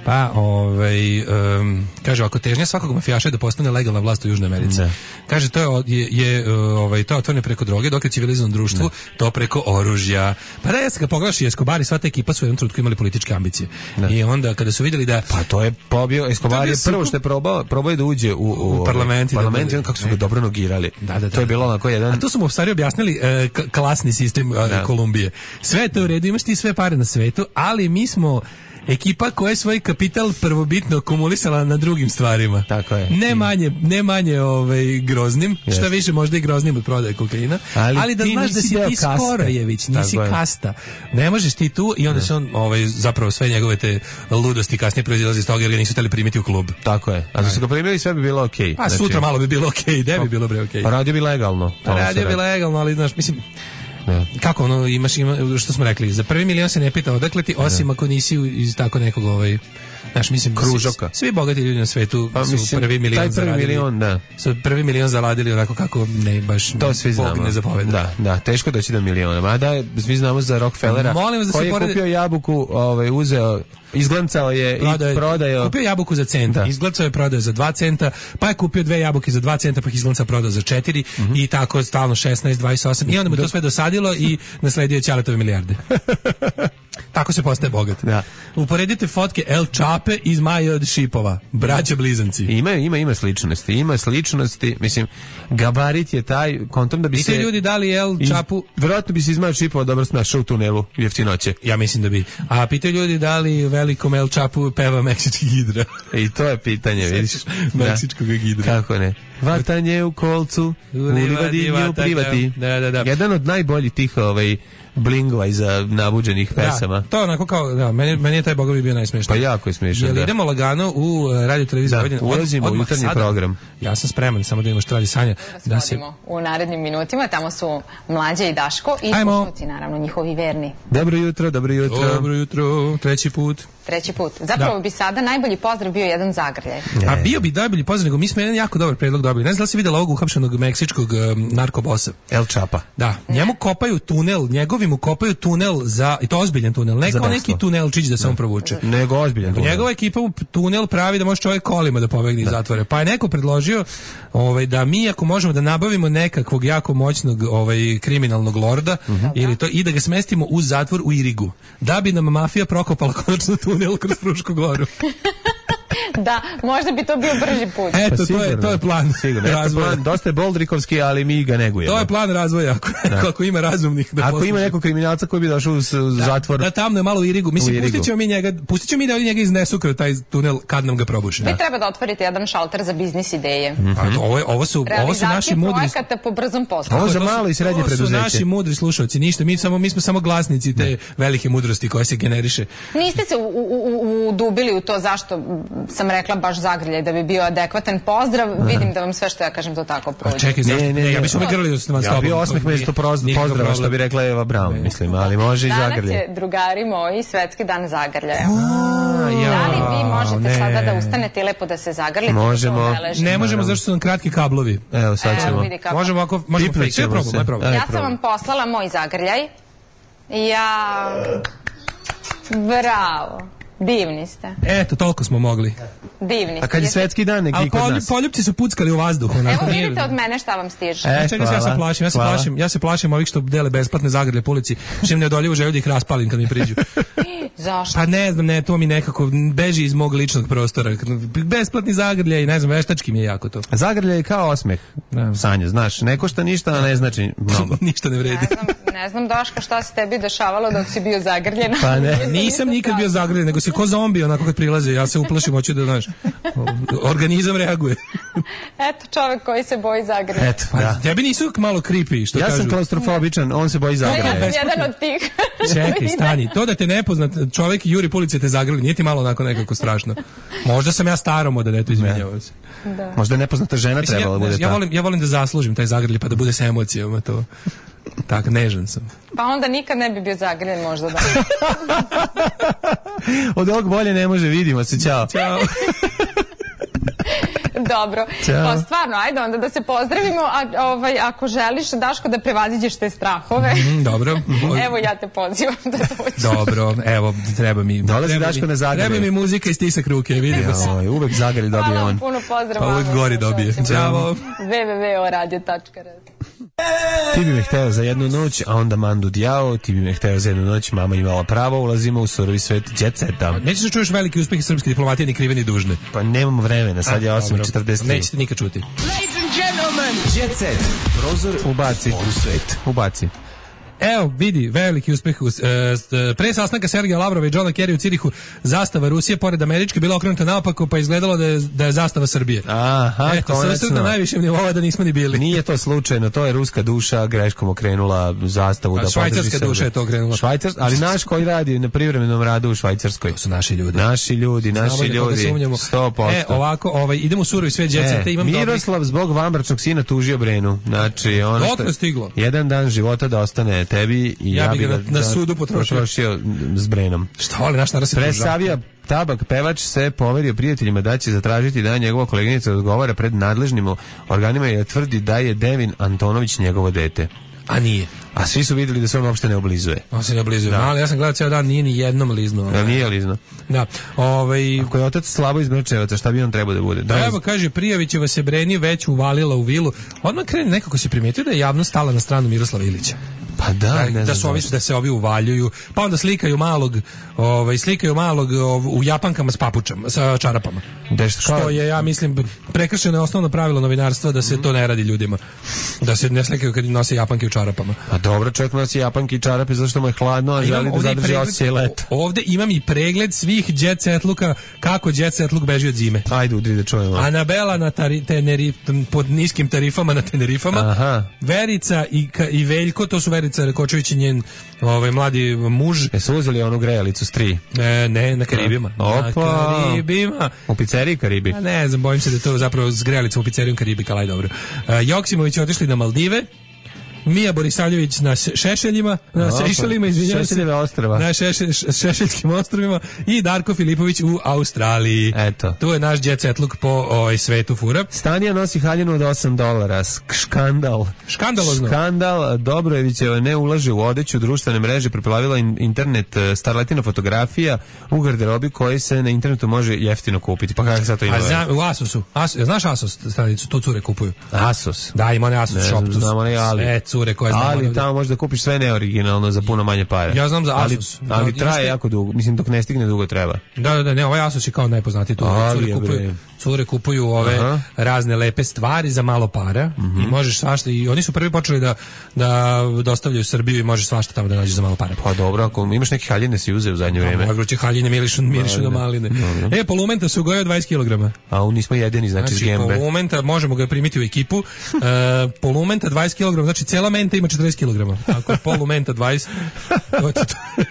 Pa, ovaj, um, kaže, ako težnja svakog mafijaša je da postane legalna vlast u Južnoj Americi. Ne. Kaže, to je, je, je ovaj, to je otvoreno preko droge, dok je civilizovano društvo, ne. To preko oružja. Pa da, ja se ga pogledaš i Escobar i sva ta ekipa su u jednom trenutku imali političke ambicije. Ne. I onda, kada su vidjeli da... Pa to je pobio, Escobar je prvo što je probao, probao je da uđe u, u, u parlament. parlament i on kako su ga dobro nogirali. Da, da, da, to je bilo onako jedan... A tu su mu u stvari objasnili uh, klasni sistem uh, Kolumbije. Sve je to u redu, imaš ti sve pare na svetu, ali mi smo... ekipa koja je svoj kapital prvobitno akumulisala na drugim stvarima. Tako je. Ne manje, ne manje ovaj, groznim, yes. Šta više možda i groznim od prodaje kokaina, ali, ali da znaš da si ti Skorojević, nisi tako kasta. Je. Ne možeš ti tu i onda ne. Se on ovaj, zapravo sve njegove te ludosti kasnije proizilazi iz toga jer ga nisu hteli primiti u klub. Tako je. A da su ga primili sve bi bilo okej. Okay. Pa znači, sutra malo bi bilo okej, okay, gde bi bilo bre okej. Okay. Pa radio bi legalno. Pa radio bi legalno, ali znaš, mislim... Ne. Kako ono imaš ima što smo rekli za prvi milion se ne pita odakle ti osim ne. Ako nisi iz tako nekog ovaj znaš mislim kružoka. Svi bogati ljudi na svetu pa, su mislim, prvi milion taj prvi zaradili. Milion, da. Su prvi milion zaradili onako kako ne baš to svi znamo. Ne zapoveda. Da, da, teško doći do miliona. Mada svi znamo za Rockefellera da koji je poredi... kupio jabuku, ovaj uzeo izglancao je prodao, i prodao. Kupio jabuku za centa, da. Izglancao je prodao za dva centa, pa je kupio dve jabuke za dva centa, pa ih izglancao prodao za četiri mm-hmm. i tako stalno šesnaest, dvadeset osam i onda mu to sve dosadilo i nasledio je Ćaletove milijarde. Tako se postaje bogat. Da. Uporedite fotke El Čape iz Maje od Šipova, braća blizanci. Ima, ima, ima sličnosti, ima sličnosti, mislim, gabarit je taj kontom da bi I se... I ljudi dali El Čapu... Iz, vjerojatno bi se iz Maje od Šipova dobro snašao u tunelu jeftinoće. Ja mislim da bi. A pitaju ljudi da li velikom El Čapu peva meksički gidra. I to je pitanje, vidiš. Meksičkog gidra. Kako ne. Vatanje u kolcu, u livadi u privati. Da, da, da. Jedan od najboljih tih ovaj blingova iza nabuđenih pesama. Da, to onako kao, da, meni, meni je taj bogovi bio najsmešniji. Pa jako je smiješan, da. Idemo lagano u radio televiziju Vojvodine. Da, ulazimo u jutarnji sada, program. Ja sam spreman, samo da imamo što radi Sanja. Da se u narednim minutima, tamo su Mlađa i Daško i slušalci, naravno, njihovi verni. Dobro jutro, dobro jutro. Dobro jutro, treći put. Treći put. Zapravo da. Bi sada najbolji pozdrav bio jedan zagrljaj. A bio bi najbolji pozdrav, nego mi smo jedan jako dobar predlog dobili. Ne znam da si videla ovog uhapšenog meksičkog um, narkobosa. El Čapa. Da, njemu kopaju tunel, njegovi mu kopaju tunel za, i to ozbiljan tunel, ne kao neki tunelčić da se on provuče. Nego ozbiljan tunel. Njegova ekipa mu tunel pravi da može čovjek kolima da pobegne iz zatvora. Pa je neko predložio ovaj, da mi ako možemo da nabavimo nekakvog jako moćnog ovaj, kriminalnog lorda uh-huh. ili to, i da ga smestimo u zatvor u Irigu. Da bi nam mafija prokopala konačno tunel kroz Frušku goru. Da, možda bi to bio brži put. Eto, pa to, je, to je plan razvoja. Plan, dosta je boldrikovski, ali mi ga negujemo. To je plan razvoja, ako, ako ima razumnih. Da ako posluži. Ima nekog kriminalca koji bi došao u, u da, zatvor. Da, tamno je malo u Irigu. Mislim, u Irigu. Pustit ćemo mi njega, pustit ćemo mi da oni njega iznesu kroz taj tunel kad nam ga probuše. Vi da. Treba da otvorite jedan šalter za biznis ideje. Mm-hmm. A, ovo, ovo, su, ovo su naši mudri... projekata po brzom poslu. Ovo za malo i srednje preduzeće. Ovo su naši mudri slušalci, ništa. Mi, samo, mi smo samo glasnici te ne. velike mudrosti koje se generiše. Niste se udubili u, u, u to zašto sam rekla baš zagrljaj da bi bio adekvatan pozdrav. Aha. Vidim da vam sve što ja kažem to tako prođe. A čekaj, ne, ne, ne, ja bih se grlio da ste vam s tobom. Ja bi osmeh mesto pozdrava, što bi rekla Eva Braun, mislim, ali može i zagrljaj. Danas je, drugari moji, svetski dan zagrljaja. Da li vi možete sada da ustanete i lepo da se zagrlite? Možemo. Ne možemo, zašto su nam kratki kablovi. Evo, sad ćemo. Možemo ako... Možemo fake, sve probamo, probamo. Ja sam vam poslala moj zagrljaj. Ja... Bravo. Divni ste. Eto, toliko smo mogli. Divni ste. A kad je svetski dan, neki ali kod polju, nas. Poljupci su puckali u vazduhu. Evo vidite od mene šta vam stiže. E, čekaj, ja se plašim, ja se plašim, ja se plašim ovih što dele besplatne zagrlje po ulici, što im neodoljivo želju da ih raspalim kad mi priđu. Zašto? Pa ne znam, ne, to mi nekako beži iz mog ličnog prostora. Besplatni zagrljaj, ne znam, veštački mi je jako to. Zagrljaj je kao osmeh. Sanja, znaš, ne košta ništa, a ne znači mnogo. Ništa ne vredi. Ne znam, ne znam Daška šta se tebi dešavalo dok si bio zagrljen. Pa ne, nisam nikad bio zagrljen, nego si ko zombi onako kad prilaze, ja se uplašim, hoću da, znaš, organizam reaguje. Eto, čovek koji se boji zagrljanja. Eto, pa, da. Tebi nisu malo creepy, što ja kažu. Ja sam klaustrofobičan, on se boji zagrljanja. Ja sam jedan od tih. Čekaj, stani, to da te nepoznat čovek juri po ulici te zagrli, nije ti malo onako nekako strašno. Možda sam ja starom da ne to izmenjava se. Da. Možda je nepoznata žena mislim, trebala ja, bude ja ta. volim, ja volim da zaslužim taj zagrlj pa da bude sa emocijama to. Tako, nežan sam. Pa onda nikad ne bi bio zagrljen možda da. Od ovog bolje ne može, vidimo se, ćao. Ćao. Dobro, pa stvarno, ajde onda da se pozdravimo, a ovaj, ako želiš, Daško, da prevaziđeš te strahove. Mm, dobro. Evo ja te pozivam da dođeš. Dobro, evo, treba mi... Dolazi treba Daško mi, na zagrlje. Treba mi muzika i stisak ruke, vidimo se. Joj, uvek zagrlje dobije on. Hvala vam puno, pozdrav. Pa uvek gori dobije. Ćao. w w w tačka o radio tačka r s. Ti bi me hteo za jednu noć, a onda Mandu Djao, ti bi me hteo za jednu noć, mama imala pravo, ulazimo u surovi svet jet seta. Nećeš da čuješ veliki uspeh srpske diplomatije, ni krive ni dužne. Pa nemamo vremena, sad je osam četrdeset tri. Nećete nikad čuti. Ladies and gentlemen, Jet set, prozor ubaci u svet. Ubaci. Evo, vidi, veliki uspeh. Pre sastanka Sergeja Lavrova i Johna Kerry u Cirihu, zastava Rusije pored američke bila okrenuta naopako, pa izgledalo da je, da je zastava Srbije. Aha, eto, konačno. na najvišem nivou da nismo ni bili. Nije to slučajno, to je ruska duša greškom okrenula zastavu. A da švajcarska duša je to okrenula. Švajcar, ali naš koji radi na privremenom radu u Švajcarskoj. To su naši ljudi. Naši ljudi, naši ljudi. sto posto. E, ovako, ovaj, idemo u surovi svet djeceta. E, imam Miroslav dobri... zbog vanbračnog sina tužio Brenu. Znači, ono što je stiglo. Jedan dan života da ostane tebi i ja, ja bi ga na, na da, sudu potrošio. potrošio s Brenom. Šta voli, naš narod se Presavija Tabak pevač se poverio prijateljima da će zatražiti da njegova koleginica odgovara pred nadležnim organima i tvrdi da je Devin Antonović njegovo dete. A nije. A svi su vidjeli da se on uopšte ne oblizuje. On se ne oblizuje. Da. Ali ja sam gledao ceo dan, nije ni jednom liznuo. Da, nije lizno. Da. Ovaj Ako je otac slabo iz Mrčevaca, šta bi on trebao da bude? Da, evo, kaže, Prijavićeva se Breni već uvalila u vilu. Odmah krene, nekako se primetio da je javnost stala na stranu Miroslava Ilića. Pa da, da, ne da su ovi, da se ovi uvaljuju, pa onda slikaju malog, ovaj slikaju malog ov, u japankama s papučama, sa čarapama. Deš, što je, ja mislim, prekršeno je osnovno pravilo novinarstva da se to ne radi ljudima. Da se ne slikaju kad nose japanke u čarapama. A dobro, čovjek nosi japanke i čarape zašto mu je hladno, a želi da zadrži osjećaj leta. Ovde imam i pregled svih jet setluka, kako jet setluk beži od zime. Ajde, udri da čujemo. Anabela na tari, teneri, pod niskim tarifama na Tenerifama. Aha. Verica i, i Veljko, to su Verica Rekočević i njen ovaj, mladi muž. E su uzeli onu grejalicu s tri? E, ne, na Karibima. Opa. Na Karibima. U pizzeriji Karibi? A ne znam, bojim se da je to zapravo s grejalicom u pizzerijom Karibika, ali dobro. E, Joksimović je otišli na Maldive. Mija Borisavljević na Šešeljima, na Sejšelima, izvinjavam se. Šešeljeve ostrva. Na šeše, Šešeljskim ostrovima i Darko Filipović u Australiji. Eto. Tu je naš jet set look po ovaj, svetu fura. Stanija nosi haljinu od osam dolara. Škandal. Škandalozno. Škandal. Dobrojevićeva ne ulaže u odeću, društvene mreže, preplavila internet starletina fotografija u garderobi koji se na internetu može jeftino kupiti. Pa kako sad to ima? A zna, u Asusu. Asus, znaš Asus stranicu? To cure kupuju. Asus. Da, ima one Asus ne, shop. Znamo ne, ali. Sve cure koje znamo. Ali tamo možeš da kupiš sve neoriginalno za puno manje pare. Ja znam za Asus. Ali, ali da, traje jako dugo. Mislim, dok ne stigne dugo treba. Da, da, da, ne, ovaj Asus je kao najpoznatiji tu. Cure kupuju. cure kupuju ove Aha. razne lepe stvari za malo para mm-hmm. i možeš svašta, i oni su prvi počeli da, da dostavljaju Srbiju i možeš svašta tamo da nađeš za malo para. Pa dobro, ako imaš neke haljine si uzeo u zadnje vreme. Dobro će haljine mirišu, mirišu na maline. Dobro. E, polumenta se ugojio dvadeset kilograma. A u nismo jedini, znači, znači gembe. Polumenta, možemo ga primiti u ekipu. Uh, polumenta dvadeset kilograma, znači cela menta ima četrdeset kilograma. Ako je polumenta dvadeset,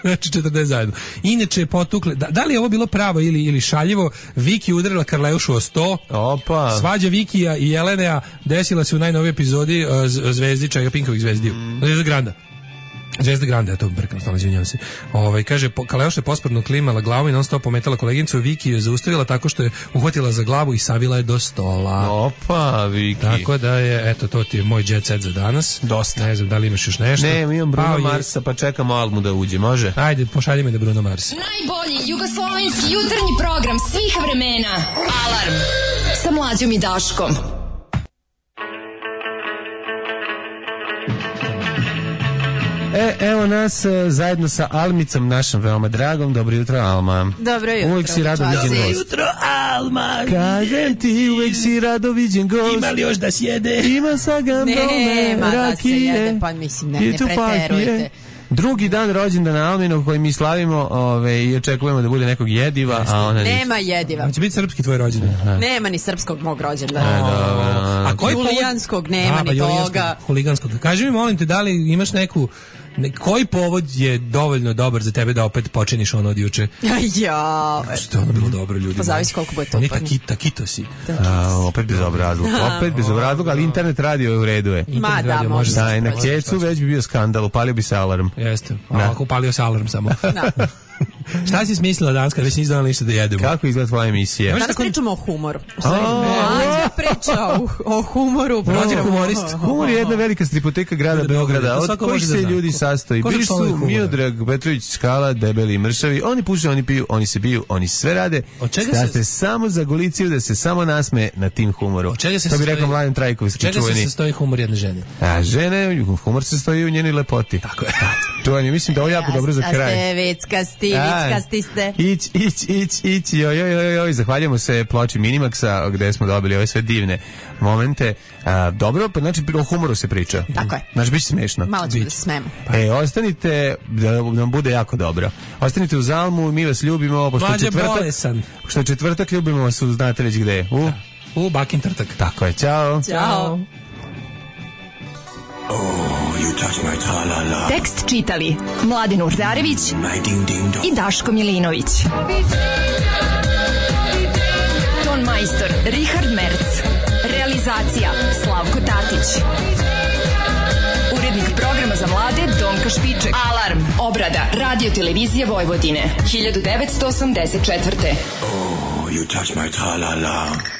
znači četrdeset zajedno. Inače, potukle, da, da li je ovo bilo pravo ili, ili šaljivo, Viki udarila Karleušu o sto. Opa. Svađa Vikija i Jelenea desila se u najnovijoj epizodi uh, Zvezdi, čega Pinkovih Zvezdiju. Mm. Zvezda Granda. Zvezda Granda, ja to brkam, stvarno izvinjavam se. Ovaj kaže Kaleuša je posprdno klimala glavu i non stop pometala koleginicu, Viki je zaustavila tako što je uhvatila za glavu i savila je do stola. Opa, Viki. Tako da je, eto, to ti je moj jet set za danas. Dosta. Ne znam da li imaš još nešto. Ne, imam Bruno pa, Marsa, pa čekamo Almu da uđe, može? Ajde, pošalji me da Bruno Mars. Najbolji jugoslovenski jutarnji program svih vremena. Alarm sa Mlađom i Daškom. E, evo nas uh, zajedno sa Almicom, našom veoma dragom. Dobro jutro, Alma. Dobro jutro. Uvijek si rado viđen gost. Dobro jutro, Alma. Kažem ti, uvijek si rado viđen gost. Ima li još da sjede? Ima sa gambome, Nema rakije. da se jede, pa mislim, ne, ne preterujte. Drugi dan rođendana Alminog koji mi slavimo, ove, i očekujemo da bude nekog jediva, a ona nema jediva. Hoće biti srpski tvoj rođendan. Nema ni srpskog mog rođendana. E, dobro. A koji Julijanskog nema ni toga. Huliganskog. Kaži mi, molim te, da li imaš neku Ne, koji povod je dovoljno dobar za tebe da opet počiniš ono od juče? Ja. Što je ono bilo dobro, ljudi? Pa zavisi koliko bude to. Oni taki, takito si. A, opet bez obrazluka. Opet bez obrazluka, ali internet radio je u redu je. Ma da, može. Da, i na Kecu već bi bio skandal, upalio bi se alarm. Jeste. A ako upalio se alarm samo. Da. Šta si smislila danas kad već nisi donala ništa da jedemo? Kako izgleda tvoja emisija? Danas tako... pričamo o humoru. Mlađa priča o, o humoru. Mlađa humorist. Humor je jedna velika stripoteka grada Beograda, od kojih se ljudi sastoji. Bili su Miodrag Petrović Skala, debeli i mršavi. Oni puše, oni piju, oni se biju, oni sve rade. State samo za goliciju da se samo nasme na tim humoru. To bi rekao Mladen Trajkovski čuveni. Čega se sastoji humor jedne žene? A žene, humor se sastoji u njenoj lepoti. Tako je. Čuveni, mislim da ovo jako dobro za kraj. Ste vickasti, vickasti ste. Ić, ić, ić, ić, joj, joj, joj, joj, zahvaljujemo se ploči Minimaxa gde smo dobili ove sve divne momente. A, dobro, pa znači o humoru se priča. Tako je. Znači biće smešno. Malo ćemo da se smemo. E, ostanite, da nam bude jako dobro. Ostanite u Zalmu, mi vas ljubimo. Pošto je četvrtak, pošto je četvrtak, ljubimo vas, znate već gde. U, da. U Bakin Trtak. Tako je, čao. Ćao. Oh, you touch my tra-la-la. Tekst čitali Mladen Urdarević i Daško Milinović. Ton majstor Richard Merc. Realizacija Slavko Tatić. Urednik programa za mlade Donka Špiček. Alarm. Obrada Radio Televizije Vojvodine. hiljadu devetsto osamdeset četvrte. Oh, you touch my tra-la-la.